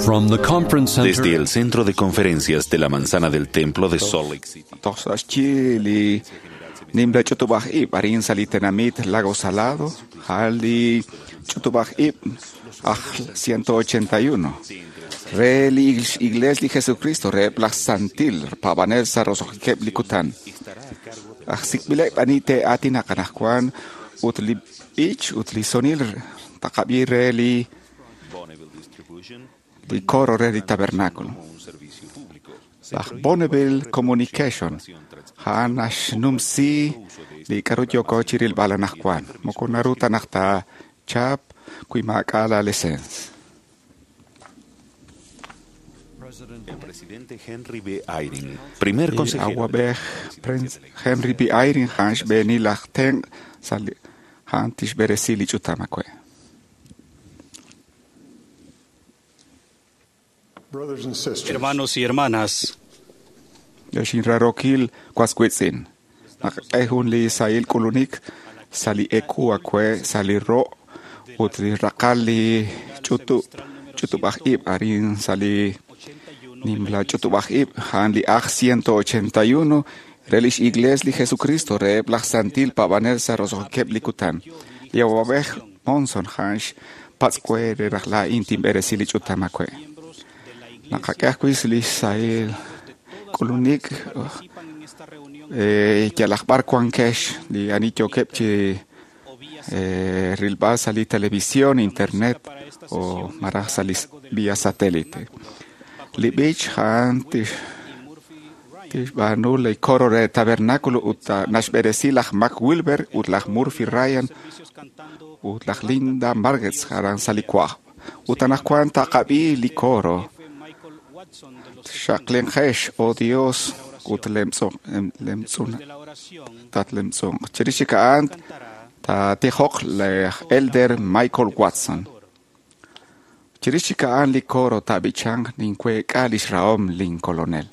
From the conference center Desde el centro de conferencias de la Manzana del Templo de Salt Lake City. Toj sa' xyi li nimla ch'utub'aj ib' arin sa' li tenamit Lago Salado, ja'al li ch'utub'aj ib' aj 181. Re li Iglesia li Jesucristo re laj Santil paab'anel sa' roso'jikeb' li kutan. Aj sik'b'ileb' ani te'aatinaq anaqwan ut li b'ich ut li sonil taqab'i re li li coro re li tabernáculo. Laj Bonneville Communication ja'an naxnumsi li k'aru yooko chi rilb'al anaqwan. Moko naru ta naq taachap wi maak'a' la licencia. El presidente Henry B. Eyring, primer Li consejero. awab'ej Prince Henry B. Eyring ja'an xb'eeni laj tenq' sa' li ja'an tixb'eresi li ch'utam awe'. Brothers and sisters, Hermanos y hermanas, Ex inrarokil waswitz'in. Naqk'e jun li sahil k'ulunik sa' li eku awe' sa' li ro' ut li raqal li ch'utub' ch'utub'aj ib' arin sa' li nimla ch'utub'aj ib' ja'an li aj 181 re lix Iglesia li Jesucristo reheb' laj Santil paab'anel sa' roso'jikeb' li kutan. Li awab'ej Monson ja'an xpatz' we re raj laa'in tinb'eresi li ch'utam awe'. Naqak'e ajwi' li sahil k'ulunik yalaq b'ar wankex li ani yookeb' chi rilb'al sa' li televisión, internet o malaj sa' li vía satélite. Li b'ich ja'an tixb'aanu li coro re tabernáculo ut naxb'eresi laj Mac Wilber ut laj Murphy Ryan ut laj Linda Margetts aran sa' li kwaj. Ut anaqwan taqab'i li coro. Xaqlinqex, oh Dios, ut lemtz'un tatlemtz'unq. Chirix chik a'an taatijoq laj Elder Michael Watson. Chirix chik a'an li coro taab'ichanq ninweek'a lix rahom lin kolonel.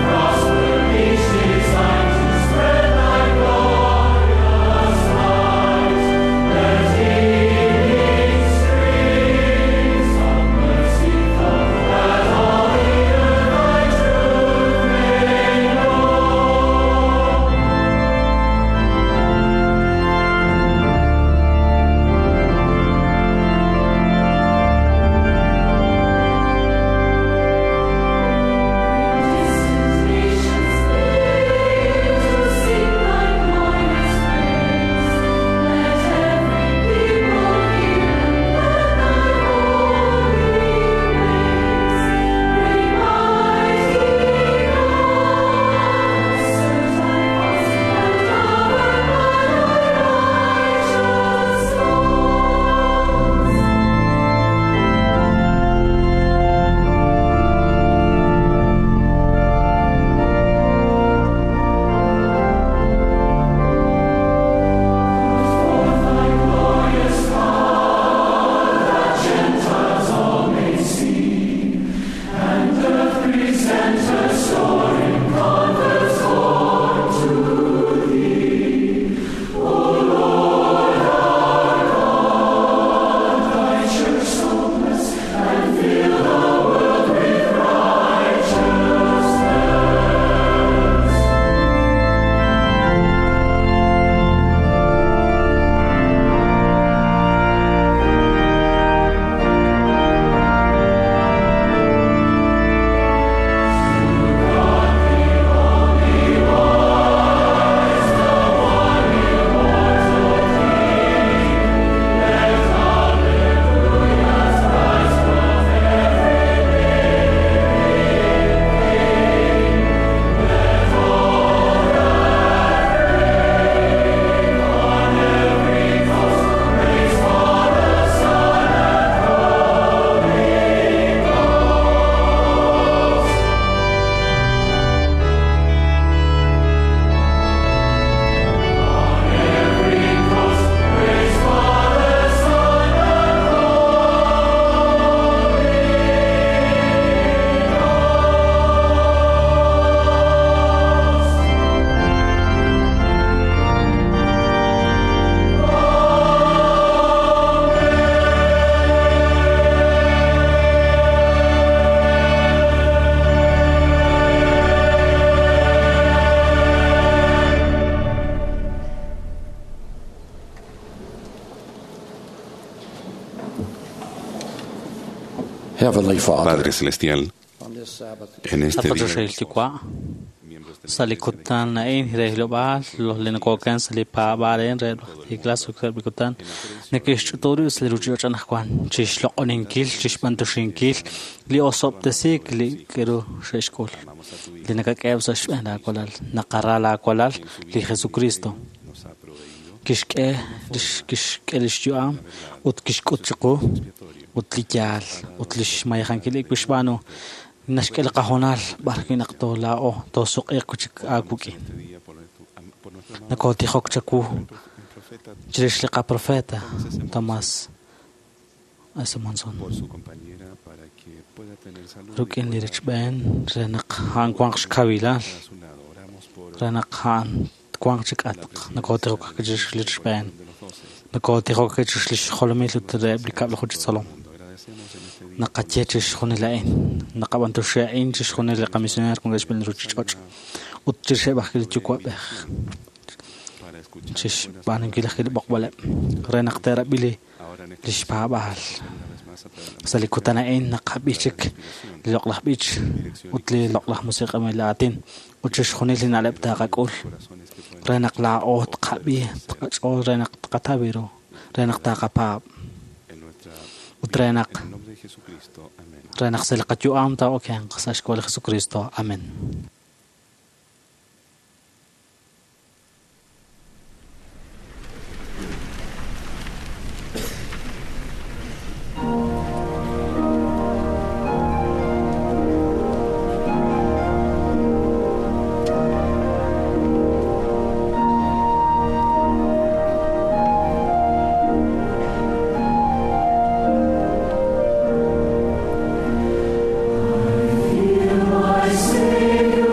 Prosper each design to spread thy glory. Heavenly Father, Padre Celestial, en este día, Qachoxahil Yuwa', sa' li kutan a'in re hilob'aal li noko'oken sa' li paab'aal a'in re li iglesia sa'eb' li kutan neke'xch'utu rib' sa' li ruchich'och' anaqwan chixloq'oninkil, chixb'antoxinkil li osob'tesiik li k'aru xe'xk'ul li nakak'eheb' sa' xb'een laawalal. Naqara laawalal li Jesucristo kixk'e kixk'e lix yu'am ut kixk'ut chiqu ut li yaal ut lix mayejankil li kixb'aanu naxk'e li qahoonal b'ar wi' naq toolaa'o toosuq'iiq wi' chik aawik'in. Nakotijok chawu chirix li qaprofeta Tomás S. Monson rik'in li richb'een re naq a'an wanq xkawilal re naq a'an twanq chi k'atq. Nakotijok chirix li richb'een nakotijok chirix li xjolomil ut reheb' li kab'laju chi tzolom. Naqaye chixjunil a'in naqab'antoxi a'in chixjunil li qamisioneer wankeb' xb'een li ruchich'och' ut chirixeb' ajwi' li yuwa'b'ej chixb'aanunkil ajwi' li b'oqb'aleb' re naq te'rab'i li xpaab'aal. Sa' li kutan a'in naqab'i chik li loq'laj b'ich ut li loq'laj musiq'anb'il aatin ut chixjunil li na'leb' taqak'ul re naq laa'o tqab'i tqach'ool re naq tqataw ru re naq taqapaab' ut re naq sa' li qayu'am taa'okenq sa' xk'ab'a' li Jesucristo. Amen. I feel my Savior.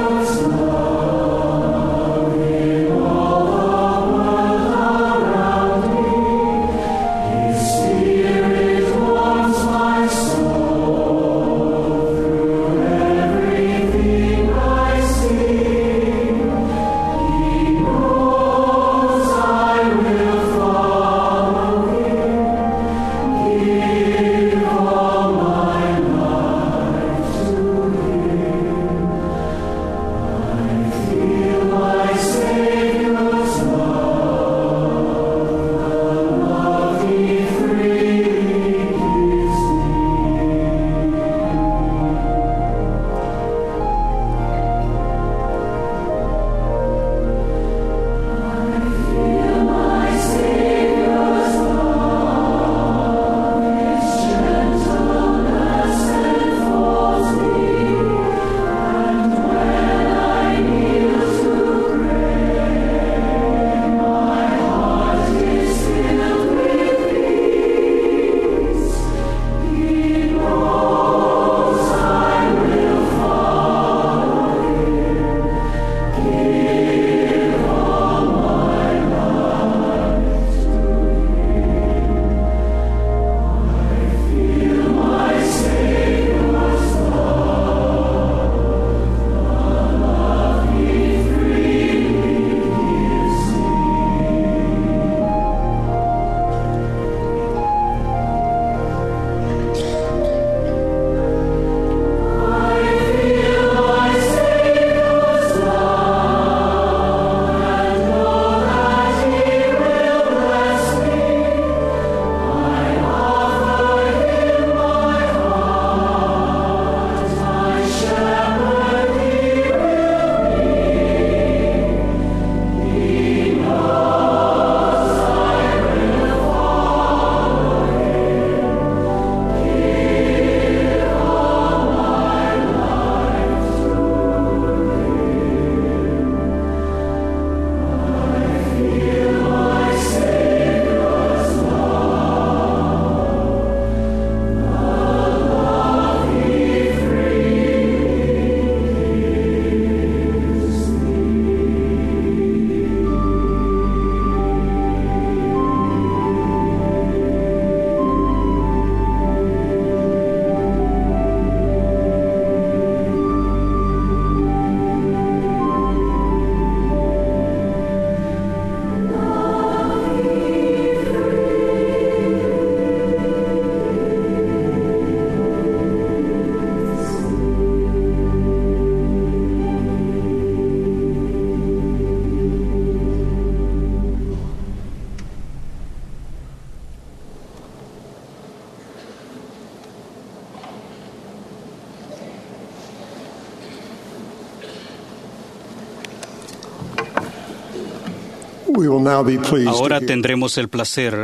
We will now be pleased to Ahora hear tendremos el placer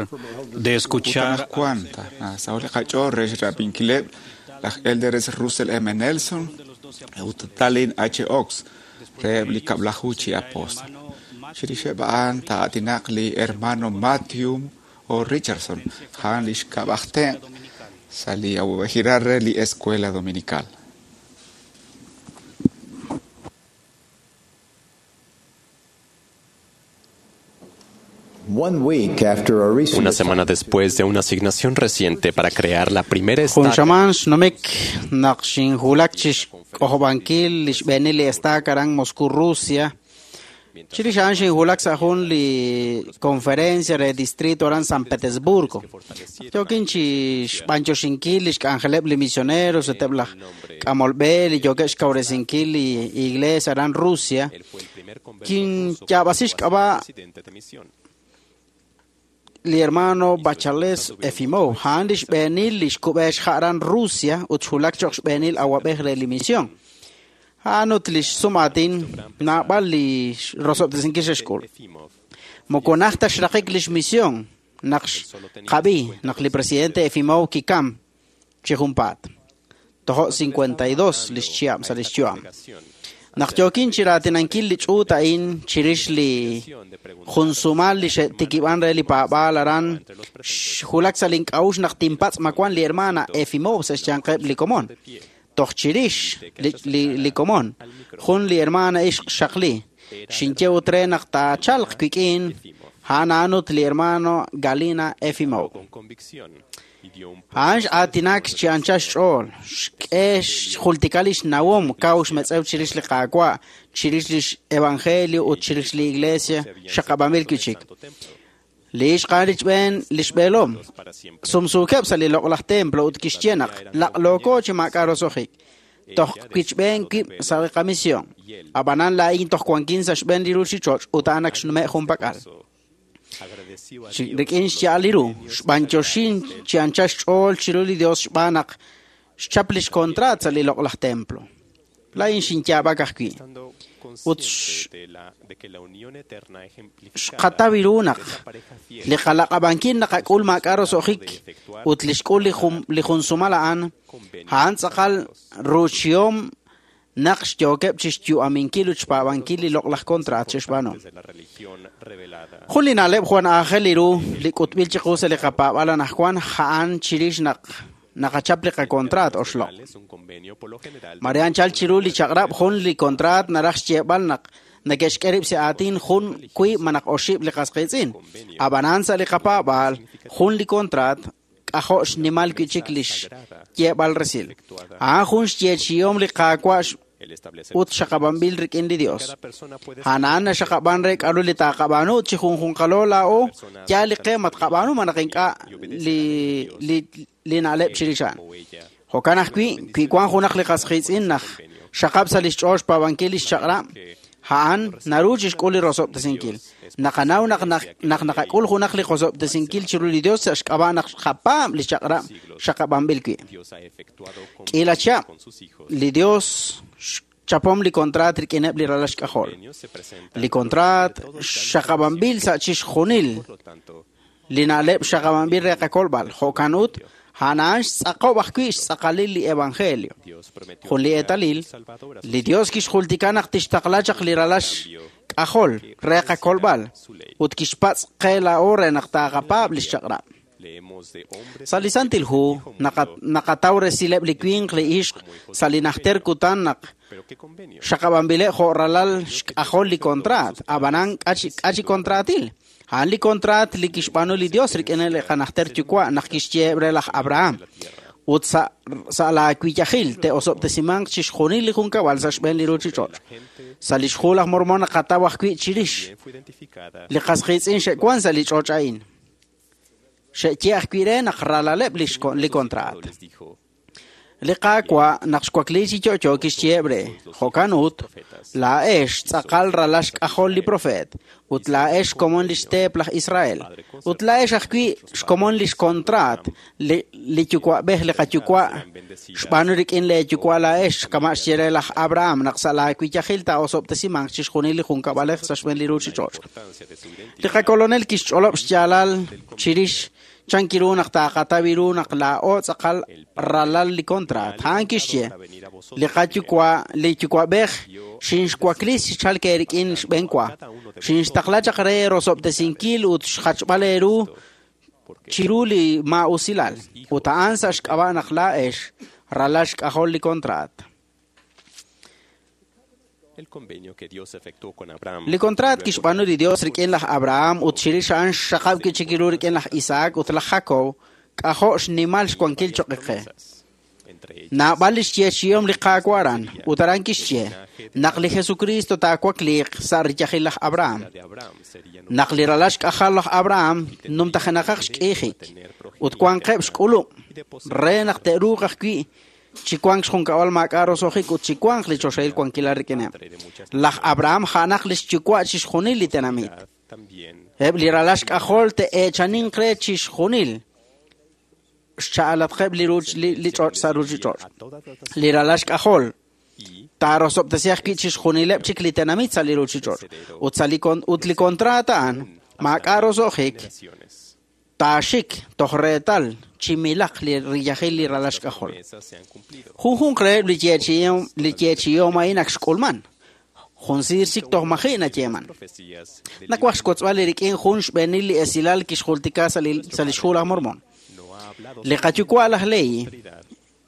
de escuchar Anaqwan sa' li qach'ool re xrab'inkileb' laj Elders Russell M. Nelson ut Tallinn H. Ox reheb' li kab'laju chi apóstol. Chirixeb' a'an taa'aatinaq li hermano Matthew O. Richardson, a'an li xkab' aj tenq' sa' li awab'ejilal re li Escuela Dominical. One week after a recent Una semana después de una asignación reciente para crear la primera Jun estaca xamaan xnumik naq xinjulak chi xk'ojob'ankil li xb'eenil li estaca aran Moscú, Rusia. Chirix a'an xinjulak sa' jun li conferencia re distrito aran San Petersburgo. Yookin chi xb'anyoxinkil li xk'anjeleb' li misioneros ut eb' laj k'amolb'e li yookeb' xkawresinkil li iglesia aran Rusia. Él fue el primer converso Kinyaab'asi ruso a ser xk'ab'a' presidente de misión. li hermano Bachales Efimov, a'an li xb'eenil li xkub'e xja' aran Rusia ut xjulak cho'q xb'eenil awab'ej re li misión. A'an ut li xsumaatin naab'al li rosob'tesinkil xe'xk'ul. Efimov Moko najt ta xraqik li xmisión naq xqab'i naq li presidente Efimov kikam chi junpaat. Tojo' 52 li xchihab' sa' li xyu'am. Naq yookin chi raatinankil li ch'uut a'in chirix li jun sumal li xe'tikib'an re li paab'aal aran xjulak sa' link'a'uxl naq tinpatz' ma wan li hermana Efimov sa' xyanqeb' li komon. Toj chirix li, li, li komon, jun li hermana ixq xaqli. Xinye ut re naq taachalq wik'in, a'an a'an ut li hermano Galina Efimov. con convicción y dio un A'an x'aatinak chi anchal xch'ool, xk'e xjultika li xnawom kaw xmetz'ew chirix li Qaawa', chirix li evangelio ut chirix li iglesia xaqab'anb'il wi' chik. santo templo Li ixq a'an richb'een li xb'eelom, para siempre. sumsuukeb' sa' li loq'laj templo ut kixye naq laq'looko chi maak'a' roso'jik. Toj wichb'een wib' sa' li qamisión. Ab'anan laa'in toj wankin sa' xb'een li ruuchich'och' ut a'an ak xnume' junpak'al. Agradeció a Chi- Dios rik'in xya'al li ru, xb'anyoxin chi anchal xch'ool chiru li Dios xb'aan naq xchap li xkontraat sa' li loq'laj templo. Laa'in xinyaab'ak ajwi'. estando Ut consciente de, la, de que la unión eterna ejemplificada xqataw ru naq de esa pareja fiel li qalaq'ab'ankil naqak'ul maak'a' roso'jik ut li xk'ul li jun, li jun sumal a'an, a'an tz'aqal ruuchihom naq xyookeb' chi xyu'aminkil ut xpaab'ankil li loq'laj kontraat xe'xb'aanu. de la religión revelada Jun li na'leb' jwan aajel li ru li k'utb'il chiqu sa' li qapaab'al anaqwan a'an chirix naq naqachap li qakontraat oxloq'. es un convenio por lo general Mare anchal chiru li chaq'rab' jun li kontraat naraj xyeeb'al naq neke'xk'e rib' sa' aatin jun wiib' malaj oxib' li qas qiitz'in. Ab'anan sa' li qapaab'aal jun li kontraat k'ajo' xnimal wi' chik li xyeeb'al resil. A'an jun xyeechihom li Qaawa' el establecer ut xaqab'anb'il rik'in li Dios. cada persona puede A'an a'an naxaqab'an re k'aru li taaqab'aanu ut chi junjunqalo laa'o yaal li qe ma tqab'aanu malaj ink'a' li, li, li na'leb' chirix a'an. o ella Jo'kan ajwi', wi wan junaq li qas qiitz'in naq xaqab' sa' li xch'ool xpaab'ankil li xchaq'rab', a'an naru chixk'ul li rosob'tesinkil. Naqanaw naq naq naqak'ul junaq li qosob'tesinkil chiru li Dios sa' xk'ab'a' naq xqapaab' li chaq'rab' xaqab'anb'il wi'. Dios ha efectuado K'iila convenios chihab', con sus hijos li Dios xchapom li kontraat rik'ineb' li ralal xk'ajol. Convenios se presentan Li kontraat por todo el plan de xaqab'anb'il sa' chixjunil por lo tanto li na'leb' xaqab'anb'il re qakolb'al. Jo'kan ut, a'an a'an xtz'aqob' ajwi' xtz'aqalil li evangelio. Dios prometió Jun li enviar eetalil, un Salvador a sus li Dios kixjultika naq tixtaqla chaq li ralal xk'ajol re qakolb'al ut kixpatz' qe laa'o re naq taaqapaab' li xchaq'rab'. Leemos de hombres Sa' li Santil Hu naqataw resileb' li winq li ixq sa' li najter kutan naq pero qué convenio xaqab'anb'ileb' jo' ralal xk'ajol li kontraat, ab'anan k'a chi kontraatil. A'an li kontraat li kixb'aanu li Dios rik'in li qanajter yuwa' naq kixyeeb' re laj Abraham. Ut sa' sa' laawiyajil te'osob'tesimanq chixjunil li junkab'al sa' xb'een li ruuchich'och'. Sa' li xhu laj Mormon naqataw ajwi' chirix También fue identificada li qas qiitz'in xe'wan sa' li ch'och' a'in. Xe'ye ajwi' re naq ralaleb' li xko- li kontraat. les dijo Li Qaawa' naq xwakliik chi yo'yo kixyeheb' re: Jo'kan ut, laa'ex tz'aqal ralal xk'ajol li profeet, ut laa'ex xkomon lix teep laj Israel, ut laa'ex ajwi' xkomon lix kontraat li yuwa'b'ej li qayuwa' xb'aanu rik'in leeyuwa' laa'ex, kama' xye re laj Abraham naq sa' laawiyajil taa'osob'tesimanq chixjunil li junkab'alej sa' xb'een li ruuchich'och'. Li qakolonel kixch'olob' xyaalal chirix chan kiru naq taaqataw ru naq laa'o tz'aqal ralal li kontraat. A'an kixye: Li qayuwa' li yuwa'b'ej xinxwaklis chi chalk eerik'in xb'enwa, xinxtaqla chaq re rosob'tesinkil ut xjachb'al eeru chiru li maa'usilal, ut a'an sa' xk'ab'a' naq laa'ex ralal xk'ajol li kontraat. Li kontraat kixb'aanu li Dios rik'in laj Abraham ut chirix a'an xxaqab' wi' chik ru rik'in laj Isaac ut laj Jacob, k'ajo' xnimal xwankil choq' qe. Naab'al li xyeechi'om li Qaawa' aran, ut aran kixye naq li Jesukristo taawakliiq sa' riyajil laj Abraham, naq li ralal xk'ajal laj Abraham numtajenaqaq xk'iijik ut wanqeb' xk'ulub' re naq te'ruuq ajwi' chi wank xjunkab'al maak'a' roso'jik ut chi wanq li choxahil wankilal rik'ineb'. Laj Abraham a'anaq li xyuwa' chixjunil li tenamit. Eb' li ralal xk'ajol te'eechaninq re chixjunil xcha'alatqeb' li ch'och' sa' ruuchich'och'. Li ralal xk'ajol taarosob'tesi ajwi' chixjunileb' chik li tenamit sa' li ruuchich'och'. Ut sa' li ut li kontraat a'an maak'a' roso'jik taaxik toj reetal chi milaq li riyajil li ralal xk'ajol. Junjunq reheb' li yeechi'om a'in ak xk'ulman. Jun siir chik toj maji' nayeeman. Nawaj xwotzb'al li rik'in jun xb'eenil li esilal kixjultika sa' li xhu laj Mormon. Li qayuwa' laj Lehi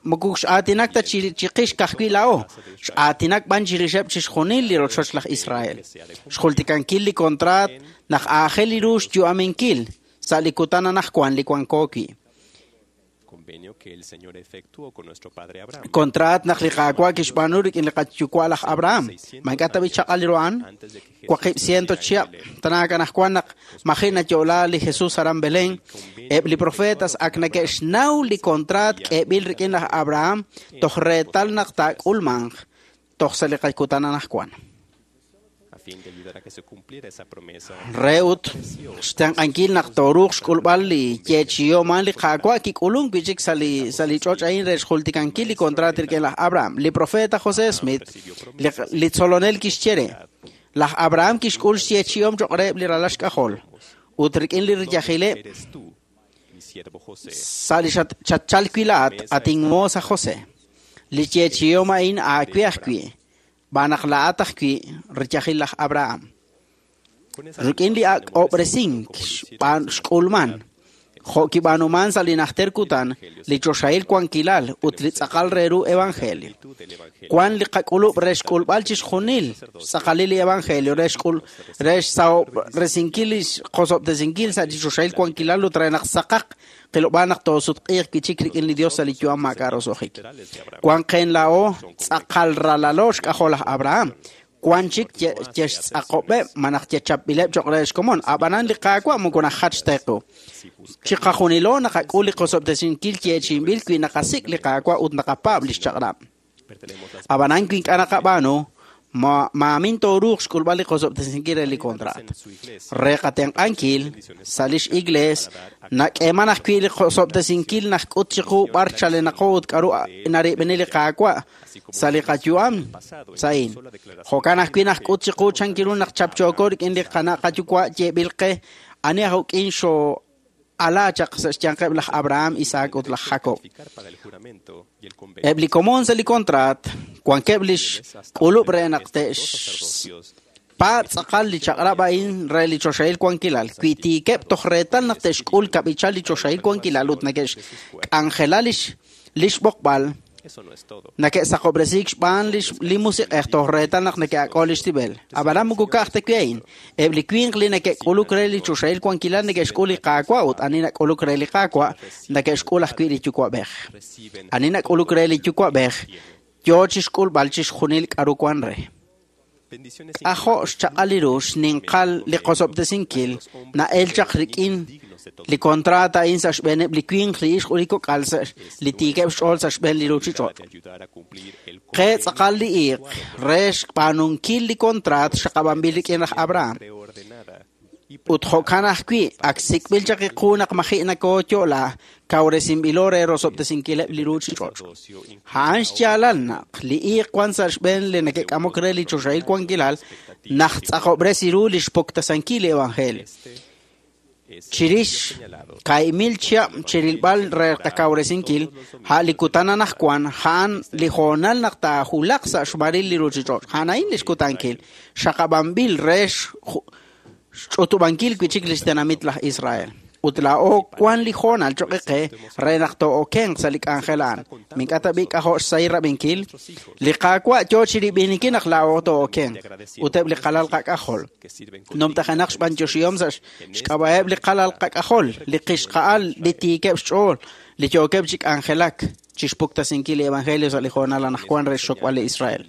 moko x'aatinak ta chiqix ka'ajwi' laa'o, x'aatinak b'an chirixeb' chixjunil li rochoch laj Israel. Xjultikankil li kontraat naq aajel ru xyu'aminkil sa' li kutan anaqwan li wanko wi'. Kontraat naq li Qaawa' kixb'aanu rik'in li qayuwa' laj Abraham. Ma ink'a' ta b'i chaq'al ru a'an? 800 chihab' tanaak anaqwan naq maji' nayo'la li Jesus aran Belén, eb' li profetas ak neke'xnaw li kontraat k'eeb'il rik'in laj Abraham toj reetal naq taak'ulmanq toj sa' li qakutan anaqwan. Re ut xtenq'ankil naq tooruuq xk'ulb'al li yeechi'om a'an li Qaawa' kik'ulunk wi' chik sa' li ch'och' a'in re xjultikankil li kontraat rik'in laj Abraham. Li profeta José Smith, li tzolonel kixye re, laj Abraham kixk'ul xyeechi'om choq' reheb' li ralal xk'ajol ut rik'in li riyajileb' sa' li xatchalk wi' laa'at at inmoos aj José. Li yeechi'om a'in aawe ajwi', b'an naq laa'at ajwi' riyajil laj Abraham. Rik'in li ak'ob'resink xk'ulman, jo' kib'aanuman sa' li najter kutan, li choxahil wankilal ut li tz'aqal re ru evangelio. Wan li qak'ulub' re xk'ulb'al chixjunil xtz'aqalil li evangelio re xsahob'resinkil li qosob'tesinkil sa' li choxahil wankilal ut re naq saqaq qilob'aal naq toosutq'iiq wi' chik rik'in li Dios sa' li yu'am maak'a' roso'jik. Wan qeen laa'o tz'aqal ralalo xk'ajol laj Abraham. Wan chik yextz'aqob'eb' malaj yechapb'ileb' choq' re xkomon. Ab'anan li Qaawa' moko najach ta qu. Chiqajunilo naqak'ul li qosob'tesinkil yeechi'inb'il wi naqasik' li Qaawa' ut naqapaab' li xchaq'rab'. Ab'anan wi ink'a' naqab'aanu, maamin tooruuq xk'ulb'al li qosob'tesinkil re li kontraat. Re qatenq'ankil sa' lix iglees nak'eeman ajwi' li qosob'tesinkil najk'ut chiqu b'ar chalenaqo ut k'aru narib'eni li Qaawa' sa' li qayu'am sa'in. Jo'kan ajwi' najk'ut chiqu chan kiru naq chapchooko rik'in li qana' qayuwa' yeeb'il qe ani aj uk'in xoo'ala chaq sa' xyanqeb' laj Abraham, Isaac ut laj Jacob. Eb' li komon sa' li kontraat wankeb' li xk'ulub' re naq te'xpaab' tz'aqal li chaq'rab' a'in re li choxahil wankilal. Wi tiikeb' toj reetal naq te'xk'ul kab'ichal li choxahil wankilal ut neke'xk'anjela li xb'oqb'al, neke'saqob'resiik xb'aan li musiq'ej toj reetal naq neke'ak'o li xtib'el. Ab'anan moko ka'aj ta wi' a'in. Eb' li winq li neke'k'uluk re li choxahil wankilal neke'xk'ul li Qaawa' ut ani nak'uluk re li Qaawa' neke'xk'ul ajwi' li Yuwa'b'ej. Ani nak'uluk re li Yuwa'b'ej yo chixk'ulb'al chixjunil k'aru wan re. K'ajo' xchaq'al ru xninqal li qosob'tesinkil na'el chaq rik'in li kontraat a'in sa' xb'eeneb' li winq, li ixq ut li kok'al sa' li tiikeb' xch'ool sa' xb'een li ruuchich'och'. Qe tz'aqal li iiq re xb'aanunkil li kontraat xaqab'anb'il rik'in laj Abraham. Ut jo'kan ajwi' ak sik'b'il chaq iqu naq maji' nakooyo'la kawresinb'ilo re rosob'tesinkileb' li ruuchich'och'. A'an xyaalal naq li iiq wan sa' xb'een li neke'k'amok re li choxahil wankilal naq tz'aqob'resi ru li xpuktasankil li evangelio. Chirix kaimil chihab' chirilb'al re qakawresinkil, a' li kutan anaqwan, a'an li hoonal naq taahulaq sa' xmaril li ruuchich'och'. A'an a'in li xkutankil, xaqab'anb'il re xch'utub'ankil wi' chik li xtenamit laj Israel. Ut laa'o wan li hoonal cho'q qe re naq too'okenq sa' li k'anjel a'an. Mink'a' tab'i' k'ajo' xsahil rab'inkil, li Qaawa' yo chirib'ininkil naq laa'o too'okenq ut eb' li qalal qak'ajol. Numtajenaq xb'antioxihom sa' xk'ab'a'eb' li qalal qak'ajol, li qixqa'al, li tiikeb' xch'ool, li yookeb' chi k'anjelak chi xpuktasinkil li evangelio sa' li hoonal anaqwan re xxokb'al li Israel.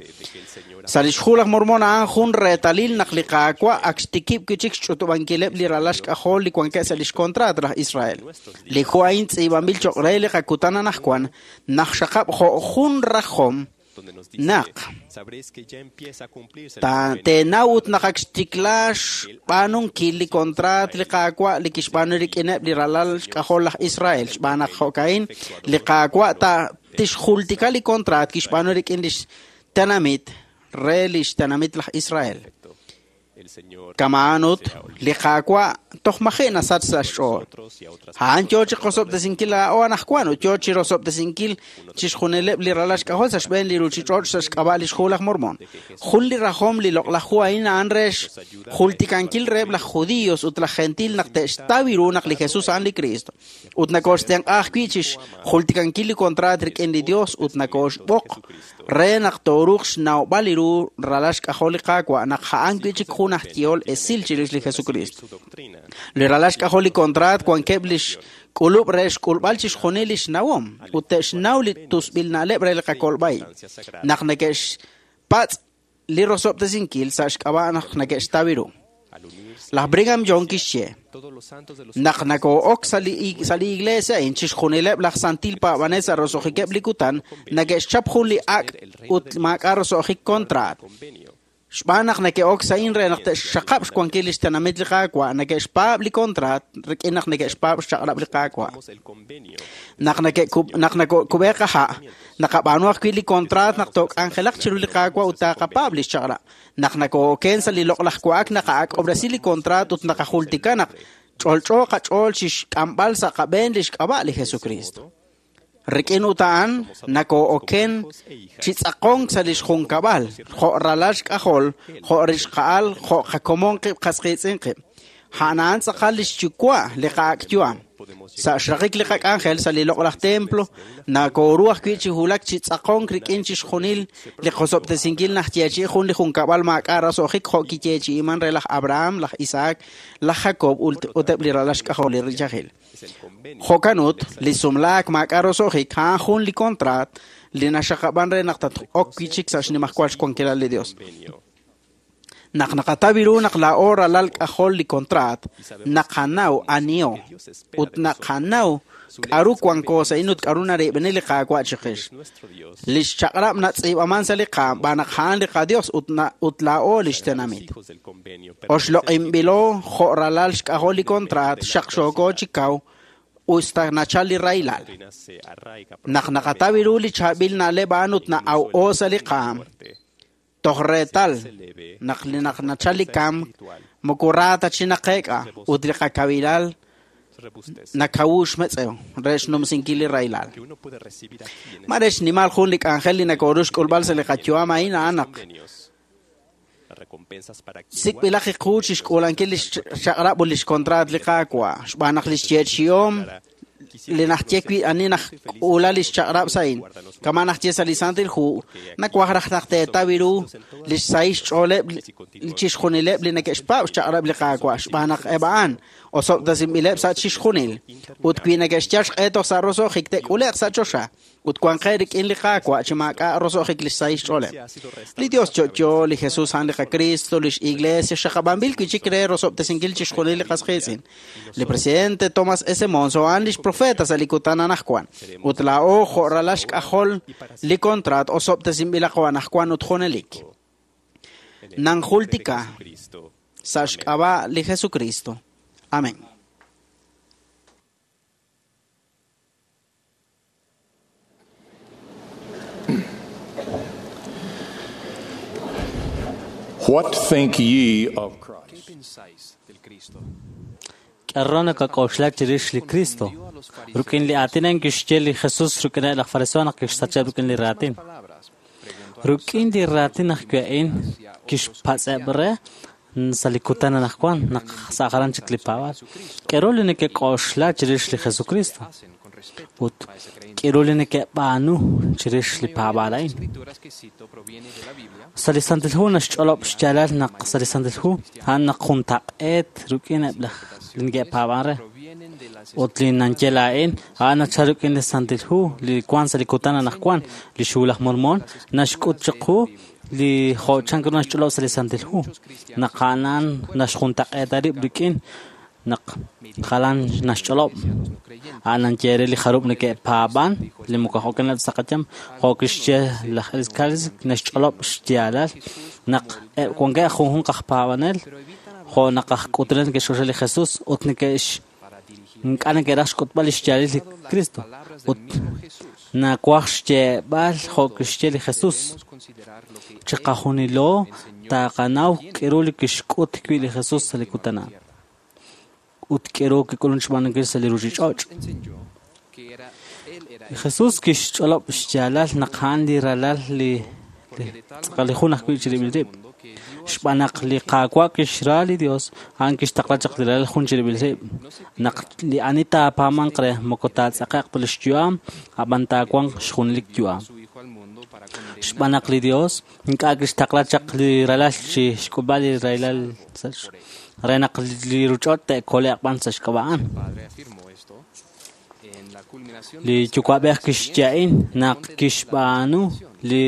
Sa' li xhu laj Mormon a'an jun reetalil naq li Qaawa' ak xtikib' wi' chik xch'utub'ankileb' li ralal xk'ajol li wankeb' sa' li xkontraat laj Israel. Li hu a'in tz'iib'anb'il cho'q re li qakutan anaqwan naq xaqab' jo' jun rajom naq teenaw ut naq ak xtikla xb'aanunkil li kontraat li Qaawa' li kixb'aanu rik'ineb' li ralal xk'ajol laj Israel. Xb'aan naq jo'ka'in li Qaawa' tixjultika li kontraat kixb'aanu rik'in li xtenamit re li xtenamit laj Israel. Kama'an ut li Qaawa' toj maji' nasach sa' xch'ool. A'an yo chi qosob'tesinkil laa'o anaqwan ut yo chi rosob'tesinkil chixjunileb' li ralal xk'ajol sa' xb'een li ruuchich'och' sa' xk'ab'a' li xhu laj Mormon. Jun li rajom li loq'laj hu a'in a'an re xjultikankil reheb' laj judíos ut laj gentil naq te'xtaw ru naq li Jesús a'an li Cristo. Ut nakooxtenq'a ajwi' chi xjultikankil li kontraat rik'in li Dios ut nakooxb'oq re naq tooruuq xnawb'al li ru ralal xk'ajol li Qaawa' naq a'an wi' chik jun aj yehol esil chirix li Jesucristo. Li ralal xk'ajol li kontraat wankeb' li xk'ulub' re xk'ulb'al chixjunil li xnawom ut te'xnaw li tusb'il na'leb' re li qakolb'ai naq neke'xpatz' li rosob'tesinkil sa' xk'ab'a' naq neke'xtaw ru. Laj Brigham Young kixye naq nakoo'ok sa' li iglesia a'in chixjunileb' laj santil paab'anel sa' roso'jikeb' li kutan neke'xchap jun li ak' ut maak'a' roso'jik kontraat. Xb'aan naq neke'ok sa'in re naq te'xxaqab' xwankil li xtenamit li Qaawa', neke'xpaab' li kontraat rik'in naq neke'xpaab' xchaq'rab' li Qaawa'. Naq nakub'e qaha', naqab'aanu ajwi' li kontraat naq took'anjelaq chiru li Qaawa' ut taaqapaab' li xchaq'rab'. Naq nakoo'oken sa' li loq'laj wa'ak naqa'ak'ob'resi li kontraat ut naqajultika naq ch'olch'o qach'ool chi xk'amb'al sa' qab'een li xk'ab'a' li Jesucristo. Rik'in ut a'an nakoo'oken chi tz'aqonk sa' li xjunkab'al, jo' ralal xk'ajol, jo' rixqa'al, jo' qakomon qib' qas qiitz'in qib'. A'an a'an tz'aqal li xyuwa' li qa'ak' yu'am. Sa' xraqik li qak'anjel sa' li loq'laj templo, nakooru ajwi' chi wulak chi tz'aqonk rik'in chixjunil li qosob'tesinkil najyeechi'i jun li junkab'al maak'a' roso'jik jo' kiyeechi'iman re laj Abraham, laj Isaac, laj Jacob ut eb' li ralal xk'ajol li riyajil. Jo'kan ut, li sumlaak maak'a' roso'jik a'an jun li kontraat li naxaqab'an re naq tat-ok wi' chik sa' xnimajwal xwankilal li Dios. Naq naqataw ru naq laa'o ralal k'ajol li kontraat, naqanaw aniho ut naqanaw k'aru wanko sa'in ut k'aru narib'eni li Qaawa' chiqix. Li xchaq'rab' natz'iib'aman sa' li qaam b'aan naq a'an li qaDios ut laa'o li xtenamit. Oxloq'inb'ilo jo' ralal xk'ajol li kontraat xaqxooko chi kaw usta nachal li rahilal. Naq naqataw ru li chaab'il na'leb' a'an ut na'aw'o sa' li qaam, toj reetal naq li naq nachal li kamk moko ra ta chi naqeek'a ut li qakawilal nakawu xmetz'ew re xnumsinkil li rahilal. Mare xnimal jun li k'anjel li nakooru xk'ulb'al sa' li qayu'am a'in a'an naq sik'b'ilaq iqu chi xk'uulankil li xchaq'rab' ut li xkontraat li Qaawa' xb'aan naq li xyeechi'om li najye wi' ani najk'uula li xchaq'rab' sa'in. Kama najye sa' li Santil Hu, nawaj raj naq teetaw ru li xsahil xch'ooleb' chixjunileb' li neke'xpaab' xchaq'rab' li Qaawa' xb'aan naq eb' a'an Osob'tesinb'ileb' sa' chixjunil. Ut wi neke'xyal xq'e toj sa' roso'jik te'k'ule'q sa' choxa. Ut wanqe rik'in li Qaawa' chi maak'a' roso'jik li xsahil xch'ooleb'. Li Dios yo'yo, li Jesus a'an li qaKristo, lix Iglesia xaqab'anb'il wi' chik re rosob'tesinkil chixjunil li qas qiitz'in. Li presidente Thomas S. Monson a'an lix profeta sa' li kutan anaqwan. Ut laa'o jo' ralal xk'ajol li kontraat osob'tesinb'ilaqo anaqwan ut junelik. Nanjultika sa' xk'ab'a' li Jesucristo. Amén. What think ye of Christ? K'aru nakak'oxla chirix li Kristo? Rik'in li aatin a'in kixye li Jesus rik'ineb' laj fariseo naq kixsacheb' rik'in li raatin. Rik'in li raatin ajwi' a'in kixpatz'eb' re sa' li kutan anaqwan naq sa' jalan chik li paab'aal. K'aru li nekek'oxla chirix li Jesucristo? Ut k'aru li nekeb'aanu chirix li paab'aal a'in? Sa' li Santil Hu naxch'olob' xyaalal naq sa' li Santil Hu a'an naq juntaq'eet rik'in eb' laj li neke'paab'an re. Ut li nanye laa'in a'an nachal rik'in li Santil Hu li wank sa' li kutan anaqwan li xhu laj Mormon naxk'ut chiqu li jo' chan ru naxch'olob' sa' li Santil Hu naq a'an naxjuntaq'eeta rib' rik'in naq jalan naxch'olob' a'an nanye re li jarub' neke'paab'an li moko jo'kaneb' sa' qayam jo' kixye laj Elskalis naxch'olob' xyaalal naq eb' wankeb' junjunq aj paab'anel jo' naq aj k'utunel neke'xk'oxla li Jesus ut neke'x ink'a' neke'raj xk'utb'al li xyaalil li Cristo ut nawaj xyeeb'al jo' kixye li Jesus chiqajunilo taqanaw k'aru li kixk'ut wi' li Jesus sa' li kutan a'an ut k'aru kik'ulun xb'aanunkil sa' li ruuchich'och'. Li Jesus kixch'olob' xyaalal naq a'an li ralal li tz'aqal li jun ajwi' chirib'il rib'. Xb'aan naq li Qaawa' kixra li Dios, a'an kixtaqla chaq li ralal jun chirib'il rib'. Naq li ani taapaamanq re moko taatz'aqe'q ta li xyu'am, ab'an taawanq xjunelik yu'am. Xb'aan naq li Dios ink'a' kixtaqla chaq li ralal chi xk'ulb'al li rahilal re naq li ruuchich'och' te'kole'q b'an sa' xk'ab'a' a'an. Li yuwa'b'ej kixye a'in naq kixb'aanu li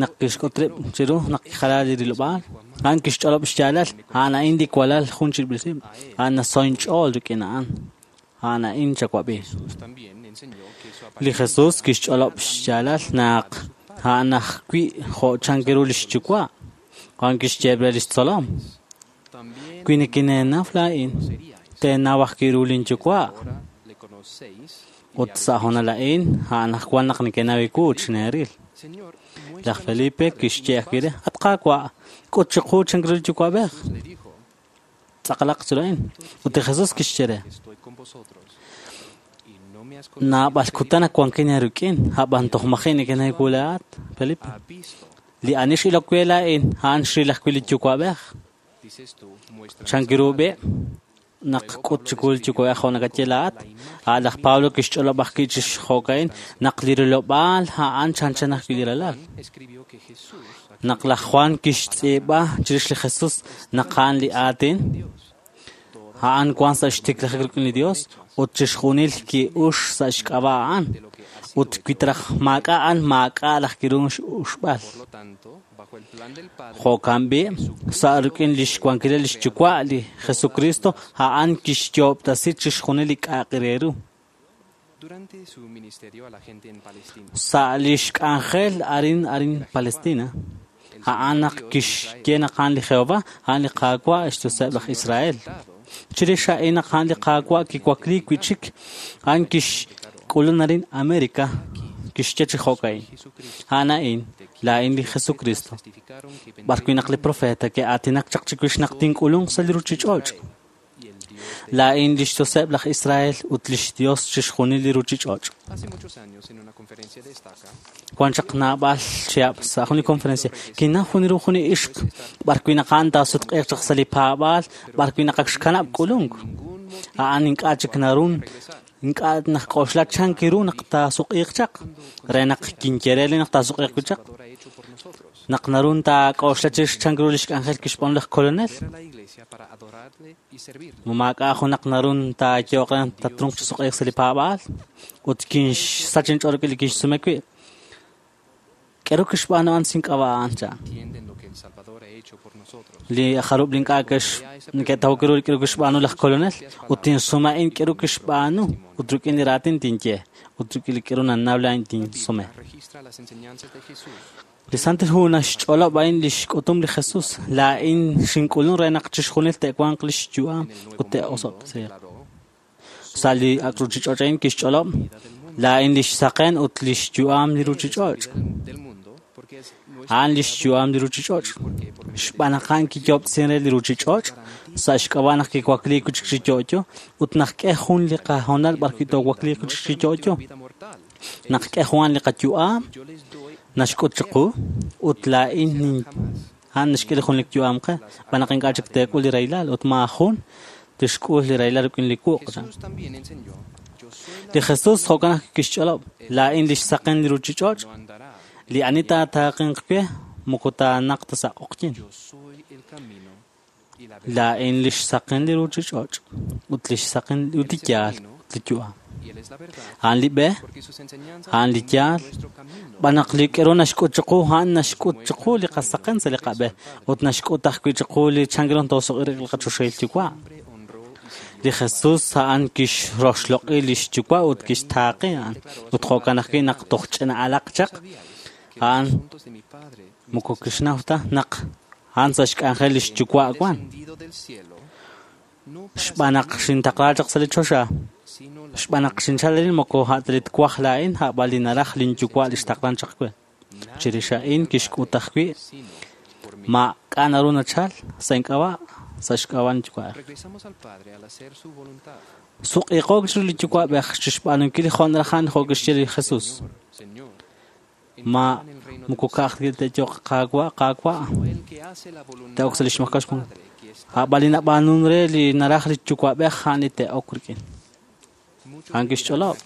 naq kixk'ut rib' chiru naq kijala li rilob'aal. A'an kixch'olob' xyaalal a'an a'in li walal jun chirib'il rib'. A'an nasoy inch'ool rik'in a'an. A'an a'in chawab'i. Li Jesus kixch'olob' xyaalal naq a'an ajwi' jo' chan ru lix yuwa'. A'an kixye re lix tzolom. Wi nikineenaw laa'in, teenaw ajwi' ru linyuwa'. Ut sa' hoonal a'in, a'an ajwan naq nekenaw iwu chineeril. Laj Felipe kixye ajwi' re, at Qaawa', k'ut chiqu chan ru li yuwa'b'ej. Tz'aqalaq chiru a'in. Ut li Jesus kixye re, naab'al kutan ak wankin eerik'in, ab'an toj maji' nekenaw iwu laa'at, Felipe. Li ani x'ilok we laa'in, a'an xril ajwi' li yuwa'b'ej. Chan ru b'i' naq k'ut chiwu li yuwa'b'ej jo' nakaye laa'at. A' laj Pablo kixch'olob' ajwi' chi jo'ka'in naq li rilob'aal a'an chanchan ajwi' li ralal. Naq laj Juan kixtz'iib'a chirix li Jesus naq a'an li aatin, a'an wank sa' xtiklajik rik'in li Dios ut chixjunil ki'ux sa' xk'ab'a' a'an. Ut wi traj maak'a' a'an maak'a' laj kiru x'uxb'al. Jo'kan b'i' sa' rik'in lix wankilal lix yuwa' li Jesucristo a'an kixyoob'tasi chixjunil li k'a'aq re ru. Sa' lix k'anjel arin arin Palestina, a'an naq kixye naq a'an li Jehova, a'an li Qaawa' xYoseb' laj Israel. Chirix a'in naq a'an li Qaawa' kiwakliik wi' chik, a'an kixk'ulun arin America, kixye chi jo'ka'in. A'an a'in, laa'in li Jesucristo. B'arwi' naq li profeta ke'aatinak chaq chiwix naq tink'ulunq sa' li ruuchich'och'. Laa'in lix Yoseb' laj Israel ut lix Dios chixjunil li ruuchich'och'. Wan chaq naab'al chihab' sa' jun li conferencia kinnaw jun ru jun li ixq b'arwi' naq a'an taasutq'iiq chaq sa' li paab'aal b'arwi' naq ak xkanab' k'ulunk. A'an ink'a' chik narun ink'a' naqk'oxla chan kiru naq taasuq'iiq chaq re naq kinye re li naq taasuq'iiq wi' chaq. Naq naru taak'oxla chirix chan ru lix k'anjel kixb'aanu laj Kolonel. Ma maak'a' junaq naru taayehoq re naq tatrunq chi suq'iik sa' li paab'aal ut kinxsach inch'ool rik'in li kixsume wi'. K'aru kixb'aanu a'an sin k'ab'a' a'an chan. Li jarub' li ink'a' neke'tawok ru li k'aru kixb'aanu laj Kolonel ut tinsume a'in k'aru kixb'aanu ut rik'in li raatin tinye ut rik'in li k'aru nannaw laa'in tinsume. Li Santil Hu naxch'olob' a'in lix k'utum li Jesus. Laa'in xink'ulun re naq chixjunil te'wanq lix yu'am ut te'osob'tesiiq. Sa' li ak' ruchich'och' a'in kixch'olob' laa'in lix saqen ut lix yu'am li ruchich'och'. A'an lix yu'am li ruchich'och'. Xb'aan naq a'an kiyoob'tesin re li ruchich'och' sa' xk'ab'a' naq kiwakliik wi' chik chi yo'yo ut naq k'e jun li qahoonal b'arwi' toowakliiq wi' chik chi yo'yo. Naq k'e jun li qayu'am naxk'ut chiqu ut laa'in a'an naxk'e li jun li yu'am qe xb'aan naq ink'a' chik teek'ul li rahilal ut maajun tixk'ul li rahilal rik'in li wuq'. Li Jesus jo'kan naq kixch'olob' laa'in lix saqen li ruchich'och' li ani taataaqinq we moko taanaq ta sa' q'oqyin. Laa'in lix saqen li ruchich'och' ut lix saqen ut li yaal ut li yu'am. A'an li b'e, a'an li yaal, xb'aan naq li k'aru naxk'ut chiqu a'an naxk'ut chiqu li qasaqen sa' li qab'e ut naxk'ut ajwi' chiqu li chan ru toosuq'i rik'in li qachoxahil Yuwa'. Li Jesus a'an kixroxloq'i lix yuwa' ut kixtaaqi a'an ut jo'kan ajwi' naq toj ch'ina'alaq chaq a'an moko kixnaw ta naq a'an sa' xk'anjel lix yuwa' wan. Xb'aan naq xintaqla chaq sa' li choxa. Xb'aan naq xinchal arin moko a' ta li twaj laa'in a'b'an li naraj linyuwa' li xtaqlan chaq we. Chirix a'in kixk'ut ajwi' maak'a' naru nachal sa' ink'ab'a' sa' xk'ab'a' linyuwa'ej. Suq'iiqook chiru li yuwa'b'ej chixb'aanunkil jo' naraj a'an jo' kixye li Jesus. Ma moko ka'aj te'yoq Qaawa' Qaawa' te'ok sa' lix makax jun. A'b'an li nab'aanun re li naraj li yuwa'b'ej a'an li te'ok rik'in. A'an kixch'olob'.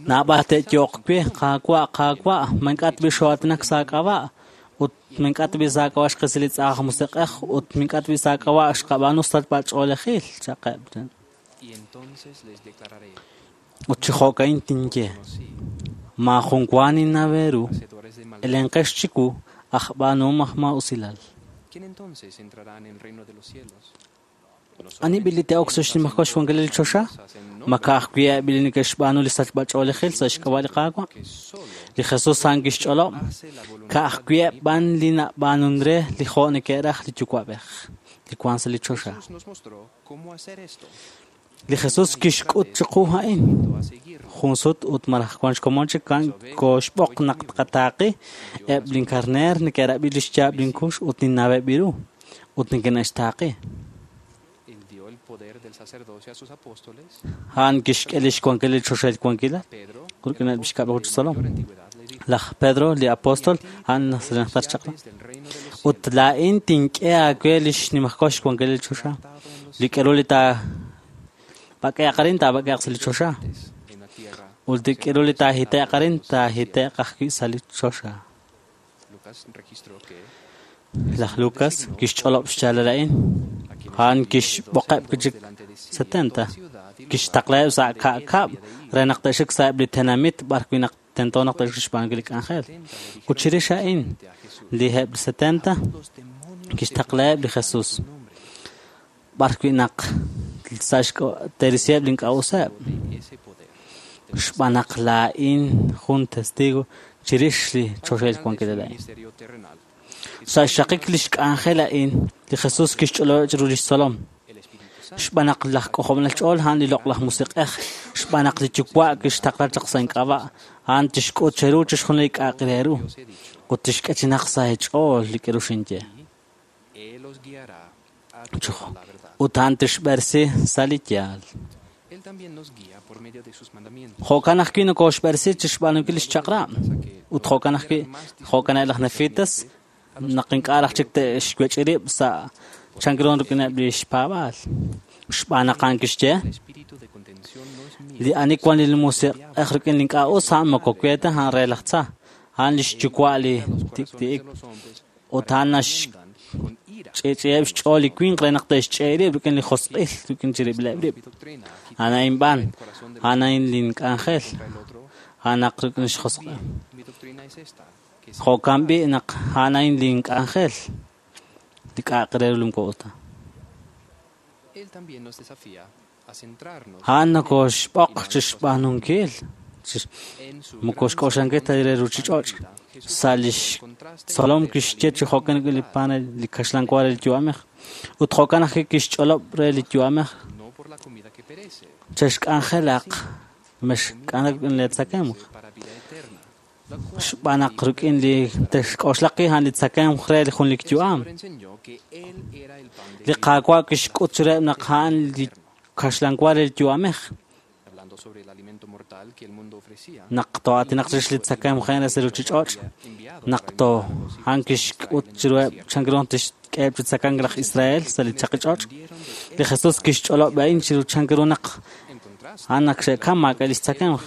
Naab'al te'yoq we Qaawa' Qaawa' ma ink'a' tb'i xoo'aatinak sa' aak'ab'a' ut ma ink'a' tb'i sa' aak'ab'a' xqisi li tz'aj musiq'ej ut ma ink'a' tb'i sa' aak'ab'a' xqab'aanu sachb'a-ch'oolejil chaqeb'. Ut chi jo'ka'in tinye maajun wa ninnaw eeru elenqex chiwu aj b'aanuhom aj maa'usilal. Ani b'i li te'ok sa' xnimajwal xwankil li choxa? Ma ka'ajwi' eb' li neke'xb'aanu li sachb'a-ch'oolejil sa' xk'ab'a' li Qaawa'? Li Jesus a'an kixch'olob' ka'ajwi' eb' b'an li nab'aanun re li jo' neke'raj li yuwa'b'ej li wank sa' li choxa. Li Jesus kixk'ut chiqu a'in jun sut ut malaj wank xkomon chik kooxb'oq naq tqataaqi eb' linkarneer neke'rab'i li xyaab' linkux ut ninnaweb' ru ut neke'xtaaqi. A'an kixk'e lix wankil li choxahil wankilal rik'ineb' lix kab'laju chi tzolom. Laj Pedro, li apóstol, a'an najter chaq'rab'. Ut laa'in tink'e aawe lix nimajwal xwankil li choxa. Li k'aru li taab'ak'e'q arin taab'ak'e'q sa' li choxa. Ut li k'aru li taahite'q arin taahite'q ajwi' sa' li choxa. Laj Lucas kixch'olob' xyaalal a'in. A'an kixb'oqeb' wi' chik 70. Kixtaqlaheb' sa' ka'kab' re naq te'xik sa'eb' li tenamit b'arwi' naq tento naq te'xik xb'aanunkil li k'anjel. Ut chirix a'in li eb' 70 kixtaqlaheb' li Jesus b'arwi' naq sa' te'risiheb' li ink'a' useb'. Xb'aan naq laa'in jun testigo chirix li choxahil wankilal a'in. Sa' xraqik lix k'anjel a'in, li Jesus kixch'olob' chiru lix tzolom. Xb'aan naq laj k'ojob'anel ch'ool a'an li loq'laj musiq'ej, xb'aan naq li Yuwa' kixtaqla chaq sa' ink'ab'a', a'an tixk'ut cheru chixjunil li k'a'aq re ru ut tixk'e chi naq sa' eech'ool li k'aru xinye. Ut a'an tixb'eresi sa' li yaal. Jo'kan ajwi' nokooxb'eresi chi xb'aanunkil lix chaq'rab' ut jo'kan ajwi' jo'kan laj Nefitas naq ink'a' raj chik te'xwech'i rib' sa' chan ru rik'ineb' li xpaab'aal. Xb'aan naq a'an kixye li ani wan li musiq'ej rik'in li ink'a' us a'an moko we ta a'an re laj tza. A'an lix yuwa' li tik'ti'ik ut a'an naxch'i'ch'i'eb' xch'ool li winq re naq te'xch'e' rib' rik'in li josq'il rik'in chirib'ileb' rib'. A'an a'in b'an, a'an a'in lin k'anjel, a'an naq rik'in xjosq'il. Jo'kan b'i' naq a'an a'in lin k'anjel, li k'a'aq re ru li moko us ta. A'an nokoxb'oq chixb'aanunkil, moko xk'oxlankil ta re ruchich'och'. Sa' lix tzolom kixye chi jo'kan rik'in li pan li kaxlan wa re li yu'amej, ut jo'kan ajwi' kixch'olob' re li yu'amej. Chexk'anjelaq, mexk'anjelaq rik'in li tzakemq. Xb'aan naq rik'in li texk'oxlaq a'an li tzakemq re li jun li yu'am. Li Qaawa' kixk'ut chiruheb' naq a'an li kaxlan wa re li yu'amej. Naq to'aatinaq chirix li tzakemq re sa' ruchich'och', naq to a'an kixk'ut chiruheb' chan ru tixk'eheb' chi tzakank laj Israel sa' li chaqich'och'. Li Jesús kixch'olob' a'in chiru chan ru naq a'an naq xe'kam maak'a' lix tzakemq.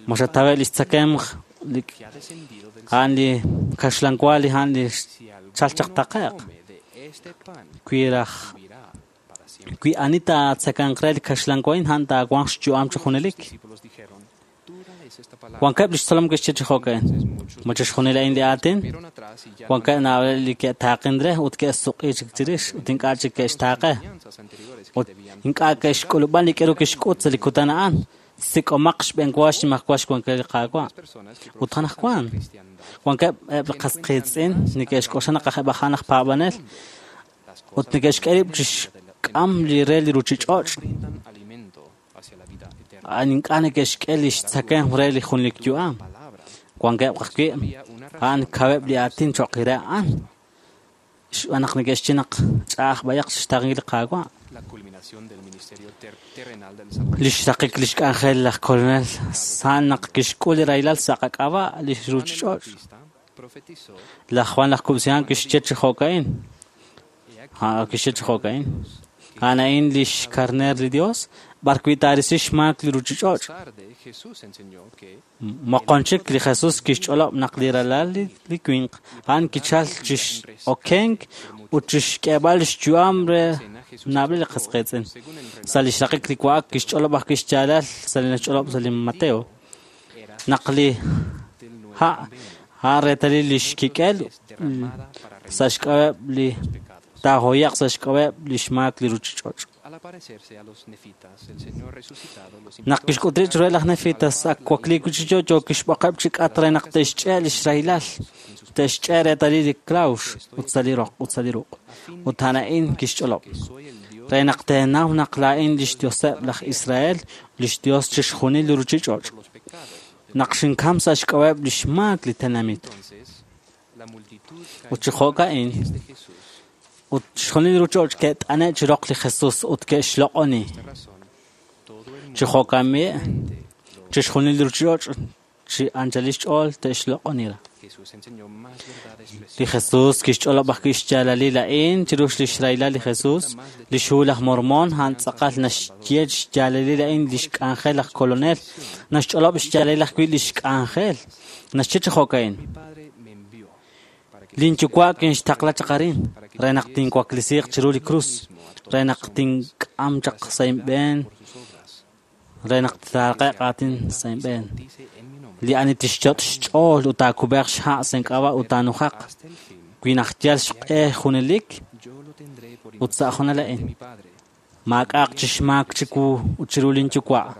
Ma xataweb' lix tzakemq a'an li kaxlan wa li a'an li chal chaq taqe'q. Wi raj wi ani taatzakanq re li kaxlan wa a'in a'an taawanq xyu'am chi junelik. Wankeb' lix tzolom ke'xye chi jo'kan. Ma chixjunil a'in li aatin? Wankeb' naab'aleb' li ke'taaqin re ut ke'suq'i chik chirix ut ink'a' chik ke'xtaaqe. Ut ink'a' ke'xk'ulub'an li k'aru kixk'ut sa' li kutan a'an. Sik'omaq xb'enwa xnimajwal xwankil li Qaawa'. Ut anaqwan wankeb' eb' li qas qiitz'in neke'xk'oxla naq aj eb' a'an aj paab'anel ut neke'xk'e rib' chixk'am li re li ruchich'och'. A'an ink'a' neke'xk'e lix tzakemq re li junlik yu'am. Wankeb' ajwi' a'an kaweb' li aatin cho'q re a'an. Xb'aan naq neke'xye naq ch'a'aj b'ayaq xtaaqenkil li Qaawa'. Lix raqik lix k'anjel laj Kolonel a'an naq kixk'ul li rahilal sa' qak'ab'a' li ruchich'och'. Laj Juan laj Kub'sihan kixye chi jo'ka'in. Kixye chi jo'ka'in. A'an a'in lix karner li Dios, b'ar wi' taarisi xmaak li ruchich'och'. Moqon chik li Jesús kixch'olob' naq li ralal li winq a'an kichal chix'okenk ut chixk'eeb'al xyu'am re naab'al li qas qiitz'in. Sa' lix raqik li wa'ak kixch'olob' ajwi' xyaalal sa' li naxch'olob' sa' li Mateo. Naq li ha' a'an reetalil lix kik'el sa' xk'ab'eb' li taahoyaq sa' xk'ab'eb' lix maak li ruchich'och'. Naq kixk'ut rib' chiruheb' laj Nefitas ak wakliik chi yo'yo kixb'oqeb' chi k'at re naq te'xch'e' lix rahilal, te'xch'e' reetalil li klawx ut sa' li roq ut sa' li ruq'. Ut a'an a'in kixch'olob'. Re naq teenaw naq laa'in lix Dioseb' laj Israel, lix Dios chixjunil li ruchich'och'. Naq xinkam sa' xk'ab'eb' lix maak li tenamit. Ut chi jo'ka'in, ut chixjunil li ruchich'och' ke't'ane' chi roq li Jesús ut ke'xloq'oni. Chi jo'kan b'i', chixjunil li ruchich'och' chi anchalil xch'ool te'xloq'oni ra. Li Jesús kixch'olob' ajwi' xyaalalil a'in chirix lix rahilal li Jesús. Lix hu laj Mormon a'an tz'aqal naxye xyaalalil a'in lix k'anjel laj Kolonel. Naxch'olob' xyaalalil ajwi' lix k'anjel. Naxye chi jo'ka'in. Lin yuwa' kinxtaqla chaq arin re naq tinwaklisiiq chiru li krus, re naq tink'am chaq sa' inb'een, re naq taaqe'q aatin sa' inb'een. Li ani tixyot' xch'ool ut taakub'eeq xha' sa' ink'ab'a' ut taanujaq, wi naq yal xq'e junelik ut sa' junal a'in. Maak'a'aq chixmaak chiwu ut chiru lin yuwa'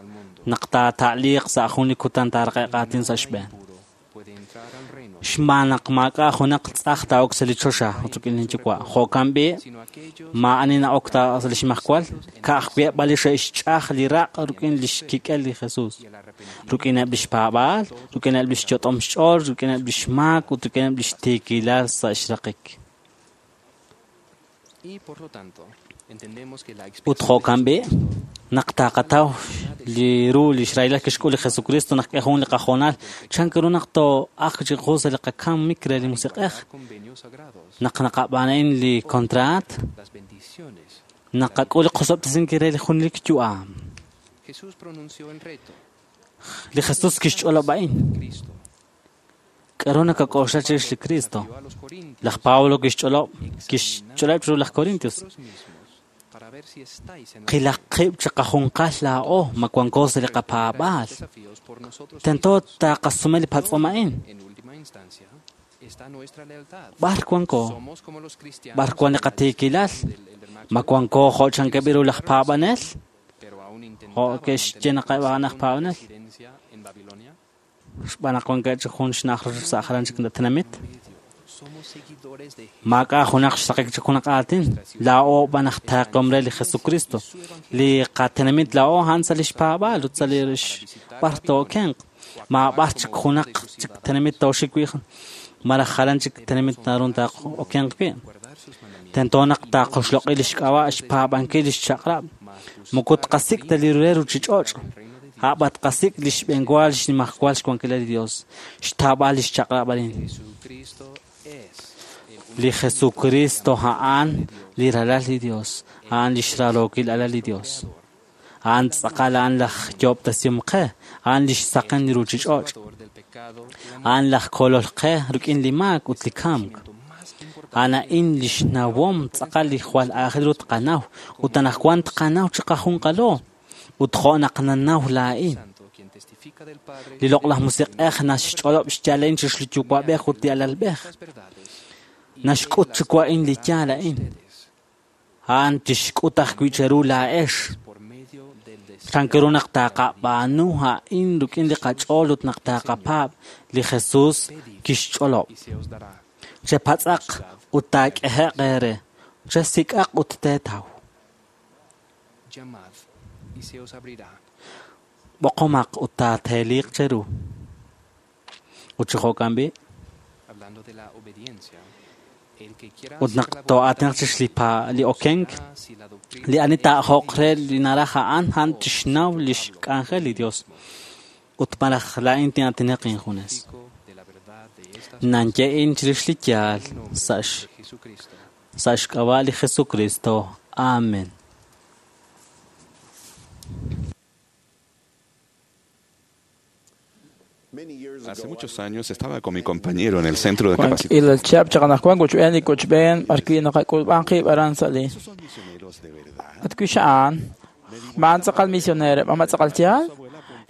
naq taata'liiq sa' jun li kutan taaraqe'q aatin sa' xb'een. Xb'aan naq maak'a' junaq tz'aj taa'ok sa' li choxa ut rik'in lin yuwa'. Jo'kan b'i' maa'ani na'ok ta sa' lix majwal, ka'ajwi' eb' li xe'xch'aj li raq' rik'in lix kik'el li Jesús. Rik'ineb' lix paab'aal, rik'ineb' lix yot'om xch'ool, rik'ineb' lix maak ut rik'ineb' lix tiikilal sa' xraqik. Ut jo'kan b'i' naq taqataw li ru lix rahilal kixk'ul li Jesucristo naq k'e jun li qajoonal chan ru naq too'ajq chiqu sa' li qakamik re li Musiq'ej. Naq naqab'aan a'in li kontraat, naqak'ul li qosob'tesinkil re li junelik yu'am. Li Jesús kixch'olob' a'in. K'aru nakak'oxla chirix li Kristo? Laj Pablo kixch'olob' chiru laj Corintios. Qilaq qib' chiqajunqal laa'o ma wanko sa' li qapaab'aal. Tento taaqasume li patz'om a'in. B'ar wanko? B'ar wan li qatiikilal? Ma wanko jo' chankeb' ru laj paab'anel? Jo' ke'xye naq eb' a'an aj paab'anel? Xb'aan naq wankeb' chik jun xna'aj sa' jalan chik tenamit. Maak'a' junaq xraqik chik junaq aatin. Laa'o b'an aj taaqom re li Jesucristo. Li qatenamit laa'o a'an sa' lix paab'aal ut sa' li b'ar tookenq. Maab'ar chik junaq chik tenamit tooxik wi' malaj jalan chik tenamit naru taa'okenq wi'. Tento naq taaqoxloq'i lix k'ab'a' xpaab'ankil lix chaq'rab'. Moko tqasik' ta li re ruuchich'och'. A'b'an tqasik' li xb'enwa li xnimajwal xwankilal li Dios, xtaab'al lix chaq'rab' arin. Li Jesucristo a'an li ralal li Dios, a'an li xrarookil alal li Dios. A'an tz'aqal a'an laj yoob'tasihom qe, a'an li xsaqen li ruuchich'och'. A'an laj kolol qe rik'in li maak ut li kamk. A'an a'in li xnawom tz'aqal li jwal aajel ru tqanaw ut anaqwan tqanaw chiqajunqalo ut jo' naq nanaw laa'in. Li loq'laj musiq'ej naxch'olob' xyaala'in chirix li yuwa'b'ej ut li alalb'ej. Naxk'ut chiwu a'in li yaal a'in. A'an tixk'ut ajwi' cheru laa'ex. Chankiru naq taaqab'aanu a'in rik'in li qach'ool ut naq taaqapaab' li Jesús kixch'olob'. Chepatz'aq ut taak'ehe'q eere. Chesik'aq ut teetaw. B'oqomaq ut taateeliq cheru. Ut chi jo'kan b'i'. Ut naq too'aatinaq chirix li okenk, li ani taa'ajoq re li naraj a'an, a'an tixnaw lix k'anjel li Dios. Ut malaj laa'in tin'aatinaq injunes. Nanye'in chirix li yaal sa' xk'ab'a' li Jesucristo. Amen. Hace muchos años estaba con mi compañero en el centro de capacitación. Il chab chaqanaqwan kuchb'een li kuchb'een b'arwi' naqak'ulb'an qib' aran sa' li. At wi xa'an ma'an tz'aqal misionero ma tz'aqal yaal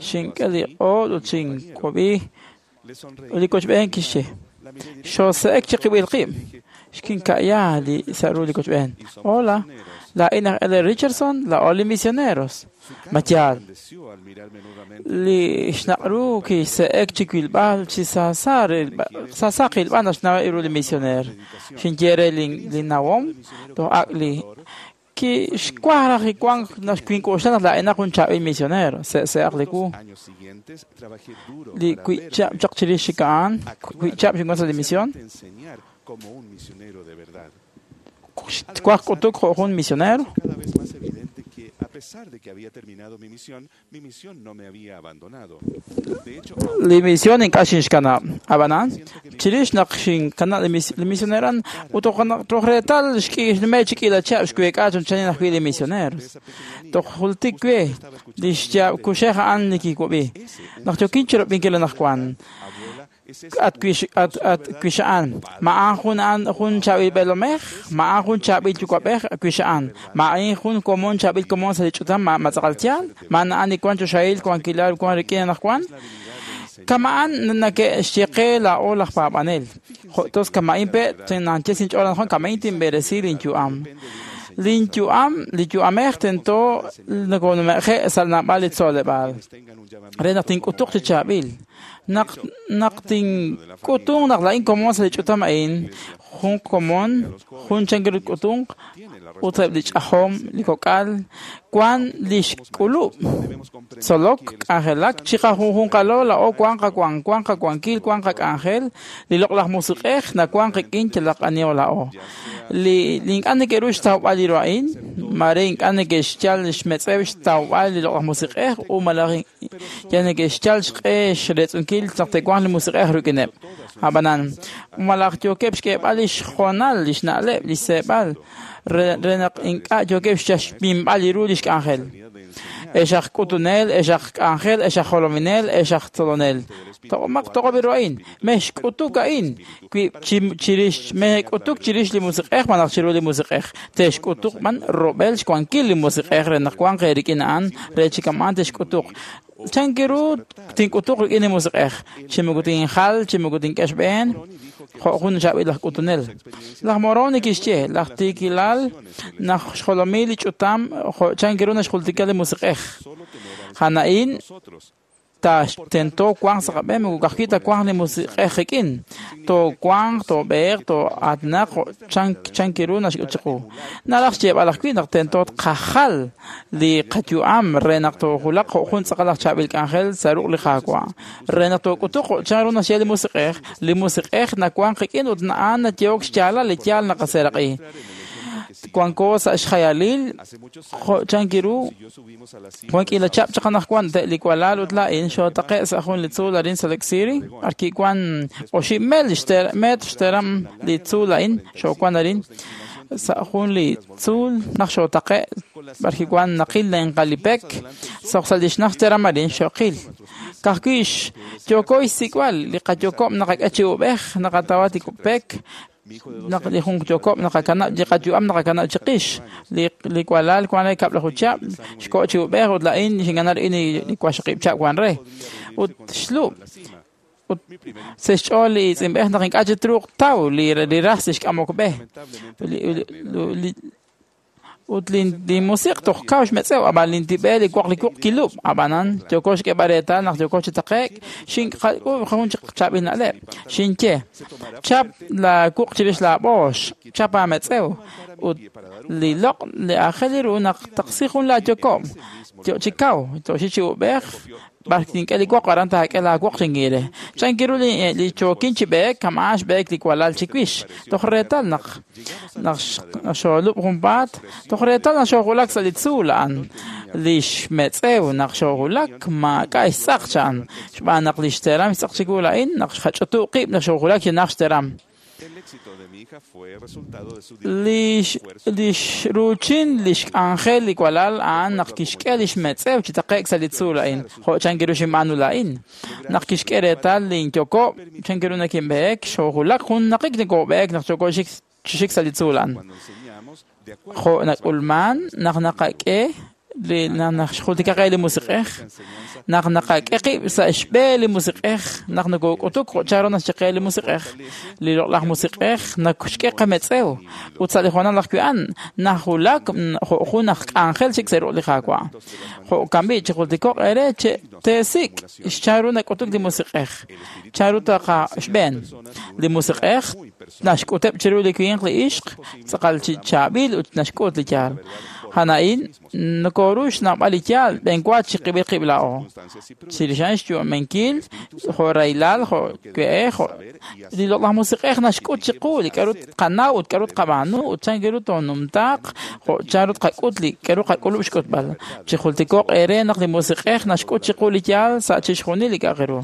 xink'e li q'ool ut xink'ob'i li kuchb'een kixye xose'ek chiqib'il qib' xkinka'ya li sa' ru li kuchb'een. Hola, laa'in aj L. Richardson, laa'o li misioneros. Ma yaal. Li xnaq'ru kise'ek chi wilb'al chi saasa qilb'al naxnaw ru li misioner. Xinye re li nawom toj ak' li kixwaj raj iwank naxwink'oxla naq laa'inaq jun chaab'il misionero. Se'se'aq li wu. Li wi'chab' chaq chirix chik a'an, wi'chab' xinwan sa' li misión. Xwaj k'utuk jo' jun misionero. A pesar de que había terminado mi misión, mi misión no me había abandonado. De hecho, li misión ink'a' xinxkanab'. Ab'anan, chirix naq xinkanab' li misioneran ut toj reetal xnume' chi k'iila chihab' xweek'a chunchanin ajwi' li misioneros. Toj jultik we li xyaab' kuxej a'an li kiwab'i. Naq yookin chirab'inkil anaqwan at wixa'an ma'an jun a'an jun chaab'il b'eelomej ma'an jun chaab'il yuwa'b'ej wixa'an ma'in jun komon chaab'il komon sa' li ch'utam ma tz'aqal yaal ma'an a'an li wan choxahil wankilal wan rik'in anaqwan kama'an nake'xye qe laa'o laj paab'anel jo' tos kama'in pe' nanche sinch'ool anaqwan kama'in tinb'eresi linyu'am linyu'am li yu'amej tento nakonume'je' sa' naab'al li tzoleb'aal re naq tink'utuq chi chaab'il naq naq tink'utunq naq laa'in komon sa' li ch'utam a'in jun komon jun chankiru k'utunq ut eb' li ch'ajom li kok'al wan li xk'ulub' tzolok k'anjelak chiqajunjunqalo laa'o wan qawan wan qawankil wan qak'anjel li loq'laj musiq'ej nawan qik'in yalaq aniho laa'o li ink'a' neke'ru xtawb'al li ru a'in mare ink'a' neke'xyal xmetz'ew xtawb'al li loq'laj musiq'ej u malaj yal neke'xyal xq'e xretz'unkil naq te'wanq li musiq'ej rik'ineb'. Ab'anan malaj yookeb' xk'eeb'al li xjonal li xna'leb' li xseeb'al re naq ink'a' yookeb' xminb'al li ru li xk'anjel. Ex aj k'utunel, ex aj k'anjel, ex aj jolominel, ex aj tzolonel. Toq'omaq toq'ob ru a'in. Mexk'utuk a'in. Wi chirix mexk'utuk chirix li musiq'ej malaj chiru li musiq'ej. Texk'utuq b'an rob'el xwankil li musiq'ej re naq wanq eerik'in a'an re chi kama'an texk'utuq. Chankiru tink'utuq rik'in li musiq'ej. Chi moko tinjal, chi moko tink'e xb'een, jo' jun chaab'il laj k'utunel. Laj Moroni kixye, laj tiikilal naq xjolomil li ch'utam jo' chankiru naxjultika li musiq'ej. Jana'in tento wanq sa' qab'een moko ka'ajwi' ta wanq li musiq'ej qik'in. Toowanq, toob'eeq, too'aatinaq jo' chankiru naxk'ut chiqu. Naraj xyeeb'al ajwi' naq tento tqajal li qayu'am re naq toojulaq jo' jun tz'aqal aj chaab'il k'anjel sa' ruq' li Qaawa'. Re naq took'utuq jo' chanru naxye li musiq'ej nawanq qik'in ut a'an nayehok xyaalal li yaal naqaseeraq'i. Wanko sa' xjayalil jo' chankiru wan k'iila chab' chaq anaqwan te' li walal ut laa'in xootaqe' sa' jun li tzuul arin Salt Lake City b'arki wan oxib' mel metr xteram li tzuul a'in xoowan arin sa' jun li tzuul naq xootaqe' b'arki wan naqil lenqalipek soq sa' li xnaj xteram arin xoqil ka'ajwi' yooko xsik'b'al li qayokob' naqak'e chi ub'ej naqatawa tikupek naq li jun yokob' naqakanab' li qayu'am naqakanab' chiqix li walal wan re kab'laju chab' xko' chi ub'ej ut la'in xinkanab' rik'in li waxaqib' chab' wan re ut xlub' ut sa' xch'ool li tz'inb'ej naq ink'a' chi truuq taw li ras li xk'amok b'e ut li musiq toj kaw xmetz'ew ab'an lintib'e li woq li wuq kilub' ab'anan yooko xk'eb'al reetal naq yooko chi taqe'k xink'ak'ub' jun chaab'il na'leb' xinye chap la wuq chirix laab'oox chap aametz'ew ut li loq' li aajel ru naq taqsi jun laayokob' yo chi kaw toxi chi ub'ej b'ar tink'e li woq aran taak'e laawoq xinkiire chankiru li chookin chi b'eek kama'an xb'eek li walal chiwix toj reetal naq xoolub' junpaat toj reetal naq xoojulak sa' li tzuul a'an li xmetz'ew naq xoojulak maak'a' xtz'aq cha'an xb'aan naq li xteram xtz'aq chiwu la'in naq xqach'utu' qib' naq xoojulak chi naj xteram. Li xruuchin li xk'anjel li walal a'an naq kixk'e li xmetz'ew chi taqe'k sa' li tzuul a'in jo' chankiru xinb'aanu la'in naq kixk'e reetal linyokob' chankiru nakinb'eek xoojulak jun naqik nakoob'eek naq yooko chi xik sa' li tzuul a'an jo' nak'ulman naq naqak'e li naq xjultika qe li musiq'ej naq naqak'e qib' sa' xb'e li musiq'ej naq nokok'utuk jo' chanru naxye li musiq'ej li loq'laj musiq'ej naxk'e qametz'ew ut sa' li hoonal ajwi' a'an najulak jo' jun aj k'anjel chik sa' ruq' li Qaawa' jo'kan b'i' chijultiko'q eere teesik' xchanru nak'utuk li musiq'ej chanru taqa xb'een li musiq'ej naxk'uteb' chiru li winq li ixq tz'aqal chi chaab'il ut naxk'ut li yaal Jana'in nokoru xnawb'al li yaal b'enwa chiqib'il qib' laa'o chirix a'an xyu'amenkil jo' rahilal jo' we'ej jo' li loq'laj musiq'ej naxk'ut chiqu li k'a'ru tqanaw ut k'a'ru tqab'aanu ut chankiru toonumtaaq jo' chanru tqak'ut li k'a'ru qak'ulub' xk'utb'al chijultiko'q eere naq li musiq'ej naxk'ut chiqu li yaal sa' chixjunil li k'a'aq ru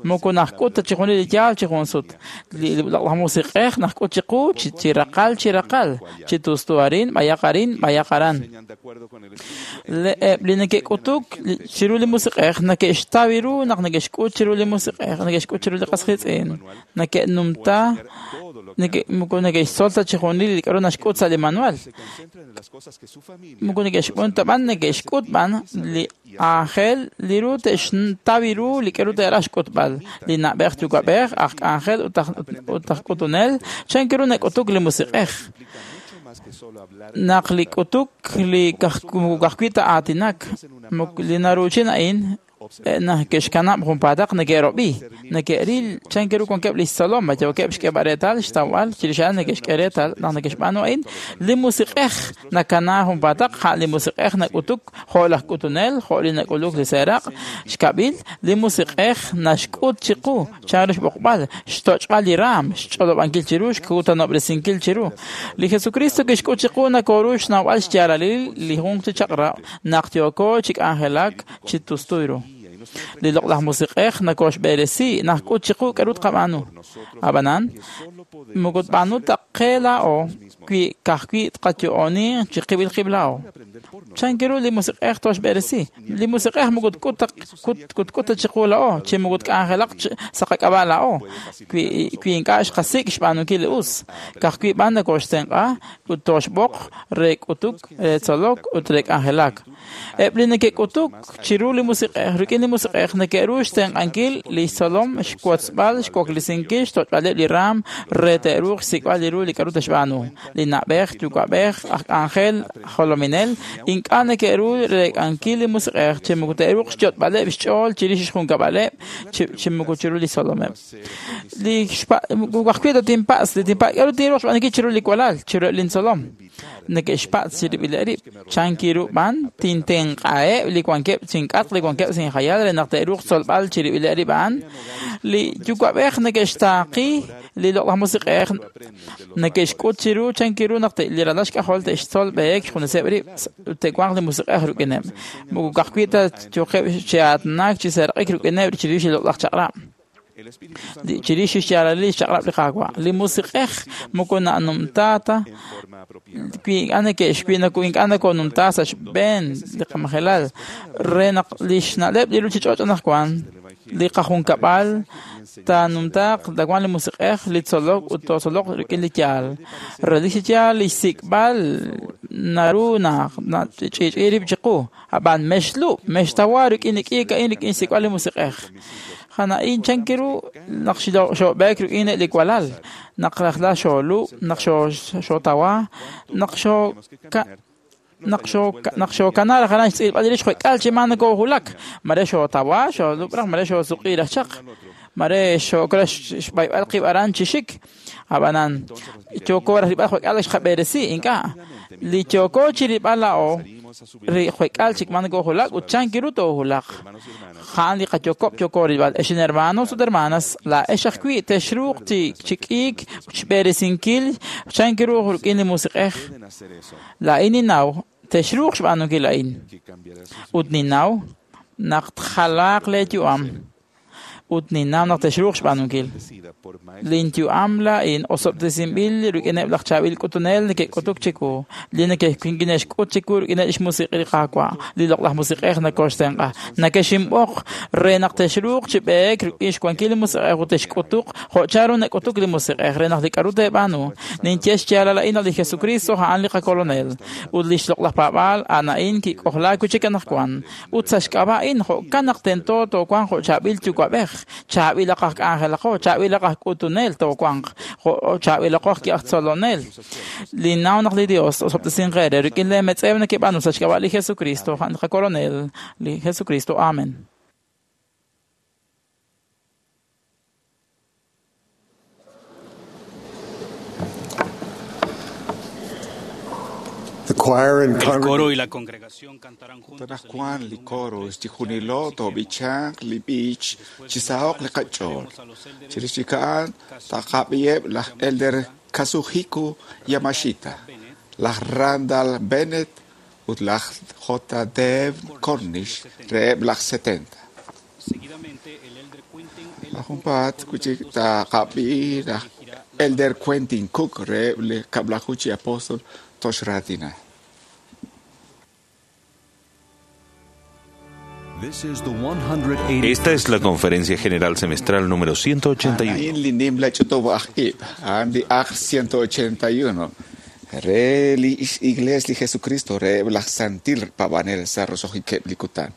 moko naxk'ut ta chixjunil li yaal chi jun sut li loq'laj musiq'ej naxk'ut chiqu chi raqal chi raqal chi tustu arin b'ayaq arin b'ayaq aran eb' li neke'k'utuk chiru li musiq'ej neke'xtaw ru naq neke'xk'ut chiru li musiq'ej neke'xk'ut chiru li qas qiitz'in neke'numta moko neke'xtzol ta chixjunil li k'a'ru naxk'ut sa' li manual moko neke'xb'on ta b'an neke'xk'ut b'an li aajel li ru te'xtaw ru li k'a'ru te'raj xk'utb'al li na'b'ej yuwa'b'ej aj k'anjel ut aj k'utunel chankiru nak'utuk li musiq'ej naq li k'utuk li ka'ajwi' ta aatinak li naruuchin a'in neke'xkanab' junpaataq neke'rob'i neke'ril chankiru wankeb' li xtzolom yookeb' xk'eb'al reetal xtawb'al chirix a'an neke'xk'e reetal naq neke'xb'aanu a'in li musiq'ej nakana junpaataq ja' li musiq'ej nak'utuk jo' laj k'utunel jo' li nak'uluk li seeraq' xkab'il li musiq'ej naxk'ut chiqu chanru xb'oqb'al xtoch'b'al li raam xch'olob'ankil chiru xkutanob'resinkil chiru li Jesucristo kixk'ut chiqu nakoru xnawb'al xyaalalil li jun chi chaq'rab' naq yooko chi k'anjelak chi tustu ru. Li loq'laj musiq'ej nakoxb'eresi najk'ut chiqu k'a'ru tqab'aanu. Ab'anan, moko tb'aanu ta qe laa'o wi ka'ajwi' tqayo'oni chiqib'il qib' laa'o. Chanki ru li musiq'ej toxb'eresi. Li musiq'ej moko tk'ut ta chiqu laa'o, chi moko tk'anjelaq sa' qak'ab'a' laa'o. Wi ink'a' xqasik' xb'aanunkil li us. Ka'ajwi' b'an nakoxtenq'a ut toxb'oq re k'utuk, re tzolok ut re k'anjelak. Eb' li neke'k'utuk chiru li musiq'ej, rik'in li musiq'ej neke'ru xtenq'ankil li xtzolom, xwotzb'al, xwaklisinkil, xtoch'b'aleb' li raam re te'ruuq xsik'b'al li ru li k'a'ru te'xb'aanu. Li na'b'ej, yuwa'b'ej, aj k'anjel, jolominel, ink'a' neke'ru reek'ankil li musiq'ej chi moko te'ruuq xyot'b'aleb' xch'ool chirix xjunkab'aleb' chi moko chiru li tzolomeb'. Li wajwi' ta tinpatz', li tinpatz' k'a'ru tinruuq xb'aanunkil chiru li walal, chiru eb' lintzolom. Neke'xpatz' chirib'ileb' rib'. Chanki ru b'an tintenq'aheb' li wankeb' chink'atq li wankeb' sinjayal re naq te'ruuq tzolb'al chirib'ileb' rib' a'an. Li yuwa'b'ej neke'xtaaqi li loq'laj musiq'ej neke'xk'ut chiru chanki ru naq li ralal xk'ajol te'xtzol b'ehek xjuneseb' rib' ut te'wanq li musiq'ej rik'ineb'. Moko ka'ajwi' ta yooqeb' chi aatinak chi seeraq'ik rik'ineb' chirix li loq'laj chaq'rab'. Chirix xyaalalil li xchaq'rab' li Qaawa'. Li musiq'ej moko na'numta ta wi ink'a' nakonumta sa' xb'een li qamajelal re naq li xna'leb' li ruuchich'och' anaqwan li qajunkab'al taanumtaaq tawanq li musiq'ej li tzolok ut tootzoloq rik'in li yaal. Relik chi yaal li xsik'b'al naru naq nach'i'ch'i rib' chiqu. Ab'an mexlub', mextawa rik'in li k'iik a'in rik'in xsik'b'al li musiq'ej. Jana'in chanki ru naq xoob'eek rik'in li walal, naq rajlal xoolub', naq xootawa, naq xookana raj aran xtz'ilb'al rix jwek'al chi maa nakoohulak. Mare xootawa, xoolub' raj, mare xoosuq'i raj chaq. Mare xookra xb'ayb'al qib' aran chi xik. Ab'anan, yooko raj rib'al jwek'al xqab'eresi, ink'a'. Li yooko chi rib'al laa'o, jwek'al chik maa nakoohulak ut chanki ru toohulaq. Ja'an li qayokob' yooko rib'al. Ex hermanos ut hermanas, laa'ex ajwi' texruuq chi k'iik xb'eresinkil chanki ru rik'in li musiq'ej. Laa'in ninnaw texruuq xb'aanunkil a'in. Ut ninnaw naq tjalaaq lee yu'am. Ut ninnaw naq texruuq xb'aanunkil. Linyu'am laa'in osob'tesinb'il rik'ineb' laj chaab'il k'utunel neke'k'utuk chiwu, li neke'xk'ut chiwu rik'ineb' xmusiq' li Qaawa', li loq'laj musiq'ej nakoxtenq'a. Nakexinb'oq re naq texruuq chi b'eek rik'in xwankil li musiq'ej ut texk'utuq jo' chanru nak'utuk li musiq'ej re naq li k'a'ru teeb'aanu. Ninye xyaalal a'in naq li Jesucristo a'an li qakolonel ut li xloq'laj paab'aal a'an a'in kik'ojlaak wi' chik anaqwan. Ut sa' xk'ab'a' a'in jo'kan naq tento toowanq jo' chaab'il yuwa'b'ej, chaab'ilaq aj k'anjelaqo, chaab'ilaq aj k'utunel toowanq, chaab'ilaqo aj tzolonel. Ninnaw naq li Dios osob'tesinq eere rik'in lee metz'ew nekeb'aanu sa' xk'ab'a' li Jesucristo, a'an li qakolonel, li Jesucristo. Amen. The choir and El coro y la congregación cantarán juntos. Anaqwan li coro xchijunilo toob'ichanq li b'ich chisahoq li qach'ool. Chirix chik a'an taqab'iheb' laj Elder Kazuhiko Yamashita, laj Randall Bennett ut laj J. Dev Cornish reheb' laj 70. Seguidamente, el elder Quentin L. Laj junpaat wi' chik taqab'i laj Elder Quentin Cook reheb' li kab'laju chi apóstol toxraatina. Esta es la Conferencia General Semestral número 181. A'in li nimla ch'utub' aj ib', a'an li aj 181. Re li Iglesia li Jesucristo reheb' laj Santil Paab'anel sa' roso'jikeb' li kutan.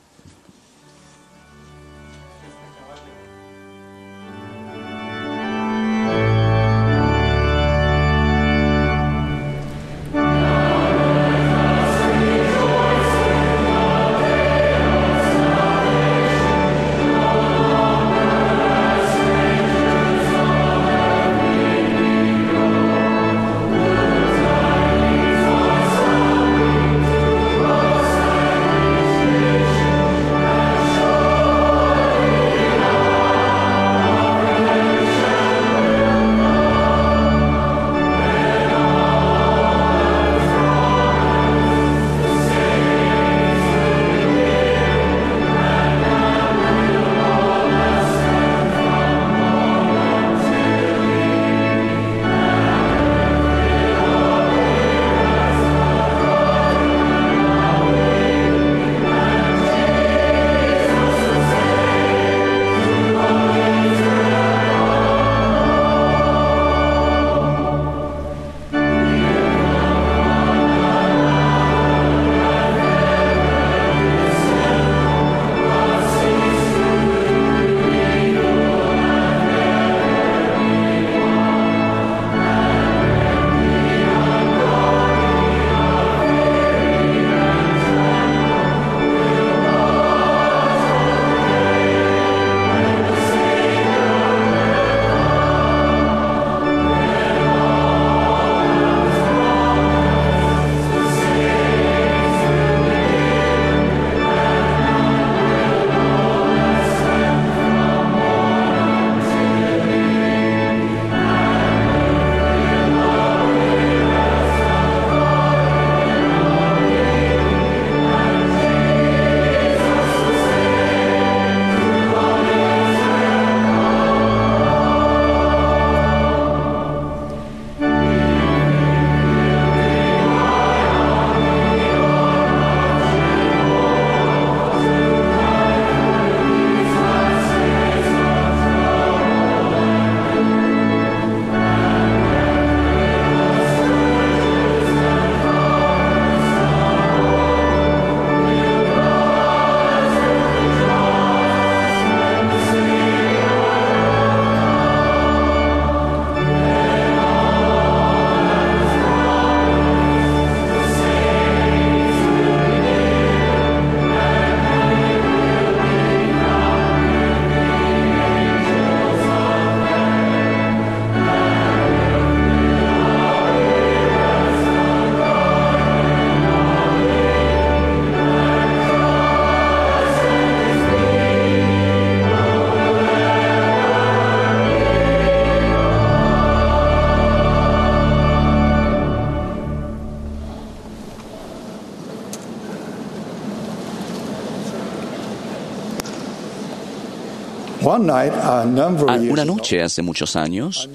Una noche hace muchos años,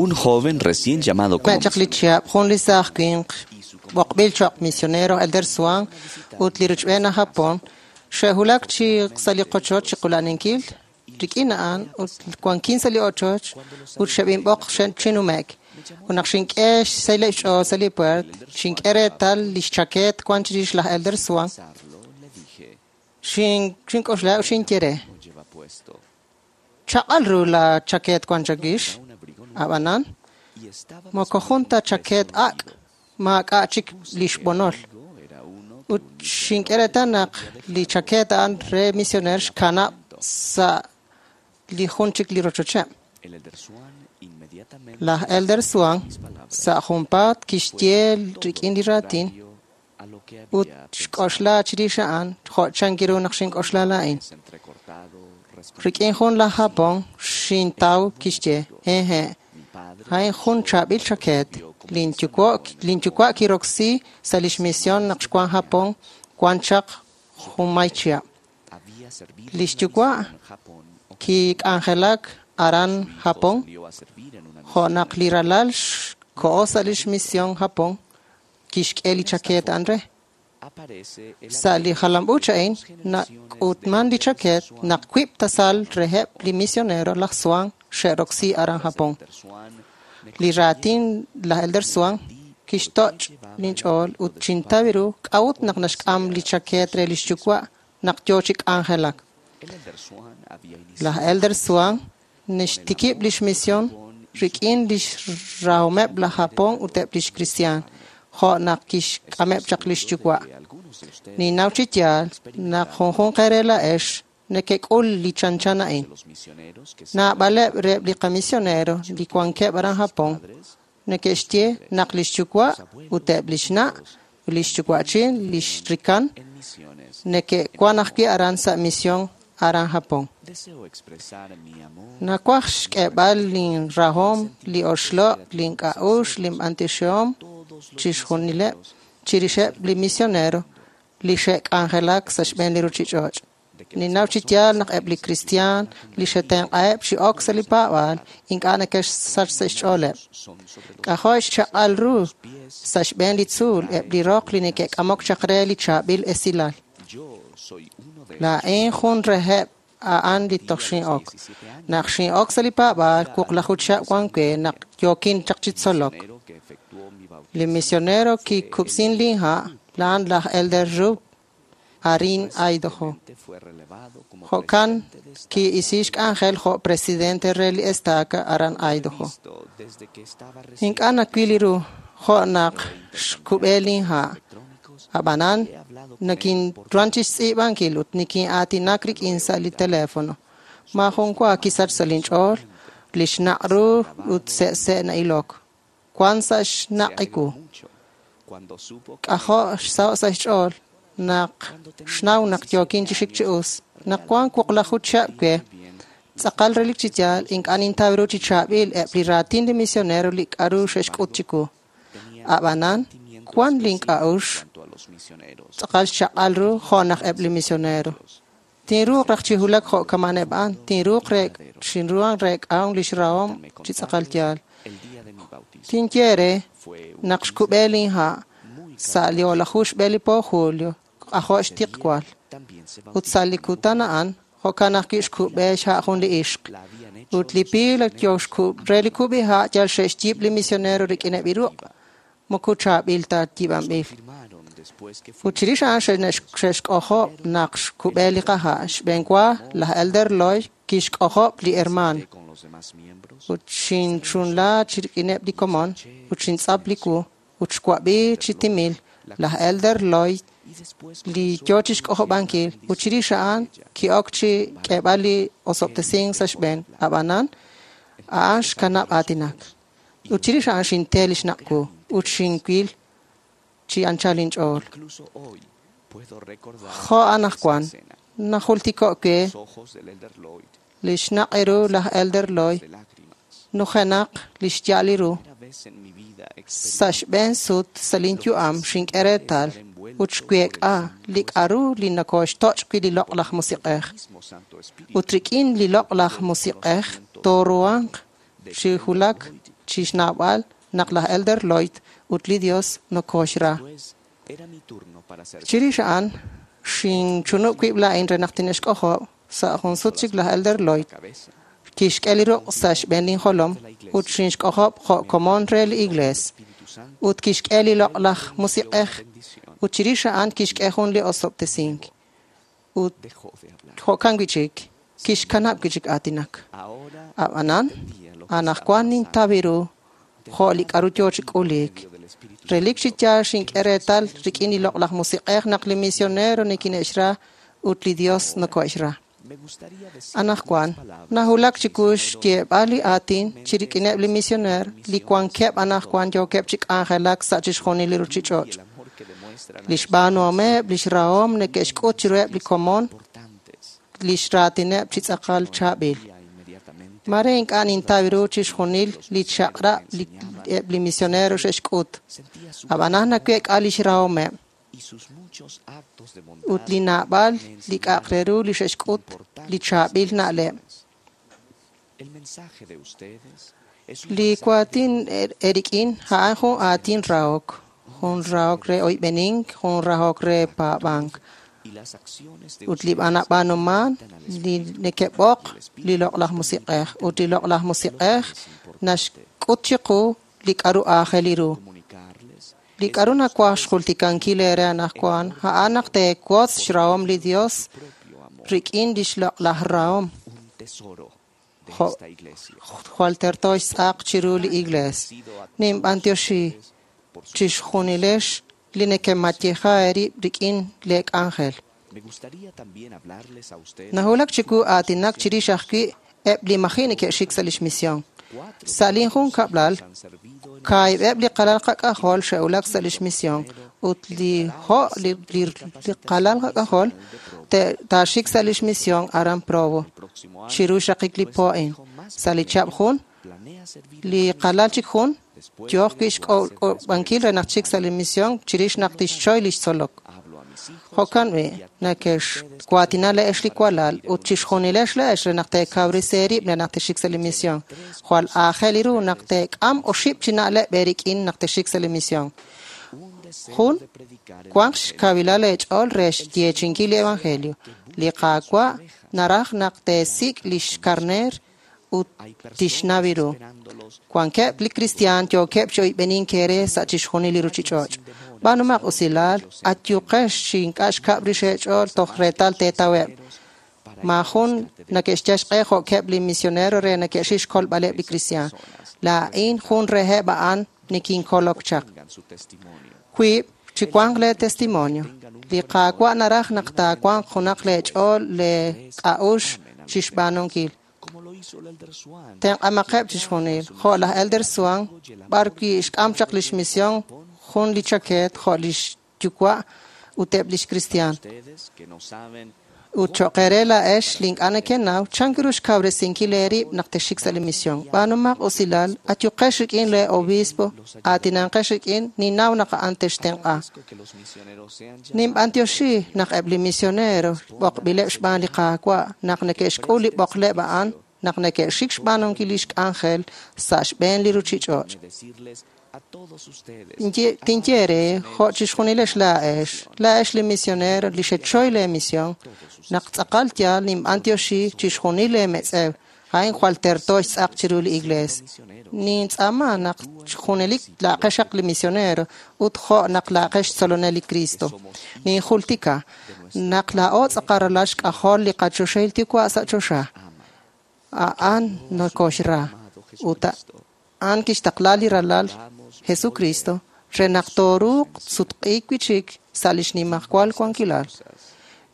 un joven recién llamado como Chaq li chihab' jun li saaj winq b'oqb'il choq' misionero Elder Swan ut li rochb'een aj Japón xe'wulak chi sa' li qochoch chi qula'ninkil rik'in a'an ut wankin sa' li ochoch ut xeb'inb'oq chinume'k. Ut naq xink'e xsayleb' xch'ool sa' li puert, xink'e reetal li xchakeet wan chirix laj Elder Swan. Xink'oxla ut xinye re: Chaq'al ru la chakeet wan chakix, ab'anan moko jun ta chakeet ak' maak'a' chik li xb'onol. Ut xink'e reetal naq li chakeet a'an re misioneer xkanab' sa' li jun chik li rochocheb'. Laj Elder Swan sa' junpaat kixye rik'in li raatin ut xk'oxla chirix a'an jo' chank ru naq xink'oxla laa'in. Rik'in jun laj Japón xintaw kixye: Hehe', a'in jun chaab'il chakeet. Linyuwa' kiroksi sa' lix misión naq xwan Japón wan chaq junmay chihab'. Lix yuwa' kik'anjelak aran Japón jo' naq li ralal xkoho sa' lix misión Japón kixk'e li chakeet a'an re. Sa' li jalam-uuch a'in nak'utman li chakeet naq wiib' tasal reheb' li misionero laj Swan xe'roksi aran Japón. Li raatin laj Elder Swan kixtoch' linch'ool ut xintaw ru k'a'ut naq naxk'am li chakeet re lix yuwa' naq yoo chi k'anjelak. Laj Elder Swan naxtikib' lix misión rik'in lix rahomeb' laj Japón ut eb' lix kristiaan, jo' naq kixk'ameb' chaq lix yuwa'. Ninnaw chi yaal naq junjunq eere laa'ex nekek'ul li chanchan a'in. Naab'aleb' reheb' li qamisionero li wankeb' aran Japón neke'xye naq lix yuwa' ut eb' lix na' ut lix yuwa'chin lix rikan neke'wan ajwi' aran sa' misión aran Japón. Nawaj xk'eeb'al linrahom, li oxloq', link'a'uxl, linb'antioxihom chixjunileb' chirixeb' li misionero li xe'k'anjelak sa' xb'een li ruchich'och'. Ninnaw chi yaal naq eb' li kristiaan li xe'tenq'aheb' chi ok sa' li paab'aal ink'a' neke'xsach sa' xch'ooleb'. K'ajo' xchaq'al ru sa' xb'een li tzuul eb' li roq li neke'k'amok chaq re li chaab'il esilal. Laa'in jun reheb' a'an li toj xin'ok. Naq xin'ok sa' li paab'aal, wuqlaju chihab' wan we naq yookin chaq chi tzolok. Li misionero kikub'sin linha' la'an laj Elder Rupp arin Idaho. Jo'kan ki'isi xk'anjel jo' presidente re li estaca aran Idaho. Ink'a' nawil ru jo' naq xkub'e linha'. Ab'anan nakinruhan chi xtz'iib'ankil ut nikin'aatinak rik'in sa' li teléfono. Maajun wa kisach sa' linch'ool li xnaq' ru ut se'se' na'ilok. Wan sa' xnaq' iwu. K'ajo' xsaho' sa' xch'ool naq xnaw naq yookin chi xik chi us. Naq wan wuqlaju chihab' we, tz'aqal relik chi yaal ink'a' nintaw ru chi chaab'il eb' li raatin li misionero li k'aru xe'xk'ut chiwu. Ab'anan wan link'a'uxl tz'aqal xchaq'al ru jo' naq eb' li misionero. Tinruuq raj chi wulak jo' kama'aneb' a'an, tinruuq xinruhan reek'ahom lix rahom chi tz'aqal yaal. Tinye re naq xkub'e linha' sa' li o'laju xb'e li po julio, k'ajo' xtiqwal. Ut sa' li kutan a'an, jo'kan ajwi' xkub'e xha' jun li ixq. Ut li piil yo re li kub'iha' yal xe'xyiib' li misionero rik'ineb' li ruq', moko chaab'il ta yiib'anb'il. Ut chirix a'an xe'xk'ojob' naq xkub'e li qaha'. Xb'een wa laj Elder Lloyd kixk'ojob' li hermaan. Ut xinchunla chi rik'ineb' li komon ut xintz'ap li wu ut xwab'i chi timil laj Elder Lloyd li yoo chi xk'ojob'ankil ut chirix a'an ki'ok chi k'eeb'al li osob'tesink sa' xb'een. Ab'anan a'an xkanab' aatinak. Ut chirix a'an xinte li xnaq' wu ut xinwil chi anchal inch'ool. Jo' anaqwan najultiko' we li xnaq' ru laj Elder Lloyd nujenaq li xya'al li ru. Sa' xb'een sut sa' linyu'am xink'e reetal ut xweek'a li k'aru li nokooxtoch' wi' li Loq'laj Musiq'ej. Ut rik'in li Loq'laj Musiq'ej tooruhanq chi wulak chi xnawb'al naq laj Elder Lloyd ut li Dios nokooxra. Chirix a'an xinchunub' wib' laa'in re naq tine'xk'ojob' sa' jun sut chik laj Elder Lloyd kixk'e li ruq' sa' xb'een linjolom ut xinxk'ojob' jo' komon re li Iglees. Ut kixk'e li Loq'laj Musiq'ej ut chirix a'an kixk'e jun li osob'tesink. Ut jo'kan wi'chik kixkanab' wi'chik aatinak. Ab'anan anaqwan nintaw ru jo' li k'aru yo chi k'uliik. Relik chi yaal xink'e reetal rik'in li Loq'laj Musiq'ej naq li misionero nikine'xra ut li Dios nokohe'xra. Anaqwan nawulak chiwu xyeeb'al li aatin chi rik'ineb' li misioneer li wankeb' anaqwan yookeb' chi k'anjelak sa' chixjunil li ruuchich'och'. Li xb'aanuhomeb' li xrahom neke'xk'ut chiruheb' li komon li xraatineb' chi tz'aqal chaab'il. Mare ink'a' nintaw ru chixjunil li chaq'rab' eb' li misionero xe'xk'ut. Ab'anan naweek'a li xrahomeb' ut li naab'al li k'a'aq re ru li xe'xk'ut li chaab'il na'leb'. Li waatin eerik'in a'an jun aatin rahok, jun rahok re oyb'enink, jun rahok re paab'ank. Ut li b'anab'aanuman li neke'b'oq li Loq'laj Musiq'ej ut li Loq'laj Musiq'ej naxk'ut chiqu li k'aru aajel ru. Li k'aru nawaj xjultikankil eere anaqwan a'an naq teewotz xrahom li Dios rik'in li xloq'laj rahom. Jo' jwal terto xtz'aq chiru li Iglees. Ninb'antioxi chixjunilex li nekemayeja eerib' rik'in lee k'anjel. Nawulak chiwu aatinak chirix ajwi' eb' li maji' neke'xik sa' lix misión. Sa' lin junkab'lal, kaahib'eb' li qalal qak'ajol xe'wulak sa' lix misión ut li jo' li qalal qak'ajol taaxik sa' lix misión aran Provo chiru xraqik li po a'in. Sa' li chihab' jun, li qalal chik jun yooq wi' xk'ob'ankil re naq txik sa' li misión chirix naq tixchoy li xtzolok. Jo'kan b'i' neke'xwaatina le'ex li walal ut chixjunilex le'ex re naq teekawresi eerib' re naq texik sa' li misión. Jwal aajel ru naq teek'am oxib' chi na'leb' eerik'in naq texik sa' li misión. Jun, wanq xkawilal eech'ool re xyeechinkil li evangelio. Li Qaawa' naraj naq teesik' li xkarneer ut tixnaw ru. Wankeb' li kristiaan yookeb' chi oyb'enink eere sa' chixjunil li ruuchich'och'. B'aanumaq usilal, ayuqex chi ink'a' xkab' rix eech'ool toj reetal teetaweb'. Maajun neke'xyal xq'e jo'keb' li misionero re neke'xik xkolb'aleb' li kristiaan. Laa'in jun reheb' a'an nikinkolok chaq. Wiib', chi wanq lee testimonio. Li Qaawa' naraj naq taawanq junaq lee ch'ool lee k'a'uxl chixb'aanunkil. Tenq'amaqeb' chixjunil, jo' laj Elder Swan, b'ar wi' xk'am chaq lix misión jun li chakeet jo' lix yuwa' ut eb' lix kristiaan. Ut cho'q eere laa'ex li ink'a' nekenaw chan ru xkawresinkil eerib' naq texxik sa' li misión. B'aanumaq usilal, ayuqex rik'in lee obispo, aatinanqex rik'in, ninnaw naq a'an textenq'a. Ninb'antioxi naq eb' li misionero b'oqb'ileb' xb'aan li Qaawa' naq neke'xk'ul li b'oqleb' a'an naq neke'xik xb'aanunkil lix k'anjel sa' xb'een li ruuchich'och'. Tinye eere jo' chixjunilex laa'ex, laa'ex li misionero li xechoy lee misión, naq tz'aqal yaal ninb'antioxi chixjunil lee metz'ew, a'in jwal terto xtz'aq chiru li Iglees. Nintz'aama naq junelik laaqexaq li misionero ut jo' naq laaqex xtzolonel li Cristo. Ninjultika naq laa'o tz'aqal ralal xk'ajol li qachoxahil Yuwa' sa' choxa. A'an nokoxra ut a'an kixtaqla li ralal Jesucristo re naq tooruuq sutq'iik wi'chik sa' lix nimajwal wankilal.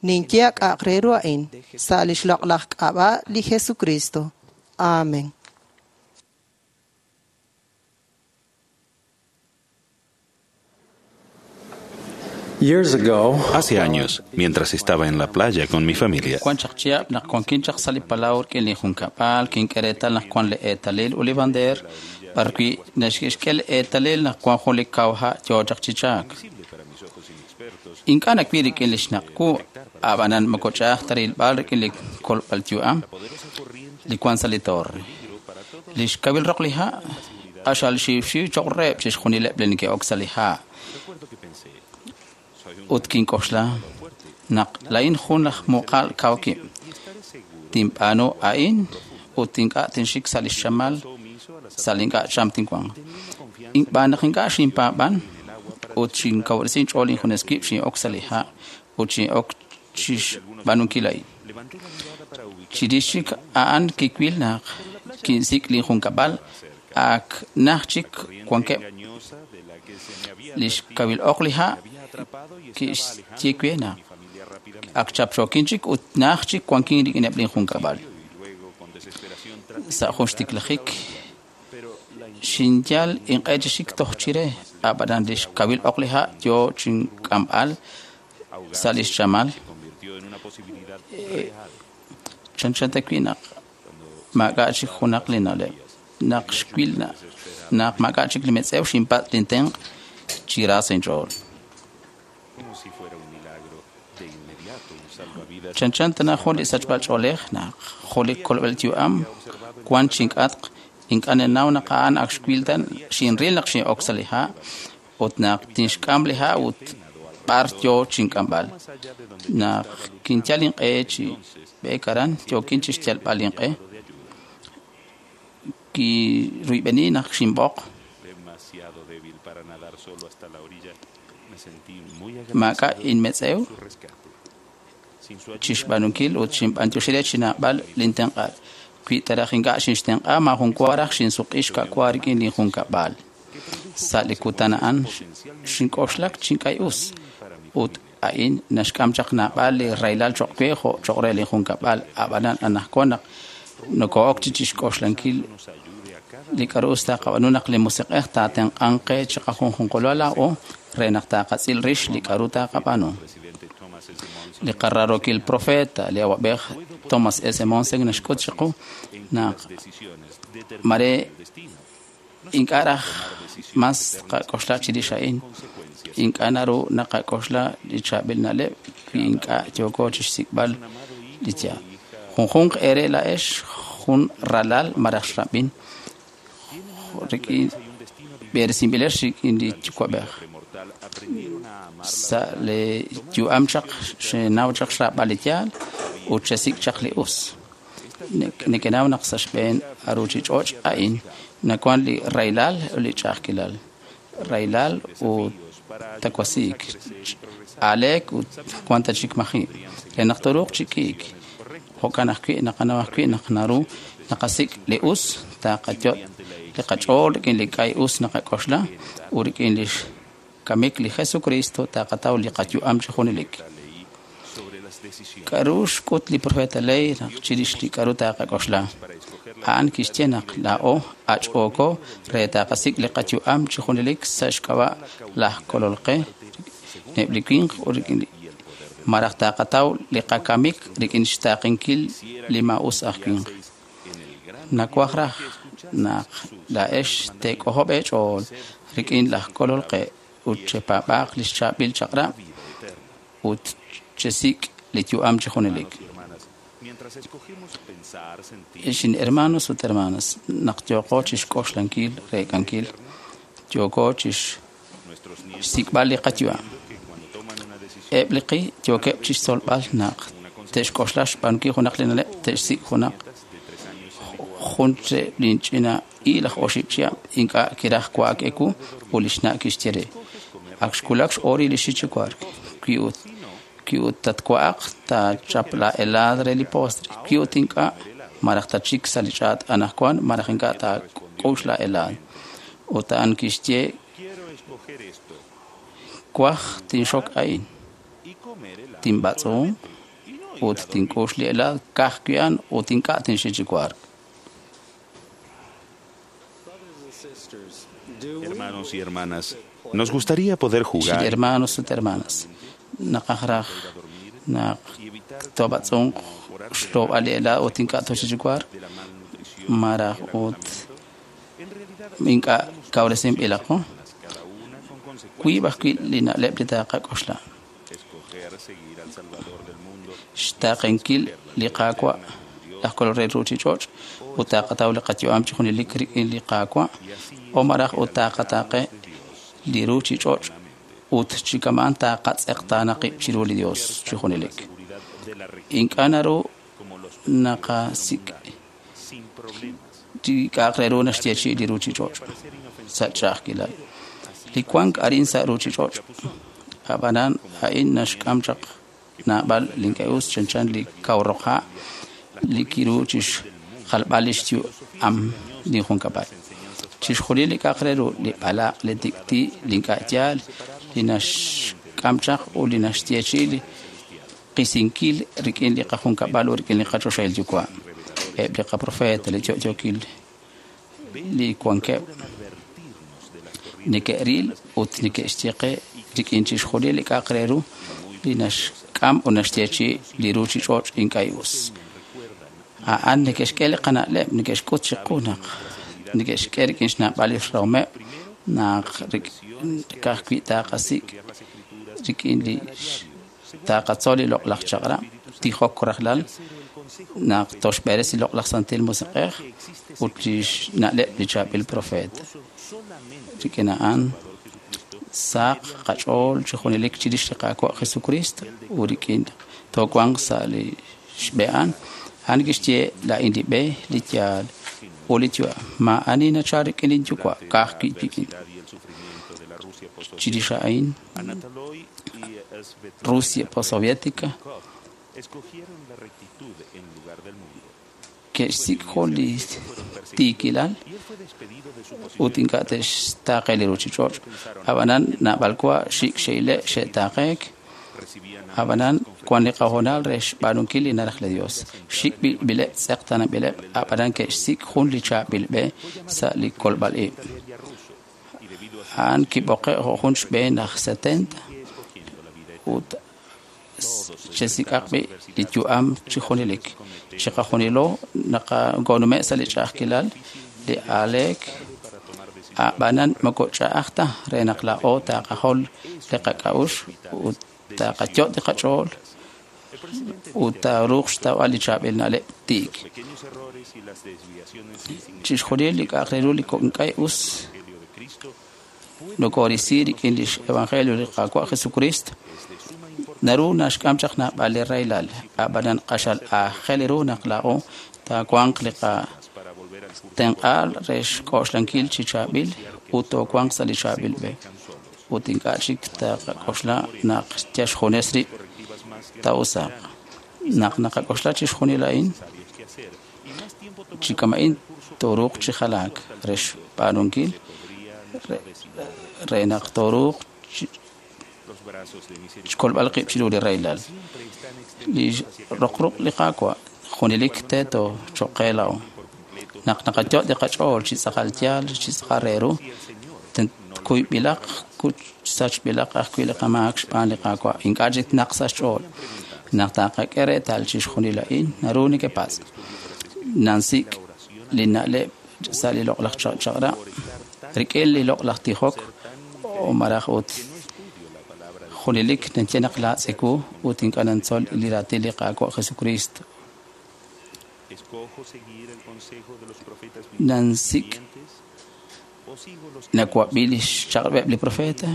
Ninye k'a'aq re ru a'in sa' lix loq'laj k'ab'a' li Jesucristo. Amén. Hace años, mientras estaba en la playa con mi familia, Wan chaq chihab' naq wankin chaq sa' li palaw rik'in li junkab'al kink'e reetal naq wan li eetalil ut li bandeer b'ar wi' naxk'e li eetalil naq wan jun li kaw ha' yoo chaq chi chaak. Ink'a' nawil rik'in li xnaq' wu, ab'anan moko ch'a'aj ta rilb'al rik'in li kolb'al yu'am li wank sa' li torre. Li xkawil roq li ha' q'axal xiwxiw cho'q reheb' chixjunileb' li neke'ok sa' li ha'. Ut kink'oxla naq laa'in jun laj muqal kaw kib'. Tinb'aanu a'in ut ink'a' tinxik sa' li xchamal sa' li ink'a' cham tinwanq. Xb'aan naq ink'a' xinpaab'an ut xinkawresi inch'ool injunes wib' xin'ok sa' li ha' ut xin'ok chixb'aanunkil a'in. Chirix chik a'an kiwil naq kinsik' linjunkab'al ak najt chik wankeb'. Li xkawil oq li ha' kixye we naq ak chapchookin chik ut najt chik wankin rik'ineb' linjunkab'al. Sa' jun xtiklajik xinyal inq'e chi xik toj chire, ab'anan li xkawil oq li ha' yo chink'amb'al sa' li xchamal. Chanchan ta wi' naq maak'a' chik junaq li na'leb'. Naq xwil naq maak'a' chik li metz'ew xinpatz' lintenq' chi ra sa' inch'ool. Chanchan tana jun li sachb'al ch'oolej naq jun li kolb'al yu'am wank chink'atq ink'a' ninnaw naq a'an ak xwil ta xinril naq xin'ok sa' li ha' ut naq tinxk'am li ha' ut b'ar yo chink'amb'al. Naq kinyal inq'e chi b'eek aran yookin chi xyalb'al inq'e kiruyb'eni naq xinb'oq. Maak'a' inmetz'ew chixb'aanunkil ut xinb'antioxi re chi naab'al lintenq'aal. Wi ta raj ink'a' xinxtenq'a maajun wa raj xinsuq'i xka'wa rik'in linjunkab'al. Sa' li kutan a'an xink'oxlak chink'ay us ut a'in naxk'am chaq naab'al li rahilal cho'q we jo' cho'q re linjunkab'al. Ab'anan anaqwan naq noko'ok chi chixk'oxlankil li k'a'ru us taqab'aanu naq li Musiq'ej taatenq'anq qe chiqajunjunqalo laa'o re naq taqatz'il rix li k'a'ru taqab'aanu. Li qararokil profeta, li awab'ej Thomas S. Monson naxk'ut chiqu naq mare ink'a' raj mas qak'oxla chirix a'in. Ink'a' naru naqak'oxla li chaab'il na'leb' wi ink'a' yooko chixsik'b'al li yaal. Junjunq eere laa'ex jun ralal malaj xrab'in rik'in b'eresinb'ilex rik'in li yuwa'b'ej. Sa' li yu'am chaq xenaw chaq xraab'al li yaal ut xesik' chaq li us. Nekenaw naq sa' xb'een ruuchich'och' a'in nawank li rahilal ut li ch'a'ajkilal. Rahilal ut tawasiik, aaleek ut wank ta chik maji' re naq tooruuq chi k'iik. Jo'kan ajwi' naqanaw ajwi' naq naru naqasik' li us taqayot' li qach'ool rik'in li k'ay us naqak'oxla ut rik'in li xkamik li Jesucristo taqataw li qayu'am chi junelik. K'a'ru xk'ut li profeta Lehi naq chirix li k'a'ru taqak'oxla? A'an kixye naq laa'o ach'ooko re taqasik' li qayu'am chi junelik sa' xk'ab'a' laj Kolol qe rik'ineb' li winq ut rik'in li malaj taqataw li qakamik rik'in xtaaqenkil li maa'us aj winq. Nawaj raj naq laa'ex teek'ojob' eech'ool rik'in laj Kolol qe ut chepaab'aaq li xchaab'il chaq'rab' ut chesik' li yu'am chi junelik. Xin hermanos ut hermanas, naq yooqo chixk'oxlankil reek'ankil, yooko chixsik'b'al li qayu'am. Eb' li qi yookeb' chixtzolb'al naq te'xk'oxla xb'aanunkil junaq li na'leb' te'xsik' junaq jun reheb' linch'ina i laj oxib' chihab' ink'a' kiraj wa'ak ewu ut li xna' kixye re: Ak xwulak x'ooril li xik chi wark. Wi ut tatwa'aq taachap la helado re li postre. Wi ut ink'a' malaj tatxik sa' li ch'aat anaqwan malaj ink'a' taak'ux la helado. Ut a'an kixye: Kwaj tinxok a'in. Tinb'atz'un ut tink'ux li helado ka'ajwi' a'an ut ink'a' tinxik chi wark. Hermanos y hermanas, nos gustaría poder jugar. Hermanos ut hermanas, naqaj raj naq toob'atz'unq xloob'al li helado ut ink'a' tooxik chi wark malaj ut ink'a' kawresinb'ilaqo. Wiib' ajwi' li na'leb' li taqak'oxla. Xtaaqenkil li Qaawa' laj Kolol re ruchich'och' ut taaqataw li qayu'am chi junelik rik'in li Qaawa' o malaj ut taaqataaqe li ruchich'och' ut chi kama'an taaqatz'eqtaana qib' chiru li Dios chi junelik. Ink'a' naru naqasik' li k'a'aq re ru naxyeechi'i li ruchich'och' sa' ch'a'ajkilal. Li wank arin sa' ruchich'och' ab'anan a'in naxk'am chaq naab'al li ink'a' us chanchan li kaw roq ha' li kiru chixjalb'al lix yu'am li junkab'al. Chixjunil li k'a'aq re ru li b'alaq', li tik'ti', li ink'a' yaal, li naxk'am chaq ut li naxyeechi'i li qisinkil rik'in li qajunkab'al ut rik'in li qachoxahil yuwa'. Eb' li qaprofeta, li yo'yookil li wankeb' neke'ril ut neke'xye qe rik'in chixjunil li k'a'aq re ru li naxk'am ut naxyeechi'i li ruchich'och' ink'a' us. A'an neke'xk'e li qana'leb', neke'xk'ut chiqu naq neke'xk'e rik'in xnab'al li xrahomeb' naq ka'ajwi' taaqasik' rik'in li taaqatzol li loq'laj chaq'rab', tijok rajlal, naq toxb'eres li loq'laj Santil Musiq'ej ut li xna'leb' li chaab'il profeet. Rik'in a'an saq qach'ool chi junelik chirix li Qaawa' Jesucristo ut rik'in toowanq sa' li xb'e a'an. A'an kixye laa'in li b'e, li yaal ut li yu'am. Maa'ani nachal rik'in linyuwa' ka'ajwi' wik'in. Chirix a'in Rusia postsoviética ke'xsik' jun li tiikilal ut ink'a' te'xtaaqe li ruchich'och'. Ab'anan naab'al wa xik' xe'ile' xe'taaqeek. Ab'anan wan li qahoonal re xb'aanunkil li naraj li Dios. Xik' b'ileb' tz'eqtaananb'ileb' ab'anan ke'xsik' jun li chaab'il b'e sa' li kolb'al ib'. A'an kib'oqe' jo' jun xb'een aj 70 ut chesik'aq b'i' li yu'am chi junelik. Chiqajunilo naqagonume' sa' li ch'a'ajkilal li aaleek ab'anan moko ch'a'aj ta re naq laa'o taaqajol li qak'a'uxl ut taaqayot' li qach'ool ut taaruuq xtawb'al li chaab'il na'leb' tiik. Chixjunil li k'a'aq re ru li ink'a' us nokoorisi rik'in lix evangelio li Qaawa' Jesucristo naru naxk'am chaq naab'al li rahilal ab'anan q'axal aajel ru naq laa'o taawanq li qatenq'aal re xk'oxlankil chi chaab'il ut toowanq sa' li chaab'il b'e ut ink'a' chik taqak'oxla naq yal xjunes rib' taa'usaaq. Naq naqak'oxla chixjunil a'in chi kama'in tooruuq chi jalaak re xb'aanunkil re naq tooruuq xkolb'al qib' chiru li rahilal. Li roqruq' li Qaawa' junelik teeto cho'q qe laa'o. Naq naqayot' li qach'ool chi tz'aqal yaal chi tz'aqal re ru, kuyb'ilaq sachb'ilaq ajwi' li qamaak xb'aan li Qaawa' ink'a' chik naq sa' xch'ool. Naq taaqak'e reetal chixjunil a'in naru nekepatz'. Nansik' li na'leb' sa' li loq'laj chaq'rab' rik'in li loq'laj tijok o malaj ut junelik nanye naq laatz' ewu ut ink'a' nantzol li raatin li Qaawa' Jesucristo. Nansik' nawab'i li xchaq'rab'eb' li profeta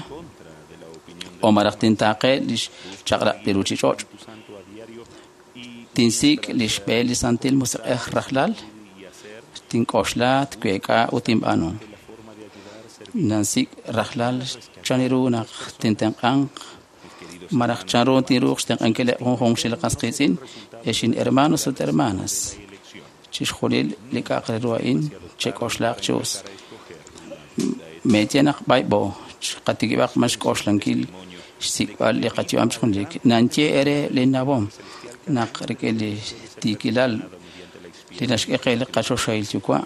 o malaj tintaaqe li xchaq'rab' li ruchich'och'. Tinsik' li xb'e li Santil Musiq'ej rajlal, tink'oxla, tweek'a ut tinb'aanu. Nansik' rajlal chan ru naq tintenq'anq malaj chan ru tinruuq xtenq'ankileb' junjunq chi li qas qiitz'in exin hermanos ut hermanas. Chixjunil li k'a'aq re ru a'in chek'oxlaaq chi us. Meeye naq b'ayb'o qatikib'aq ma xk'oxlankil xsik'b'al li qayu'am chi junelik. Nanye ere linnawom naq rik'in li tiikilal li naxk'e qe li qachoxahil yuwa'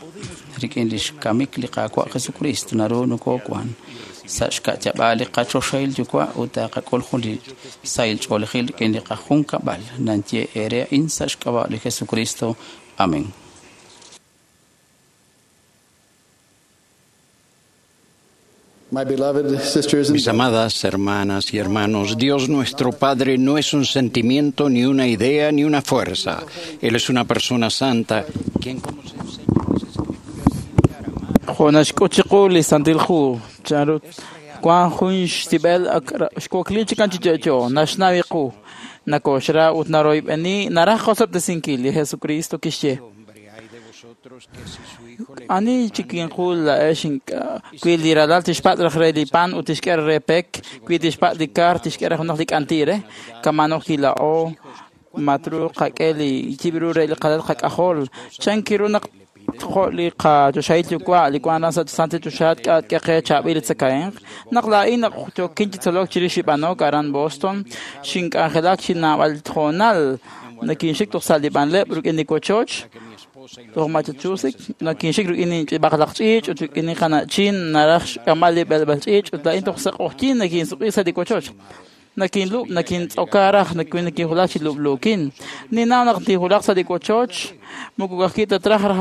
rik'in li xkamik li Qaawa' Jesucristo naru nokoowan sa' xka'yab'aal li qachoxahil yuwa' ut taaqak'ul jun li sahil ch'oolejil rik'in li qajunkab'al. Nanye ere a'in sa' xk'ab'a' li Jesucristo. Amén. Mis amadas hermanas y hermanos, Dios nuestro Padre no es un sentimiento, ni una idea, ni una fuerza. Él es una persona santa, quien como se enseña en las Escrituras Jo naxk'ut chiqu li Santil Hu chanru wan jun xtib'el xwakli chikan chi yo'yo naxnaw iqu nakoxra ut naroyb'eni naraj qosob'tesinkil li Jesucristo kixye ani chikinqul la'ex ink'a' wi li ralal tixpatz' raj re li pan ut tixk'e re pek wi tixpatz' li kar tixk'e re junaq li k'anti' re kamano kila'o matru qak'e li yib'ru re li qalal qak'ajol chankiru naq jo' li qachoxahil yuwa' li wan aran sa' santil choxa k'e qe chaab'il li tzakahemq naq laa'in naq yookin chi tzolok chirix li b'anok aran Boston xink'anjelak chi naab'al hoonal nakinxik toj sa' li b'anleb' rik'in li wochoch toj Massachusetts nakinxik rik'in b'aqlaq ch'iich' ut rik'in li qana'chin naraj xk'amb'al li b'elb'al ch'iich' ut laa'in toj sa' q'oqyink nakinsuq'i sa' li wochoch nakinlub' nakintz'oka raj nakinjulak chi lub'luukin ninnaw naq tinjulaq sa' li wochoch moko ka'ajwi' ta traj raj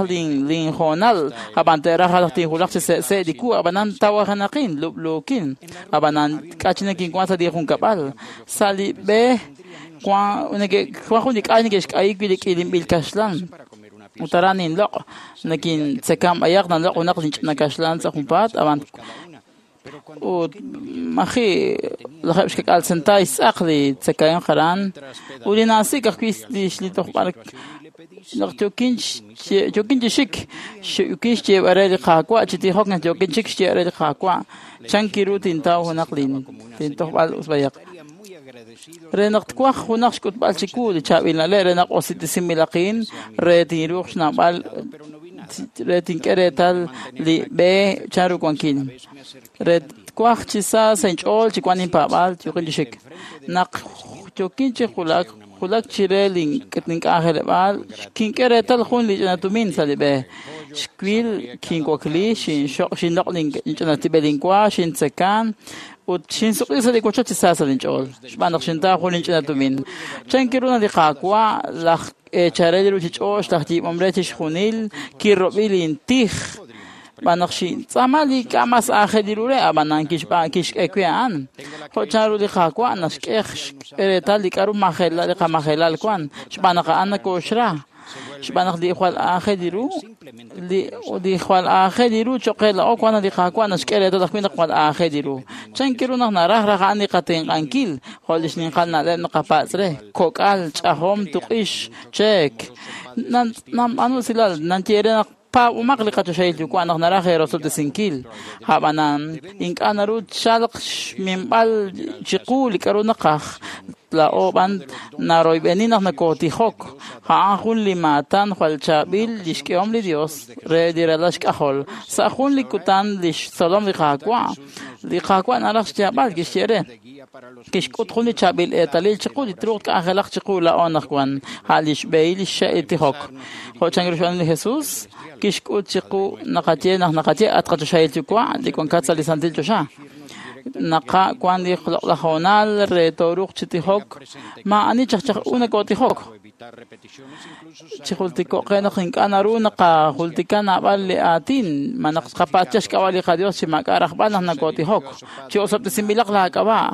linhoonal ab'an te'raj raj tinjulaq chi se'se' li ku ab'anan tawajenaqin lub'luukin ab'anan k'a' chi nakinwan sa' li junkab'al sa' li b'e wan jun li k'ay neke'xk'ayi wi' li k'ilinb'il kaxlan ut aran ninloq' nakintzekam b'ayaq nanloq' junaq linch'ina kaxlan sa' junpaat ab'an ut maji' lajeb' xkak'al sentay xtz'aq li tzakahemq aran ut li naasik ajwi' li tojb'al naq yookin chi xik yookin xyeeb'al re li Qaawa' chi tijok naq yookin chik xyeeb'al re li Qaawa' chankiru tintaw junaq lintojb'al us b'ayaq re naq twaj junaq xk'utb'al chiwu li chaab'il na'leb' re naq osiltisinb'ilaqin re tinruuq xnawb'al re tink'e reetal li b'e chanru wankin re twaj chi sa sa' inch'ool chi wan inpaab'aal yookin chi xik naq yookin chi julak julak chire link'anjeleb'aal kink'e reetal jun li ch'ina tumin sa' li b'e xwil kinwakli xinloq' linch'ina tib'el inwa xintzekan ut xinsuq'i sa' li wochoch chi sa sa' linch'ool xb'aan naq xintaw jun linch'ina tumin chankiru naq li Qaawa' laj eechal re li ruuchich'och' laj yiib'om re chixjunil kirob'i lintij xb'aan naq xintz'aama li k'a' mas aajel ru re ab'anan kixk'e wi' a'an jo' chanru li Qaawa' naxk'e reetal li k'a'ru majelal li qamajelal wan xb'aan naq a'an nakooxra xb'aan naq li jwal aajel ru li jwal aajel ru cho'q qe laa'o wan li Qaawa' naxk'e reetal ajwi' naq jwal aajel ru chankiru naq naraj raj a'an li qatenq'ankil jo' li xninqal na'leb' naqapatz' re kok'al ch'ajom tuq'ix cheek nanb'aanu usilal nanye re naq paab'umaq li qachoxahil yuwa' naq naraj eerosob'tesinkil ab'anan ink'a' naru tchalq xminb'al chiqu li k'a'ru naqaj laa'o b'an naroyb'eni naq nakootijok a'an jun li maatan jwal chaab'il li xk'ehom li Dios re li ralal xk'ajol sa' jun li kutan li xtzolom li Qaawa' naraj xyaab'al kixye re kixk'ut jun li chaab'il eetalil chiqu li truuq k'anjelaq chiqu laa'o anaqwan a' li xb'ehil li xxe' li tijok jo' chanru xb'aanu li Jesús kixk'ut chiqu naqaye naq naqaye at qachoxahil yuwa' li wankat sa' li santil choxa naqa wan li loq'laj hoonal re tooruuq chi tijok maa'ani chajchaj u nakootijok chijultiko'q qe naq ink'a' naru naqajultika naab'al li aatin ma naq tqapatz' xk'ab'a' li qaDios chi maak'a' rajb'al naq nakootijok chi osob'tesinb'ilaq laak'ab'a'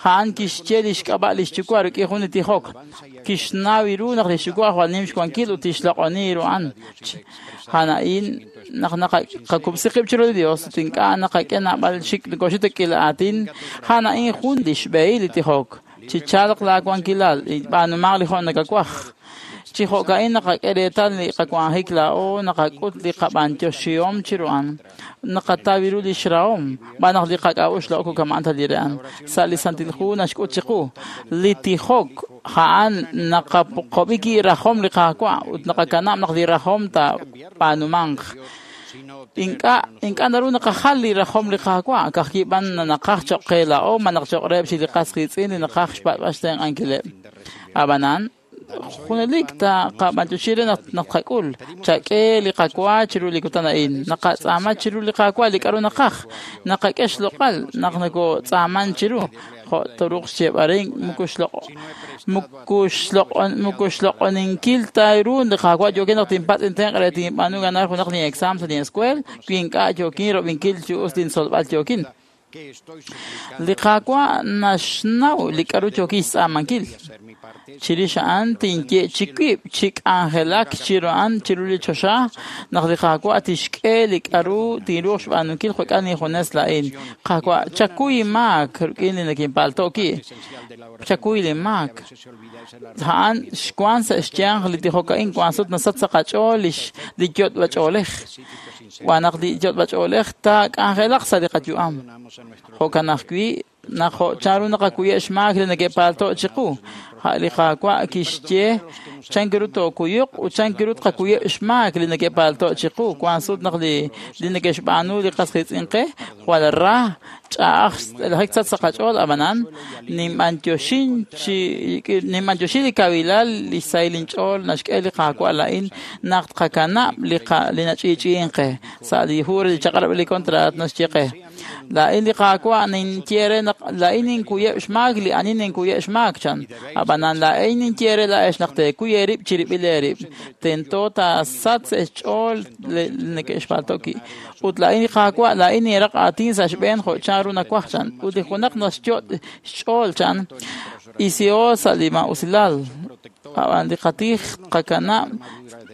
a'an kixye li xk'ab'a' li xyuwa' rik'in jun li tijok kixnaw ru naq li xyuwa' jwal nim xwankil ut tixloq'oni ru a'an a'an a'in naq naqakub'si qib' chiru li Dios ut ink'a' naqak'e naab'al xik nakoxik k'ila aatin a'an a'in jun li xb'ehil li tijok chi chalq laawankilal b'aanumaq li jo' nakawaj chi jo'ka'in naqak'e reetal li qawanjik laa'o naqak'ut li qab'antioxihom chiru a'an naqataw ru li xrahom xb'aan naq li qak'a'uxl laa'o kama'an ta li re a'an sa' li Santil Hu naxk'ut chiqu li tijok a'an naqaqob'i ki rajom li Qaawa' ut naqakanab' naq li rajom taab'aanumanq ink'a' naru naqajal li rajom li Qaawa' ka'ajwi' b'an naqaj cho'q qe laa'o ma naq cho'q reheb' chi li qas qiitz'in li naqaj xpat'b'al xtenq'ankileb' ab'anan junelik taqab'antioxi re naq naqak'ul chak'e li qawa chiru li kutan a'in naqatz'aama chiru li Qaawa' li k'a'ru naqaj naqak'e xloq'al naq nakotz'aaman chiru jo' toruuq xyeeb'al re moko xloq'oninkil ta ru li Qaawa' yookin naq tinpatz' intenq' re tinb'aanu ganar junaq lin exam sa' lin escuela wi ink'a' yookin rob'inkil chi us lintzolb'al yookin. Li Qaawa' naxnaw li k'aru yookin xtz'aamankil. Chirix a'an tinye chi wib' chi k'anjelak chiru a'an chiru li choxa naq li Qaawa' tixk'e li k'aru tinruuq xb'aanunkil jo'kan injunes laa'in. Qaawa', chakuy inmaak rik'in li nikinpalto' wi'. Chakuy linmaak. A'an xwank sa' xyanq li tijok a'in wank sut nasach sa' qach'ool li yot'b'ach'oolej. Wan naq li yot'b'ach'oolej taak'anjelaq sa' li qayu'am. Jo'kan ajwi' naq jo' chanru naqakuyeb' xmaak li neke'palto' chiqu. A' li Qaawa' kixye chan ru tookuyuq ut chan ru tqakuyeb' xmaak li neke'palto' chiqu. Wank sut naq li neke'xb'aanu li qas qiitz'in qe jwal ra ch'a'aj xlajik sach sa' qach'ool, ab'anan ninb'anyoxin li kawilal li xsahil inch'ool naxk'e li Qaawa' laa'in naq tqakanab' li nach'i'ch'i'in qe. Sa' li hu re li chaq'rab' li kontraat naxye qe: Laa'in li Qaawa' ninye re naq laa'in ninkuyeb' xmaak li ani ninkuyeb' xmaak chan. Ab'anan laa'in ninye re laa'ex naq teekuy eerib' chirib'il eerib'. Tento taasach sa' xch'ool li neke'xpalto' wi'. Ut laa'in li Qaawa' laa'in ninraq aatin sa' xb'een jo' chanru nawaj chan. Ut li junaq naxyot' xch'ool chan isiho sa' li maa'usilal. Ab'an li qatij tqakanab'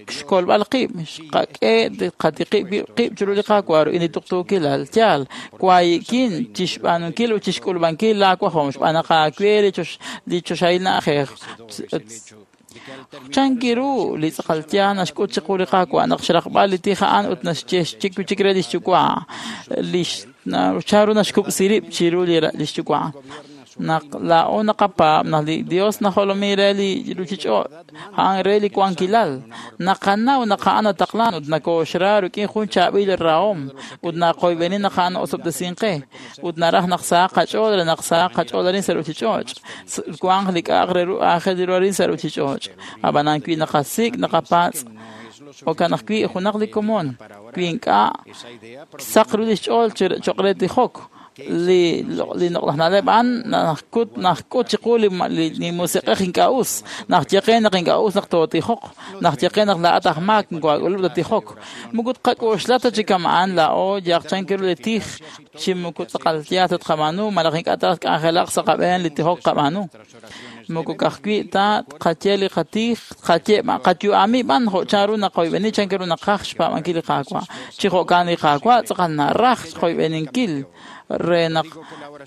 xkolb'al qib', xqak'e qatiqib' qib' chiru li Qaawa' rik'in li tuqtuukilal. Yaal, waayi'kin chi xb'aanunkil ut chi xk'ulub'ankil laawajom xb'aan naq aawe li choxahil na'ajej. Chan ru li tz'aqal yaal naxk'ut chiqu li Qaawa' naq xraqb'al li tij a'an ut naxye chik re li xyuwa' chanru naxkub'si rib' chiru li xyuwa'. Naq laa'o naqapaab' naq li Dios najolomin re li ruuchich'och' a'an re li wankilal. Naqanaw naq a'an nataqlan ut nakooxra rik'in jun chaab'il rahom ut naqoyb'eni naq a'an osob'tesin qe ut naraj naq sahaq qach'ool re naq sahaq qach'ool arin sa' ruuchich'och'. Wanq li k'a'aq re ru aajel ru arin sa' ruuchich'och'. Ab'anan wi naqasik' naqapatz' jo'kan ajwi' junaq li komon wi ink'a' saq ru li xch'ool cho'q re tijok. Li loq'laj na'leb' a'an naxk'ut chiqu li musiq'ej ink'a' us. Naxye qe naq ink'a' us naq tootijoq. Naxye qe naq laa'at aj maak moko aak'ulub' ta tijok. Moko tqak'oxla ta chi kama'an laa'o yaq chan ru li tij chi moko tz'aqal yaal ta tqab'aanu malaj ink'a' ta k'anjelaq sa' qab'een li tijok qab'aanu. Moko ka'ajwi' ta tqaye li qatij, tqaye qayu'ami b'an jo' chanru naqoyb'eni chan ru naqaj xpaab'ankil li Qaawa'. Chi jo'kan li Qaawa' tz'aqal naraj xqoyb'eninkil re naq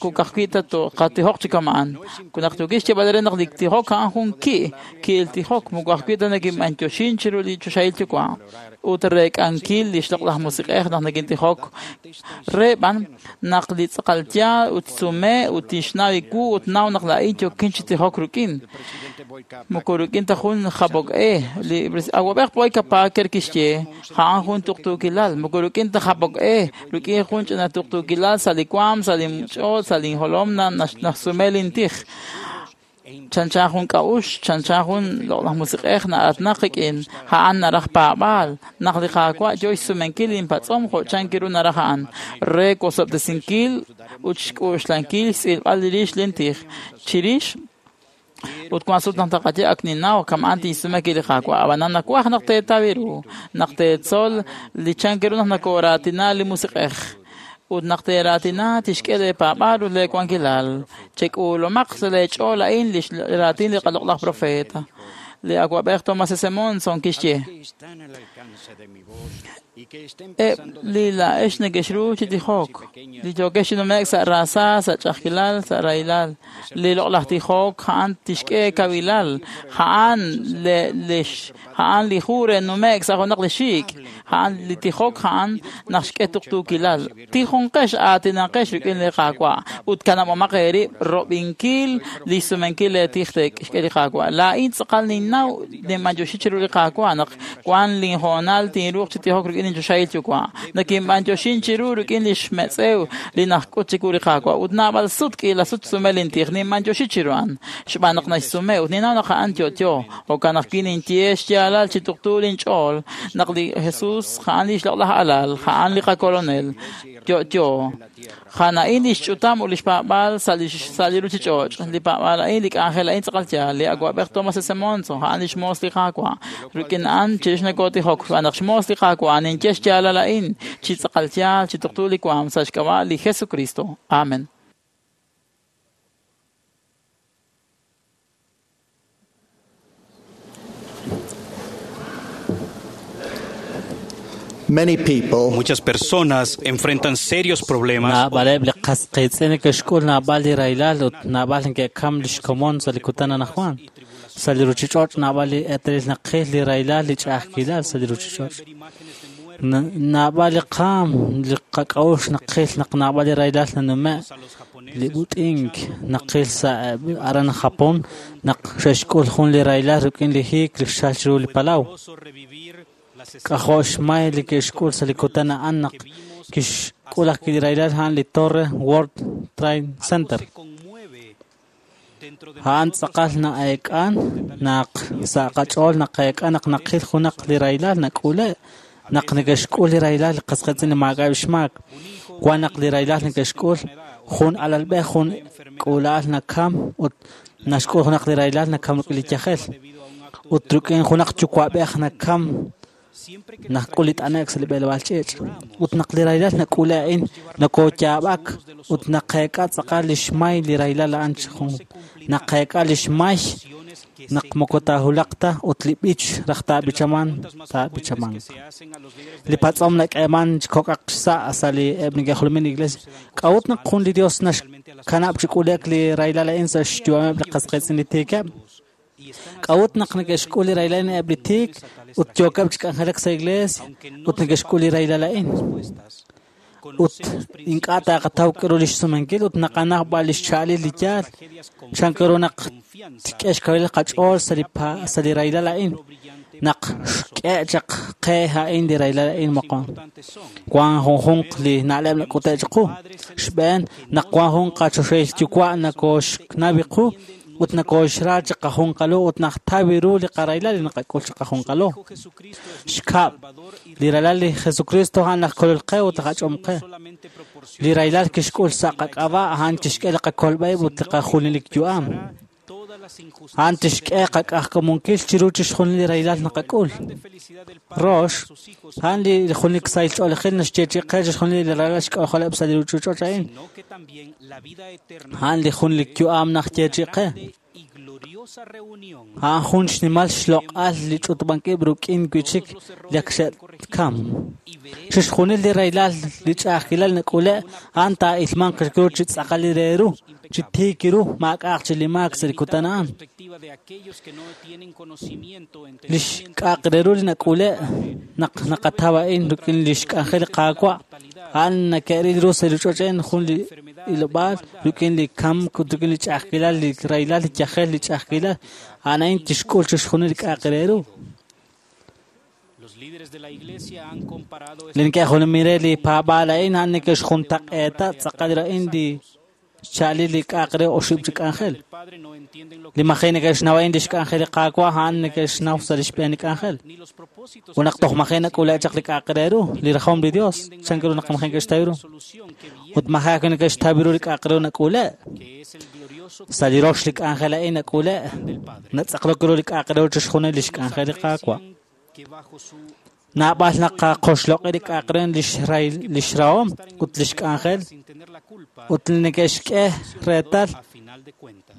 kukajwi' ta qatijoq chi kama'an. Naq yookin xyeeb'al re naq li tijok a'an jun ki' ki'il tijok, moko ajwi' ta nekinb'anyoxin chiru li choxahil yuwa' ut reek'ankil li xloq'laj musiq'ej naq nekintijok re b'an naq li tz'aqal yaal ut sume ut tixnaw iwu ut naw naq laa'in yookin chi tijok rik'in. Moko rik'in ta jun jabok e. Li awab'ej Boyka Parker kixye a'an jun tuqtuukilal. Moko rik'in ta jabok e, rik'in jun ch'ina tuqtuukilal sa' li waam, sa' li ch'ool, sa' li jolom naxsume lintij. Chanchan jun k'a'uxl, chanchan jun loq'laj musiq'ej na'atnaq rik'in a'an naraj paab'aal naq li Qaawa' yo xsumenkil linpatz'om jo' chan ru naraj a'an re wosob'tesinkil ut xk'uxlankil xtz'ilb'al rix lintij chirix ut wank sut naq taqaye ak ninnaw kama'an tinsume li Qaawa'. Ab'anan nawaj naq teetaw ru naq teetzol li chan ru naq nakooraatina li musiq'ej ut naq teeraatina tixk'e leepaab'aal ut leewankilal. Chek'uulomaq sa' leech'ool a'in li raatin li qaloq'laj profeta. Li awab'ej Thomas S. Monson kixye: Eb' li laa'ex neke'xru chi tijok, li yookex chi nume'k sa' raasa, sa' ch'a'ajkilal, sa' rahilal. Li loq'laj tijok a'an tixk'e kawilal, a'an li hu re nume'k sa' junaq li xiik', a'an li tijok a'an naq xk'e tuqtuukilal. Tijonqex aatinanqex rik'in li Qaawa' ut kanab'omaq eerib' rob'inkil li xsumenkil leetij xk'e li Qaawa'. Laa'in tz'aqal ninnaw ninb'anyoxi chiru li Qaawa' naq wank linhoonal tinruuq chi tijok rik'in linchoxahil yuwa'. Nakinb'anyoxin chiru rik'in li xmetz'ew li naxk'ut chiwu li Qaawa' ut naab'al sut k'iila sut xsume lintij ninb'anyoxi chiru a'an xb'aan naq naxsume ut ninnaw naq a'an yo'yo. Jo'kan ajwi' ninye xyaalal chi tuqtu linch'ool naq li Jesús a'an li xloq'laj alal, a'an li qakolonel. Yo'yo. A'an a'in lix ch'utam ut lix paab'aal sa' li ruchich'och'. Li paab'aal a'in, li k'anjel a'in tz'aqal yaal. Li awa'b'ej Thomas S. Monson, a'an lix moos li Qaawa'. Rik'in a'an chirix nakotijok, xb'aan naq xmoos li Qaawa', ninye xyaalal a'in chi tz'aqal yaal, chi tuqtu li waam sa' xk'ab'a' li Jesucristo. Amen. Muchas personas enfrentan serios problemas. Naab'aleb' li qas qiitz'in neke'xk'ul naab'al li rahilal ut naab'al neke'kam lix komon sa' li kutan anaqwan. Sa' li ruchich'och' naab'al li eetalil naqil li rahilal li ch'a'ajkilal sa' li ruchich'och'. Naab'al li qaam li qak'a'uxl naqil naq naab'al li rahilal nanume' li b'ut'ink naqil sa' aran Japón naq xe'xk'ul jun li rahilal rik'in li hiik li xchal chiru li palaw. K'ajo' xmay li ke'xk'ul sa' li kutan a'an naq kixk'ul ajwi' li rahilal a'an li Torre World Trade Center. A'an tz'aqal na'eek'an naq sa' qach'ool naqeek'a naq naqil junaq li rahilal nak'ule' naq neke'xk'ul li rahilal li qas qiitz'in li maak'a'eb' xmaak. Wan naq li rahilal neke'xk'ul jun alalb'ej jun k'uula'al nakam ut naxk'ul junaq li rahilal nakam rik'in li yajel. Ut rik'in junaq yuwa'b'ej nakam nak'ul li t'ane'k sa' li b'eleb'aal ch'iich'. Ut naq li rahilal nak'ule a'in nakooyaab'ak ut naqeek'a tz'aqal li xmay li rahilal a'an chi jun. Naqeek'a li xmay naq moko taahulaq ta ut li b'ich raj taab'ichaman taab'ichamanq. Li patz'om nak'eeman chi kok'aq xsa' sa' li eb' neke'jolomin li iglesia. K'a'ut naq jun li Dios naxkanab' chi k'ule'k li rahilal a'in sa' xyu'ameb' li qas qiitz'in li tiikeb'? K'a'ut naq neke'xk'ul li rahilal a'in eb' li tiik ut yookeb' chi k'anjelak sa' iglesia ut neke'xk'ul li rahilal a'in? Ut ink'a' taqataw k'aru lix sumenkil ut naqanaw b'al lix cha'alil li yaal. Chan k'aru naq tk'e xkawil qach'ool sa' li rahilal a'in naq xk'e chaq qe a'in li rahilal a'in moqon. Wan junjunq li na'leb' nak'ute' chiqu. Xb'een naq wan jun qachoxahil yuwa' nakooxnaw qu ut nakooxra chi qajunqalo ut naqtaw ru li qarahilal li naqak'ul chi qajunqalo. Xkab' li ralal li Jesucristo a'an laj kolol qe ut laj ach'om qe. Li rahilal kixk'ul sa' qak'ab'a' a'an tixk'e li qakolb'aib' ut li qajunelik yu'am. A'an tixk'e qak'ajk'amunkil chiru chixjunil li rahilal naqak'ul. Rox, a'an li junelik sahil ch'oolejil naxyeechi'i qe chixjunil li ralal xk'ajoleb' sa' li ruchich'och' a'in. A'an li junelik yu'am naxyeechi'i qe. A'an jun xnimal xloq'al li ch'utub'ank-ib' rik'in wi'chik li ak xe'kam. Chixjunil li rahilal li ch'a'ajkilal nak'ule' a'an taa'ilmanq ru chi tz'aqal re ru, chi tiik ru, maak'a'aq chi li maak sa' li kutan a'an. Lix k'a'aq re ru li nak'ule' naq naqataw a'in rik'in lix k'anjel li Qaawa', a'an nake'ril ru sa' li ruchich'och' a'in jun li ilob'aal rik'in li kamk ut rik'in li ch'a'ajkilal, li rahilal, li yajel, li ch'a'ajkilal, a'an a'in tixk'ul chixjunil li k'a'aq re ru. Li neke'jolomin re li paab'aal a'in a'an neke'xjuntaq'eeta tz'aqal a'in li xcha'alil li k'a'aq re oxib' chi k'anjel. Li maji' neke'xnaw a'in lix k'anjel li Qaawa' a'an neke'xnaw sa' lix b'een li k'anjel. Ut naq toj maji' nak'ule' chaq li k'a'aq re ru, li rajom li Dios, chan ru naq maji' neke'xtaw ru. Ut maji' ajwi' neke'xtaw ru li k'a'aq re ru nak'ule'. Sa' li rox li k'anjel a'in nak'ule', natz'aqlok ru li k'a'aq re ru chixjunil lix k'anjel li Qaawa'. Naab'al naqaqoxloq'i li k'a'aq re lix rahom ut lix k'anjel ut li neke'xk'e reetal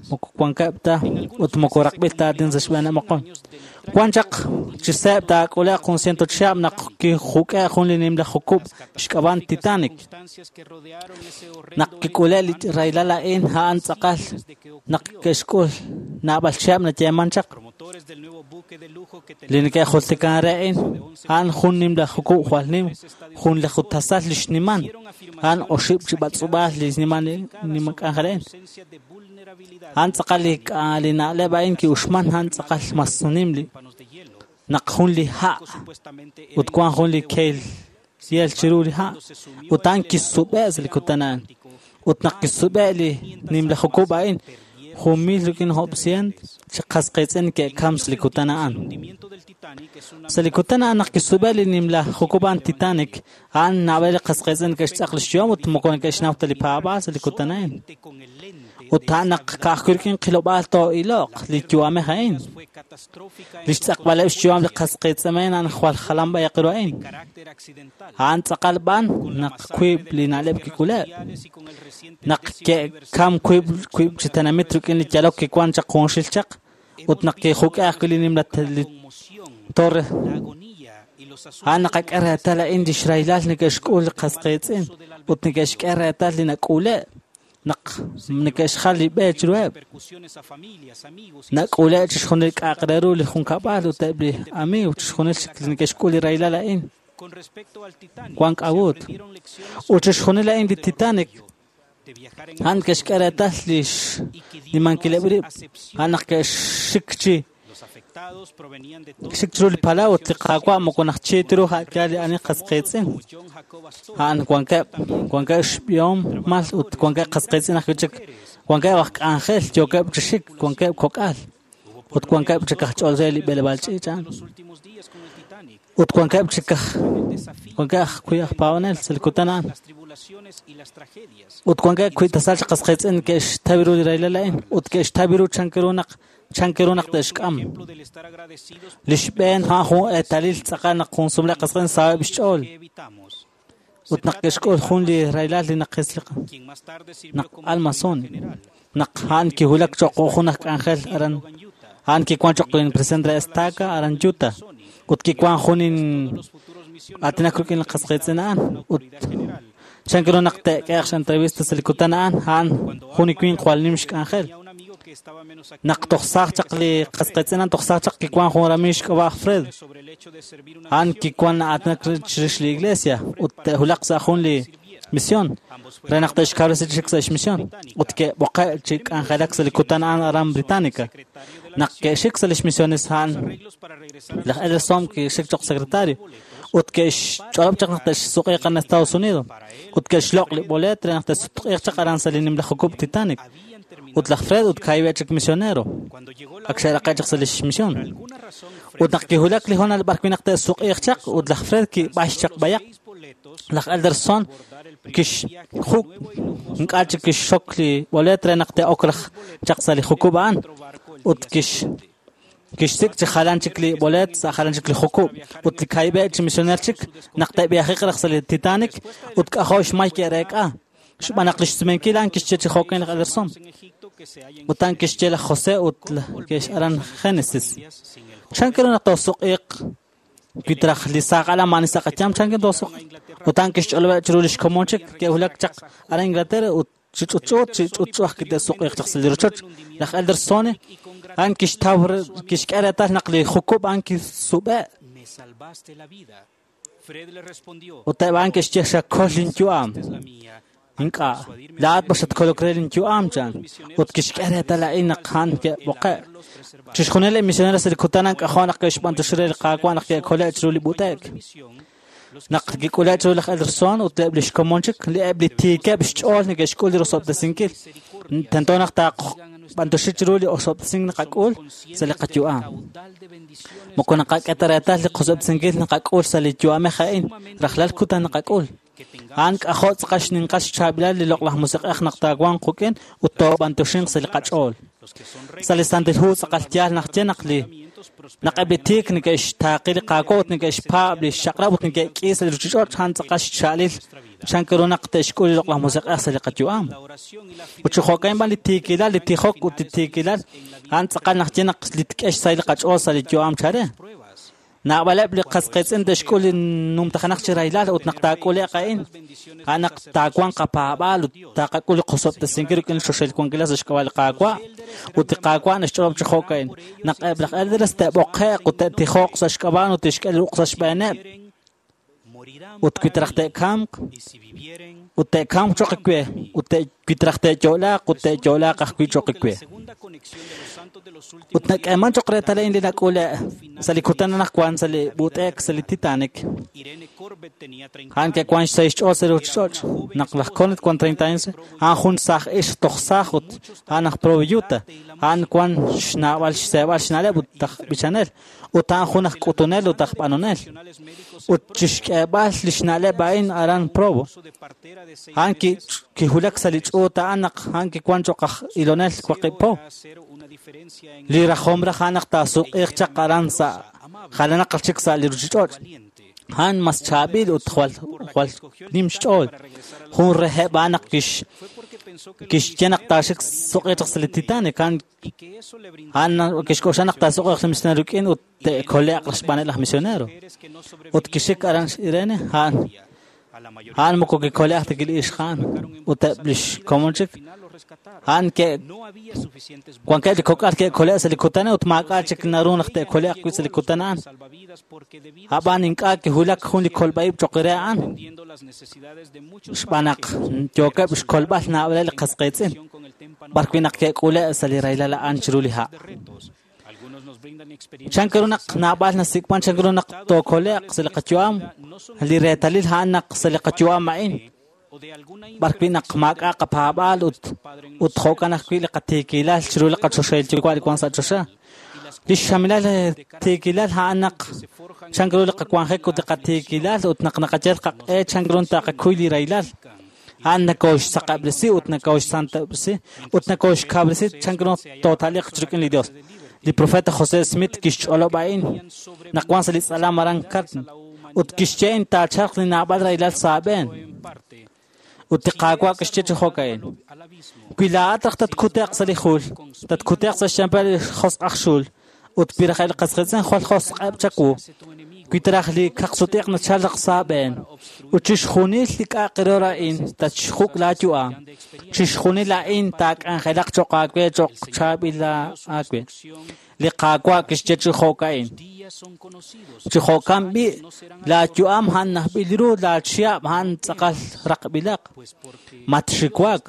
moko wankeb' ta ut moko raqb'il ta aatin sa' xb'eeneb' moqon. Wan chaq chi seeb' taak'ule'q jun ciento chihab' naq kijuk'e jun li nimla jukub' xk'ab'an Titanic. Naq kik'ule' li rahilal a'in a'an tz'aqal naq ke'xk'ul naab'al chihab' nayeeman chaq. Li neke'jultikan re a'in a'an jun nimla jukub' jwal nim, jun li jutasal li xniman, a'an oxib' chi b'atz'ub'aal li xniman nima k'anjel a'in. A'an tz'aqal li na'leb' a'in ki'uxman, a'an tz'aqal mas nim li naq jun li ha' ut wan jun li keel yel chiru li ha' ut a'an kisub'e' sa' li kutan a'an. Ut naq kisub'e' li nimla jukub' a'in 1,100 chi qas qiitz'in ke'kam sa' li kutan a'an. Sa' li kutan a'an naq kisub'e li nimla jukub' a'an Titanic, a'an naab'al li qas qiitz'in ke'xtz'aq li xyu'am ut moko neke'xnaw ta li paab'aal sa' li kutan a'in. Ut a'an naq ka'ajwi' rik'in qilob'aal too'iloq li yu'amej a'in. Li xtz'aqb'aleb' xyu'am li qas qiitz'in a'an jwal jalan b'ayaq ru a'in. A'an tz'aqal b'an naq wiib' li na'leb' kik'uleb'. Naq ke'kam wiib' chi tenamit rik'in li yalok kiwan chaq junxil chaq ut naq kijuk'e ajwi' li nimla torre. A'an naqak'e reetal a'in li xraylal neke'xk'ul li qas qiitz'in ut neke'xk'e reetal li nak'ule' naq neke'xjal li b'e chiruheb'. Nak'ule' chixjunil k'a'aq re ru li junkab'al ut eb' li amiiw chixjunil neke'xk'ul li raylal a'in. Wan k'a'ut. Ut chixjunil a'in li Titanic a'an ke'xk'e reetal li xnimankileb' rib', a'an naq ke'xik chi xik chiru li palaw ut li Qaawa' moko najchi ta ru a'yaal li ani qas qiitz'in. A'an wankeb' xb'ihomal ut wankeb' qas qiitz'in ajwi' chik, wankeb' aj k'anjel yookeb' chi xik, wankeb' kok'al ut wankeb' chik aj ch'ol re li b'eleb'aal ch'iich' a'an. Ut wankeb' chik aj wankeb' ajwi' aj paab'anel sa' li kutan a'an. Ut wankeb' wi' tasal chi qas qiitz'in ke'xtaw ru li raylal a'in ut ke'xtaw ru chank ru naq te'xk'am. Li xb'een a'an jun eetalil tz'aqal naq jun sumleb' qas qiitz'in saheb' xch'ool. Ut naq ke'xk'ul jun li raylal li naqisliq naq Almazón naq a'an kiwulak cho'q jun aj k'anjel aran a'an kiwan cho'q presidente de estaca aran Utah ut kiwan jun aatinak rik'in li qas qiitz'in a'an ut chank ru naq te'k'ehaq x'entrevista sa' li kutan a'an a'an jun li winq jwal nim xk'anjel. Naq toj saaj chaq li qas qiitz'in a'an toj saaj chaq kiwan jun ramiiw xk'ab'a' aj Fred. A'an kiwan aatinak chirix li iglesia ut te'wulaq sa' jun li misión re naq te'xkawresi chik sa' xmisión ut ke'b'oqe' chi k'anjelak sa' li kutan a'an aran Británica. Naq ke'xik sa' lix misiones a'an laj Elderson kixik cho'q secretario ut ke'xch'olob' chaq naq te'xsuq'iiq aran Estados Unidos ut ke'xloq' li boleet re naq te'sutq'iiq chaq aran sa' li nimla jukub' Titanic. Ut laj Fred ut kaahib'eb' chik misionero ak xe'raqe' chaq sa' lix misión. Ut naq kiwulak li hoonal b'ar wi' naq te'suq'iiq chaq ut laj Fred kib'ax chaq b'ayaq. Laj Elderson kixjuk' ink'a' chik kixxok li boleet re naq te'ok raj chaq sa' li jukub' a'an ut kixsik' chi jalan chik li boleet sa' jalan chik li jukub' ut li kaahib'eb' chi misioner chik naq te'b'ihajiq raj sa' li Titanic ut k'ajo' xmay ke'reek'a. Xb'aan naq li xsumenkil a'an kixye chi jo'kan laj Elderson. Ut a'an kixye laj José ut ke'x aran Génesis. Chank ru naq toosuq'iiq wi traj li saaj alan maani sa' qayaam chank ru toosuq'iiq. Ut a'an kixch'olob'eb' chiru li xkomon chik ke'wulak chaq aran Inglaterra ut chi ch'utch'u aj kite'suq'iiq chaq sa' li rochoch. Laj Elderson a'an kixtaw kixk'e reetal naq li jukub' a'an kisub'e'. Ut eb' a'an ke'xye xakol linyu'am. Ink'a', laa'at b'ax xatkolok re linyu'am chan. Ut kixk'e reetal a'in naq a'an ke'b'oqe'. Chixjunil li misioneros sa' li kutan a'an k'ajo' naq ke'xb'antuxi re li Qaawa' naq ke'kole' chiru li b'ut'e'k. Naq kik'ule' chiru laj Elderson ut eb' li xkomon chik, li eb' li tiikeb' xch'ool neke'xk'ul li rosob'tesinkil. Tento naq taaqb'antuxi chiru li osob'tesink naqak'ul sa' li qayu'am. Moko naqak'e ta reetal li qosob'tesinkil naqak'ul sa' li yu'amej a'in, rajlal kutan naqak'ul. A'an k'ajo' tz'aqal xninqal xchaab'ilal li loq'laj musiq'ej naq taawanq quk'in ut toob'antuxinq sa' li qach'ool. Sa' li Santil Hu tz'aqal yaal naq ye naq li naq eb' li tiik neke'xtaaqi li Qaawa' ut neke'xpaab' li xchaq'rab' ut neke'k'i sa' li ruuchich'och' a'an tz'aqal xcha'alil chank ru naq te'xk'ul li loq'laj musiq'ej sa' li qayu'am. Ut chi jo'kan b'an li tiikilal, li tijok ut li tiikilal a'an tz'aqal naq ye naq li tk'e xsahil li qach'ool sa' li yu'am chare. Naab'aleb' li qas qiitz'in te'xk'ul li numtajenaq chi raylal ut naq taak'ule'q a'in, a'an naq taawanq qapaab'aal ut taaqak'ul li qosob'tesinkil rik'in li xoxel wankilal sa' xk'ab'a' li Qaawa' ut li Qaawa' naxch'olob' chi jo'ka'in. Naq eb' laj elders te'b'oqe'q ut te'tijoq sa' xk'ab'a' ut te'xk'e li ruq' sa' xb'eeneb' ut wi traj te'kamq ut te'kamq cho'q we ut wi traj te'yo'laaq ut te'yo'laaq ajwi' cho'q we. Ut nak'eeman cho'q reetal a'in li nak'ule' sa' li kutan anaqwan sa' li b'ut'e'k sa' li Titanic. A'an ke'wan sa' xch'ool sa' ruchich'och'. Naq laj Cornette wan 30 años, a'an jun saaj ixq toj saaj ut a'an aj Provo Utah. A'an wan xnaab'al xseeb'al xna'leb' ut aj b'ichanel. Ut a'an jun aj k'utunel ut aj b'anonel. Ut chixk'eeb'al li xna'leb' a'in aran Provo. A'an kiwulak sa' li ch'uut a'an naq a'an kiwan cho'q aj ilonel waqib' po. Li rajom raj a'an naq taasuq'iiq chaq aran sa' jalanaq chik sa' li ruchich'och'. A'an mas chaab'il ut jwal nim xch'ool. Jun reheb' a'an naq kixye naq taaxik suq'iiq chaq sa' li Titanic. A'an kixk'oxla naq taasuq'iiq li misionero rik'in ut te'kole'q xb'aaneb' laj misionero. Ut kixik aran Irene, a'an moko kikole'q ta li ixq a'an ut eb' lix komon chik. A'an wankeb' li kok'al ke'kole'k sa' li kutan ut maak'a' chik naru naq te'kole'q wi' sa' li kutan a'an. Ab'an ink'a' kiwulak jun li kolb'a'ib' cho'q re a'an. Xb'aan naq yookeb' xkolb'al naab'aleb' li qas qiitz'in, b'arwi' naq ke'k'ule' sa' li rahilal a'an chiru li ha'. Chan ru naq naab'al nasik'man, chan ru naq tookole'q sa' li qayu'am, li reetalil a'an naq sa' li qayu'am a'in, b'arwi' naq maak'a' qapaab'aal ut jo'kan ajwi' li qatiikilal chiru li qachoxahil yuwa' li wan sa' choxa. Li xxamilal tiikilal a'an naq chan ru li qawanjik ut li qatiikilal ut naq naqayal qaq'e chan ru taqakuy li rahilal. A'an nakooxsaqab'resi ut nakooxsantob'resi ut nakooxkawresi chan ru tootaliq rik'in li Dios. Li profeta José Smith kixch'olob' a'in naq wan sa' li tz'alam aran Carton ut kixye in taachalq li naab'al rahilal sa' aab'een. Ut li Qaawa' kixye chi jo'ka'in. Wi laa'at raj tatkute'q sa' li jul, tatkute'q sa' xyanpal li josq' aj xul, ut wi raj eb' li qas qiitz'in jwal josq'eb' chawu, wi taraj li kaqsutiq nachalq sa' aab'een, ut chixjunil li k'a'aq ru a'in tatxjuk' laayu'am, chixjunil a'in taak'anjelaq cho'q aawe cho'q chaab'il aawe. Li Qaawa' kixye chi jo'ka'in. Chi jo'kan b'i' laayu'am a'an najb'il ru laachihab' a'an tz'aqal raqb'ilaq. Matxiwak,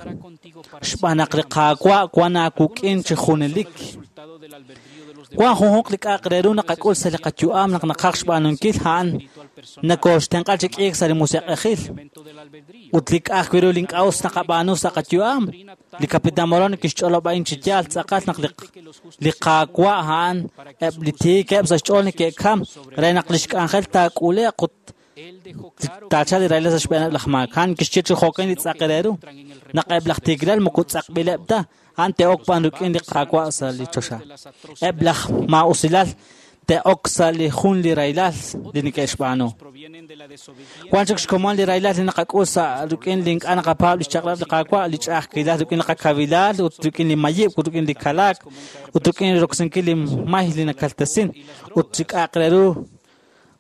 xb'aan naq li Qaawa' wan aawuk'in chi junelik. Wan junjunq li k'a'aq re ru naqak'ul sa' li qayu'am naq naqaj xb'aanunkil a'an nakooxtenq'a chi k'iik sa' li musiq'ejil. Ut li k'a'aq wi' ru li ink'a' us naqab'aanu sa' qayu'am, li Capitán Moroni kixch'olob' a'in chi yaal tz'aqal naq li Qaawa' a'an eb' li tiikeb' sa' xch'ool neke'kam re naq lix k'anjel taak'ule'q ut taachal li rahilal sa' xb'eeneb' laj maak. A'an kixye chi jo'kan li tz'aq re ru naq eb' laj tiikilal moko tz'aqb'ileb' ta, a'an te'ok b'an rik'in li Qaawa' sa' li choxa. Eb' laj maa'usilal te'ok sa' li jun li rahilal li neke'xb'aanu. Wan chik xkomon li rahilal li naqak'ul sa' rik'in li ink'a' naqapaab' li xchaq'rab' li Qaawa', li ch'a'ajkilal rik'in li qakawilal ut rik'in li mayib' ut rik'in li kalaak ut rik'in roksinkil li may li nakaltesin ut chi k'a'aq re ru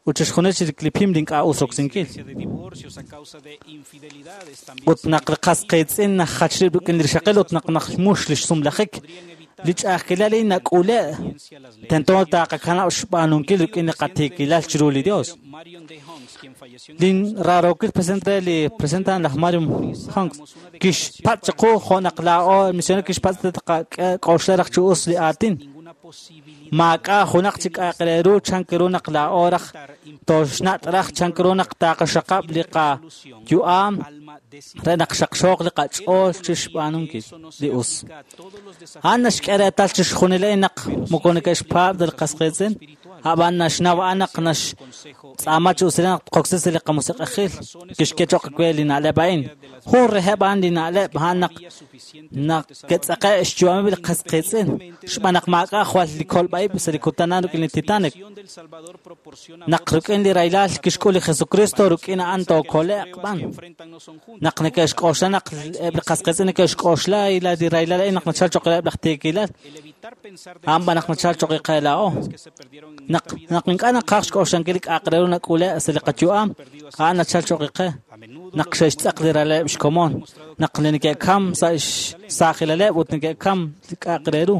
ut chixjunil chi li pim li ink'a' us roksinkil. Ut naq li qas qiitz'in najach rib' rik'in li rixaqil ut naq najmux li xsumlajik, li ch'a'ajkilal a'in nak'ule' tento taqakanab' xb'aanunkil rik'in li qatiikilal chiru li Dios. Lin rarookil presidente li presidente laj Mario Hunks kixpatz' chiqu jo' naq laa'o misionero kixpatz' taqak'oxla raj chi us li aatin. Maak'a' junaq chi k'a'aq re ru chan ru naq laa'o raj toxnat' raj chan ru naq taqaxaqab' li qayu'am re naq xaqxooq li qach'ool chixb'aanunkil li us. A'an naxk'e reetal chixjunil a'in naq moko neke'xpaab' ta li qas qiitz'in, ab'an naxnaw a'an naq naxtz'aama chi usilal naq tqoksi sa' li qamusiq'ejil kixk'e cho'q we li na'leb' a'in. Jun reheb' a'an li na'leb' a'an naq ke'tz'aqe' xyu'ameb' li qas qiitz'in, xb'aan naq maak'a' jwal li kolb'a'ib' sa' li kutan a'an rik'in li Titanic. Naq rik'in li rahilal kixk'ul li Jesucristo rik'in a'an tookole'q b'an. Naq neke'xk'oxla naq eb' li qas qiitz'in neke'xk'oxla li rahilal a'in naq nachal cho'q reheb' laj tiikilal, a'an b'an naq nachal cho'q qe laa'o. Naq ink'a' naqaj xk'oxlankil li k'a'aq re ru nak'ule' sa' li qayu'am, a'an nachal cho'q qe. Naq xe'xtz'aq li ralaleb' xkomon, naq li neke'kam sa' xsaajilaleb' ut neke'kam li k'a'aq re ru.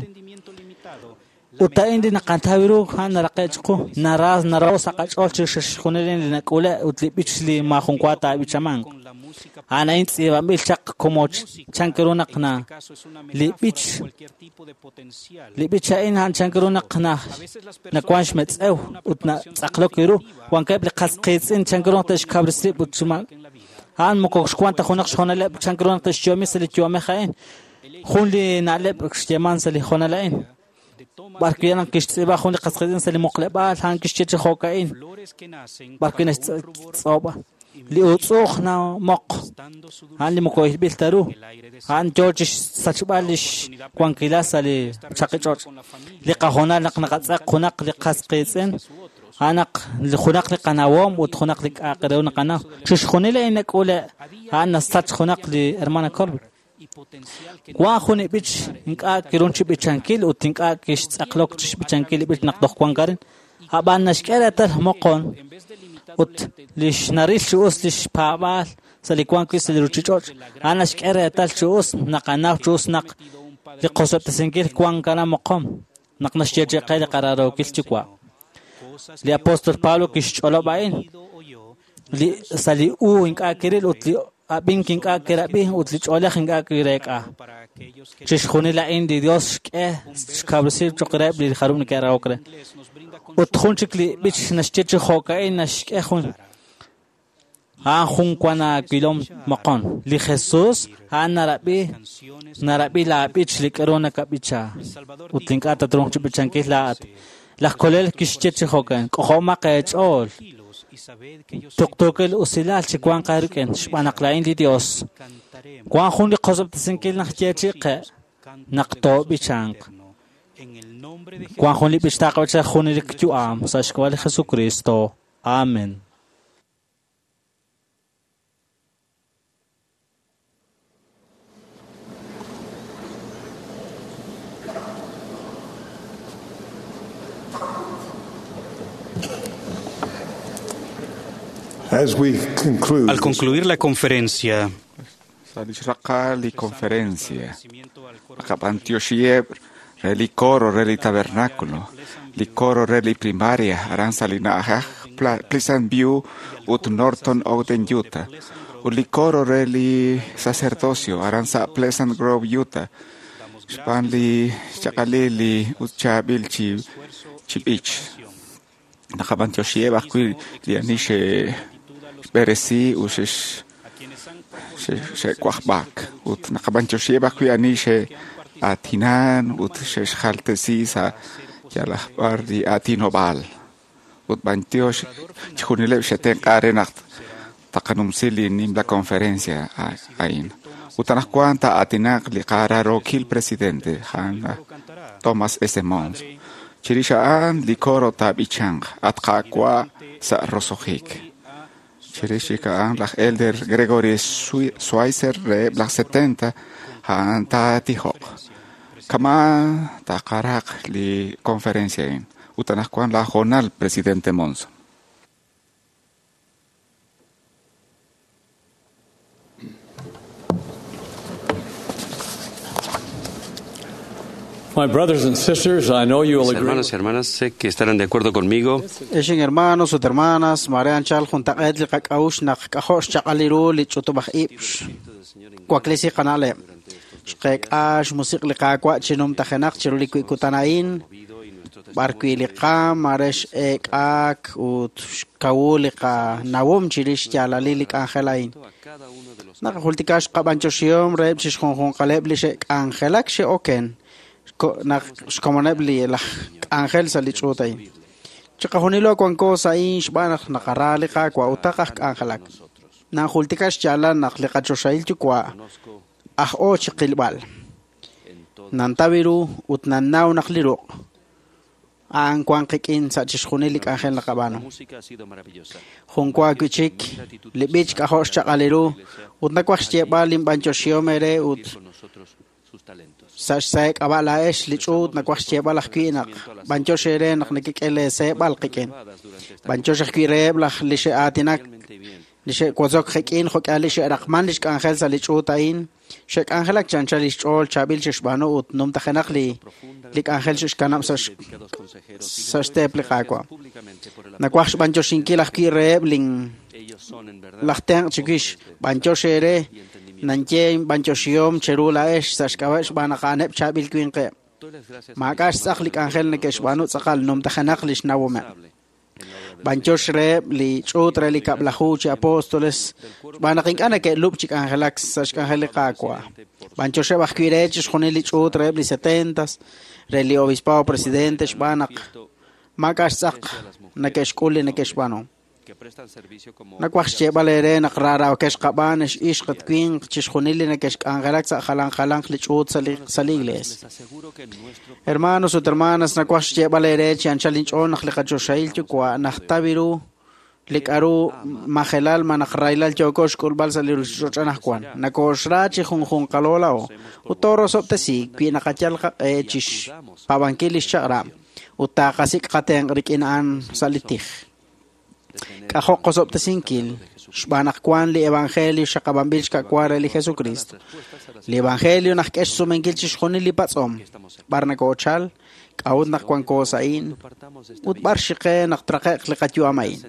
Ut a'in li naqataw ru a'an naraqe' chiqu. Naraho' sa' qach'ool chixjunil li nak'ule' ut li b'ich li maajun wa taab'ichamanq. A'an a'in tz'iib'anb'il chaq como chank ru naq na li b'ich a'in a'an chank ru naq nawank xmetz'ew ut natz'aqlok ru. Wankeb' li qas qiitz'in chank ru naq te'xkawresi rib' ut a'an moko xwank ta junaq xhoonaleb' chank ru naq te'xyo'omi sa' li yu'amej a'in. Jun li na'leb' xyeeman sa' li hoonal a'in. B'arwi' naq kixtz'iib'a jun li qas qiitz'in sa' li muqleb'aal a'an kixye chi jo'ka'in. B'arwi' naxtz'oob'a. Li utz'uj namoq a'an li moko ilb'il ta ru. A'an yoo chi xsachb'al li xwankilal sa' li chaqi ch'och'. Li qahoonal naq naqatz'aq junaq li qas qiitz'in a'an naq junaq li qanawom ut junaq li k'a'aq re ru naqanaw. Chixjunil a'in nak'ule' a'an nasach junaq li hermana Colbert. Wan jun li b'ich ink'a' kirun chi b'ichankil ut ink'a' kixtz'aqlok chi xb'ichankil li b'ich naq toj wank arin. Ab'an naxk'e reetal moqon ut li xnaril chi us li xpaab'aal sa' li wank wi' sa' li ruuchich'och'. A'an naxk'e reetal chi us naqanaw chi us naq li qosob'tesinkil wank aran moqon naq naxyeechi qe li qaraarookil Yuwa'. Li apóstol Pablo kixch'olob' a'in li sa' li u ink'a' kiril ut li ab'ink ink'a' kirab'i ut li ch'oolej ink'a' kireek'a. Chixjunil a'in li Dios xk'e xkawresi cho'q reheb' li jarub' neke'rahok re. Ut jun chik li b'ich naxye chi jo'ka'in naxk'e jun a'an jun wan aawilom moqon. Li Jesús a'an narab'i laab'ich li k'aru nakab'icha ut ink'a' tatruuq chi b'ichankil laa'at. Laj Kolel kixye chi jo'kan, k'ojomaq eech'ool. Tuqtuukil usilal chi wanq aarik'in xb'aan naq laa'in li Dios. Wank jun li qosob'tesinkil naq yeechi' qe naq toob'ichanq. Wank jun li b'ich taaqab'icha junelik yu'am sa' xk'ab'a' li Jesucristo. Amen. Al concluir la conferencia, Sa' li xraqal li conferencia, naqab'antioxiheb' re li coro re li tabernáculo, li coro re li primaria aran sa' li na'ajej Pleasant View ut Norton Ogden, Utah, ut li coro re li sacerdocio aran sa' Pleasant Grove, Utah, xb'aan li xchaq'alil li ut chaab'il chi b'ich. Naqab'antioxiheb' ajwi' li ani xe'xb'eresi ut xe'wajb'ak ut naqab'antioxiheb' ajwi' ani xe'aatinan ut xe'xjaltesi sa' yalaq b'ar li aatinob'aal. Ut b'antiox chixjunileb' xe'tenq'a re naq taqanumsi li nimla conferencia a'in. Ut anaqwan taa'aatinaq li qaraarookil presidente a'an Thomas S. Monson. Chirix a'an li coro taab'ichanq at Qaawa' sa' roso'jik. Chirix chik a'an laj Elder Gregory Schweitzer reheb' laj 70 a'an taatijoq. Kama' taqaraq li conferencia a'in. Ut anaqwan laj hoonal presidente Monson. My brothers and sisters, I know you will Mis agree. hermanos y hermanas, sé que estarán de acuerdo conmigo. Ex hermanos ut hermanas, mare anchal juntaq'eet li qak'a'uxl naq k'ajo' xchaq'al ru li ch'utub'aj ib' waklisi qana'leb'. Xqeek'a xmusiq' li Qaawa' chi numtajenaq chiru li kutan a'in, b'arwi' li qaam mare x'eek'aak ut xkawu li qanawom chirix xyaalalil li k'anjel a'in. Naqajultika xqab'anchoxihom reheb' chixjunjunqaleb' li xe'k'anjelak xe'oken naq xkomoneb' li laj k'anjel sa' li ch'uut a'in. Chiqajunilo wanko sa' a'in xb'aan naq naqara li Qaawa' ut taqaj k'anjelak. Nanjultika xyaalal naq li qachoxahil Yuwa' aj'o chiqilb'al. Nantaw ru ut nannaw naq li ruq' a'an wank qik'in sa' chixjunil li k'anjel naqab'aanu. Jun wa wi' chik li b'ich k'ajo' xchaq'al ru ut nawaj xyeeb'al linb'anyoxihom eere ut sa' xsahe' laa'ex li ch'uut nawaj xyeeb'al ajwi' naq b'anyox eere naq nekek'e leeseeb'al qik'in. B'anyox ajwi' reheb' laj li xe'aatinak Li xe'wotzok qik'in jo'k'ihal li xe'raqman lix k'anjel sa' li ch'uut a'in, xe'k'anjelak chi anchal lix ch'ool chaab'il xe'xb'aanu ut numtajenaq li li k'anjel xe'xkanab' sa' sa' xteep li Qaawa'. Nawaj xb'antioxinkil ajwi' reheb' lin laj tenq' chiwix, b'antiox eere, nanye inb'antioxihom cheru laa'ex sa' xk'ab'a' xb'aan naq a'aneb' chaab'il winqeb'. Maak'a' xtz'aq li k'anjel neke'xb'aanu tz'aqal numtajenaq lix nawomeb'. B'antiox reheb' li ch'uut re li kab'laju chi apóstoles xb'aan naq ink'a' neke'lub' chi k'anjelak sa' xk'anjel li Qaawa'. B'antioxeb' ajwi' re chixjunil li ch'uut reheb' li setentas, re li obispado presidente xb'aan naq maak'a' xtz'aq neke'xk'ul li neke'xb'aanu. Nawaj xyeeb'al eere naq raarookex qab'aan ex ixq ut winq chixjunil li neke'xk'anjelak sa' jalan jalanq li ch'uut sa' li sa' li iglees. Hermanos ut hermanas, nawaj xyeeb'al eere chi anchal inch'ool naq li qaChoxahil Yuwa' najtaw ru li k'a'ru majelal malaj rahilal yooko xk'ulb'al sa' li ruchich'och' anaqwan. Nokooxra chi junjunqalo laa'o ut toorosob'tesi wi naqayal qaq'e chixpaab'ankil lix chaq'rab' ut taqasik' qatenq' rik'in a'an sa' li tij. K'ajo' qosob'tesinkil xb'aan naq wank li evangelio xaqab'anb'il xka'wa re li Jesukristo. Li evangelio naxk'e xsumenkil chixjunil li patz'om. B'ar nokoochal, k'a'ut naq wanko sa' a'in, ut b'ar xiqe naq traqe'q li qayu'am a'in.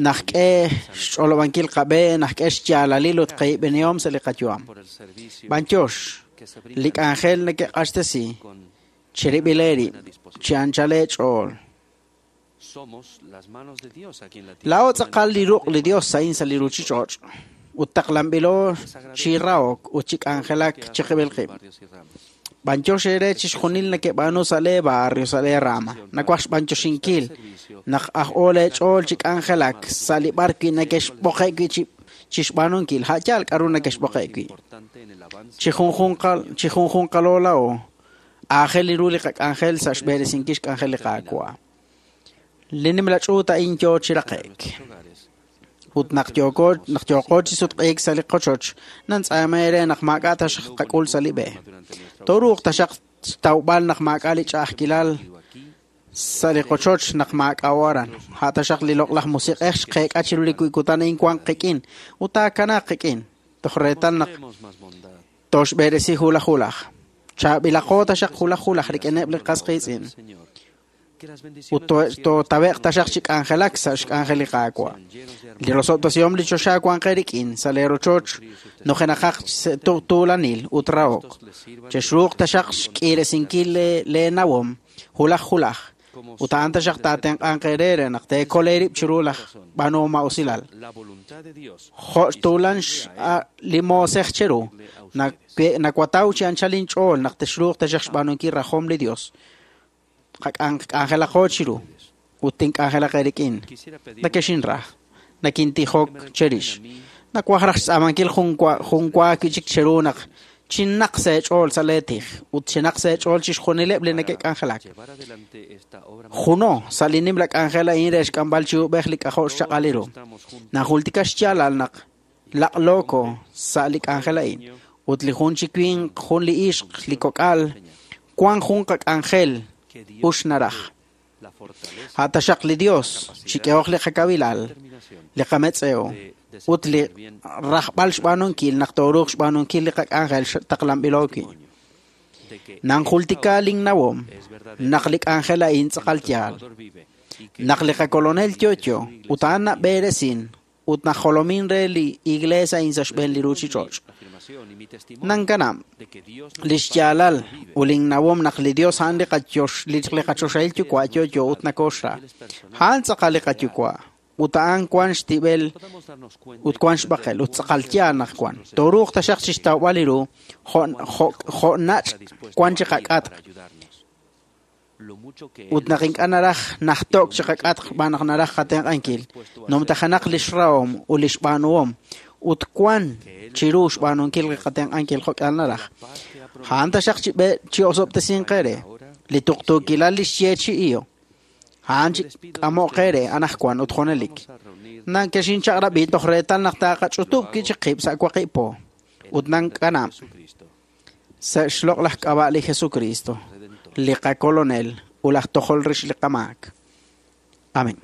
Naxk'e xch'olob'ankil qab'e, naxk'e xyaalalil ut qaib'enihom sa' li qayu'am. B'antiox, li k'anjel neke'q'axtesi cherib'il eerib' chi anchal eech'ool. Laa'o tz'aqal li ruq' li Dios a'in sa' li ruchich'och' ut taqlanb'ilo chi rahok ut chi k'anjelak chiqib'il qib'. B'antiox eere chixjunil neke'b'aanu sa' lee barrio, sa' lee rama. Nawaj xb'antioxinkil naq aj'o lee ch'ool chi k'anjelak sa' li b'ar wi' nekexb'oqe' wi' chi chixb'aanunkil, a' yaal k'a'ru nekexb'oqe' wi'. Chi junjunqal chi junjunqalo laa'o, aajel ru li qak'anjel sa' xb'eresinkil xk'anjel li Qaawa'. Li nimla ch'uut a'in yoo chi raqe'k. Ut naq yooko naq yooqo chi sutq'iik sa' li qochoch, nantz'aama eere naq maak'a' taxaq tqak'ul sa' li b'e. Tooruuq taxaq xtawb'al naq maak'a' li ch'a'ajkilal sa' li qochoch naq maak'a'o aran. A' taxaq li Loq'laj Musiq'ej xqeek'a chiru li kutan a'in wanq qik'in ut taakanaaq qik'in toj reetal naq tooxb'eresi hulaj hulaj. Chaab'ilaqo taxaq hulaj hulaj rik'ineb' li qas qiitz'in. Ut tootawe'q taxaq chi k'anjelak sa' xk'anjel li Qaawa'. Li rosob'tesihom li choxa wanq eerik'in sa' lee rochoch nujenaqaq tuulanil ut rahok. Chexruuq taxaq xk'iiresinkil lee nawom hulaj hulaj ut a'an taxaq taatenq'anq eere re naq teekol eerib' chiru laj b'aanuhom maa'usilal. Jo' tuulan li moosej cheru, nawataw chi anchal inch'ool naq texruuq taxaq xb'aanunkil rajom li Dios. Qak'anjelaqo chiru ut tink'anjelaq eerik'in. Nakexinra, nakintijok cherix. Nawaj raj xtz'aamankil jun wa wi' chik cheru naq chinaq sa' eech'ool sa' lee tij ut chinaq sa' eech'ool chixjunileb' li neke'k'anjelak. Juno sa' li nimla k'anjel a'in re xk'amb'al chi uub'ej li k'ajo' xchaq'al ru. Najultika xyaalal naq laq'looko sa' li k'anjel a'in ut li jun chi winq, jun li ixq, li kok'al, wank jun qak'anjel ux naraj. A' taxaq li Dios chik'ehoq li qakawilal, li qametz'ew ut li rajb'al xb'aanunkil naq tooruuq xb'aanunkil li qak'anjel taqlanb'ilo wi'. Nanjultika linnawom naq li k'anjel a'in tz'aqal yaal. Naq li qakolonel yo'yo ut a'an nab'eresin ut najolomin re li iglees a'in sa' xb'een li ruchich'och'. Nankanab' li xyaalal ut linnawom naq li Dios a'an li qachoxahil Yuwa' yo'yo ut nokooxra. A'an tz'aqal li qaYuwa' ut a'an wank xtib'el ut wank xb'aqel ut tz'aqal yaal naq wank. Tooruuq taxaq chixtawb'al ru jo' nach' wank chi qak'atq ut naq ink'a' naraj najto'k chi qak'atq xb'aan naq naraj qatenq'ankil. Numtajenaq li xrahom ut li xb'aanuhom ut wank chiru xb'aanunkil li qatenq'ankil jo'k'ihal naraj. A'an taxaq chi osob'tesinq eere li tuqtuukilal li xyeechi'iyo. A'an chik'amoq eere anaqwan ut junelik. Nakexinchaq'rab'i toj reetal naq taqach'utub' wi' chik qib' sa' waqib' po ut nankanab' sa' xloq'laj k'ab'a' li Jesukristo, li qakolonel ut laj tojol rix li qamaak. Amén.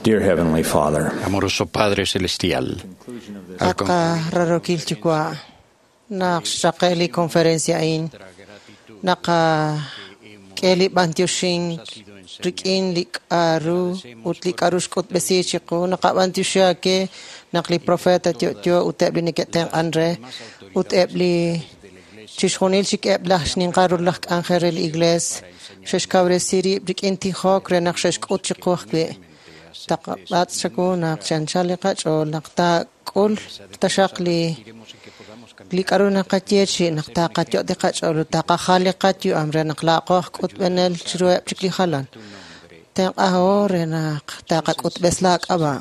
Dear Heavenly Father, Amoroso Padre Celestial, al At qararokil yuwa' naq xraqe' li conferencia a'in naqak'e li b'antioxink rik'in li k'a'ru ut li k'a'ru xk'utb'esi chiqu naqab'antioxi ake naq li profeta yo'yo ut eb' li neke'tenq'an re ut eb' li chixjunil chik eb' laj xninqal ru laj k'anjel re li iglees xe'xkawresi rib' rik'in tijok re naq xe'xk'ut chiqu ajwi' taqab'atz' chawu naq chi anchal li qach'ool naq taak'ul taxaq li k'a'ru naqayeechi' naq taqayot' li qach'ool ut taqajal li qayu'am re naq laa'qo aj k'utb'enel chiruheb' chik li jalan tenq'aho re naq taqak'utb'es laak'ab'a'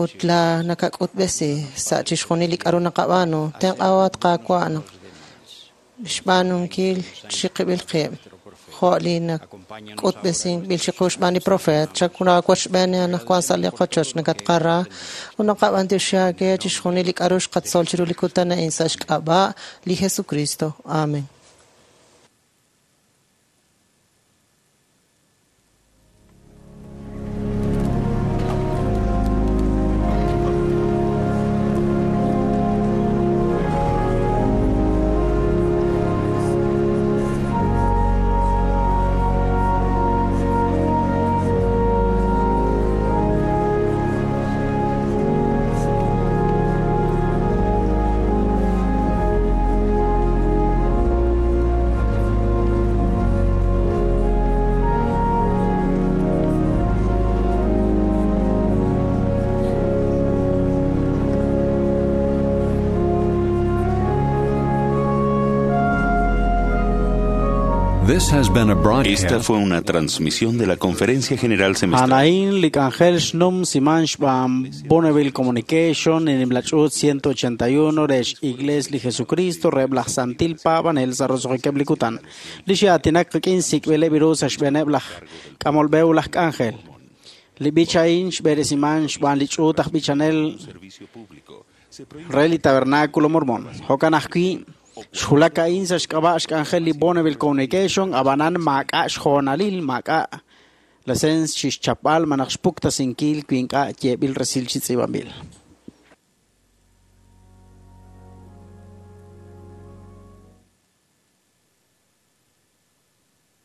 ut la nakak'utb'esi sa' chixjunil li k'a'ru naqab'aanu tenq'aho at Qaawa' naq xb'aanunkil chiqib'il qib' jo' li nak'utb'esinb'il chiqu xb'aan li profeet chakunaawochb'een anaqwan sa' li qochoch nakatqara ut naqab'antioxi aawe chixjunil li k'a'ru xqatzol chiru li kutan a'in sa' xk'ab'a' li Jesucristo. Amen. This has been a broadcast. Esta fue una transmisión de la Conferencia General Semestral. Anaín Licangel Shnum Siman Shbam Bonneville Communication en Imlachut 181 Resh Igles Li Jesucristo Reblach Santil Pavan El Sarrosojekeblikutan Lishiatinak Kinsik Belebiru Sashbeneblach Kamolbeulach Ángel Libichain Shberesiman Shban Lichutach Bichanel Reli Tabernáculo Mormón Hokanajki Xulakain sa xk'ab'a' xk'anjel li Bonneville Communication abanan maak'a' xjoonalil maak'a' lasens xixchapb'al malaj xpuktasinkil wi ink'a' yeeb'il resil chi tz'iib'anb'il.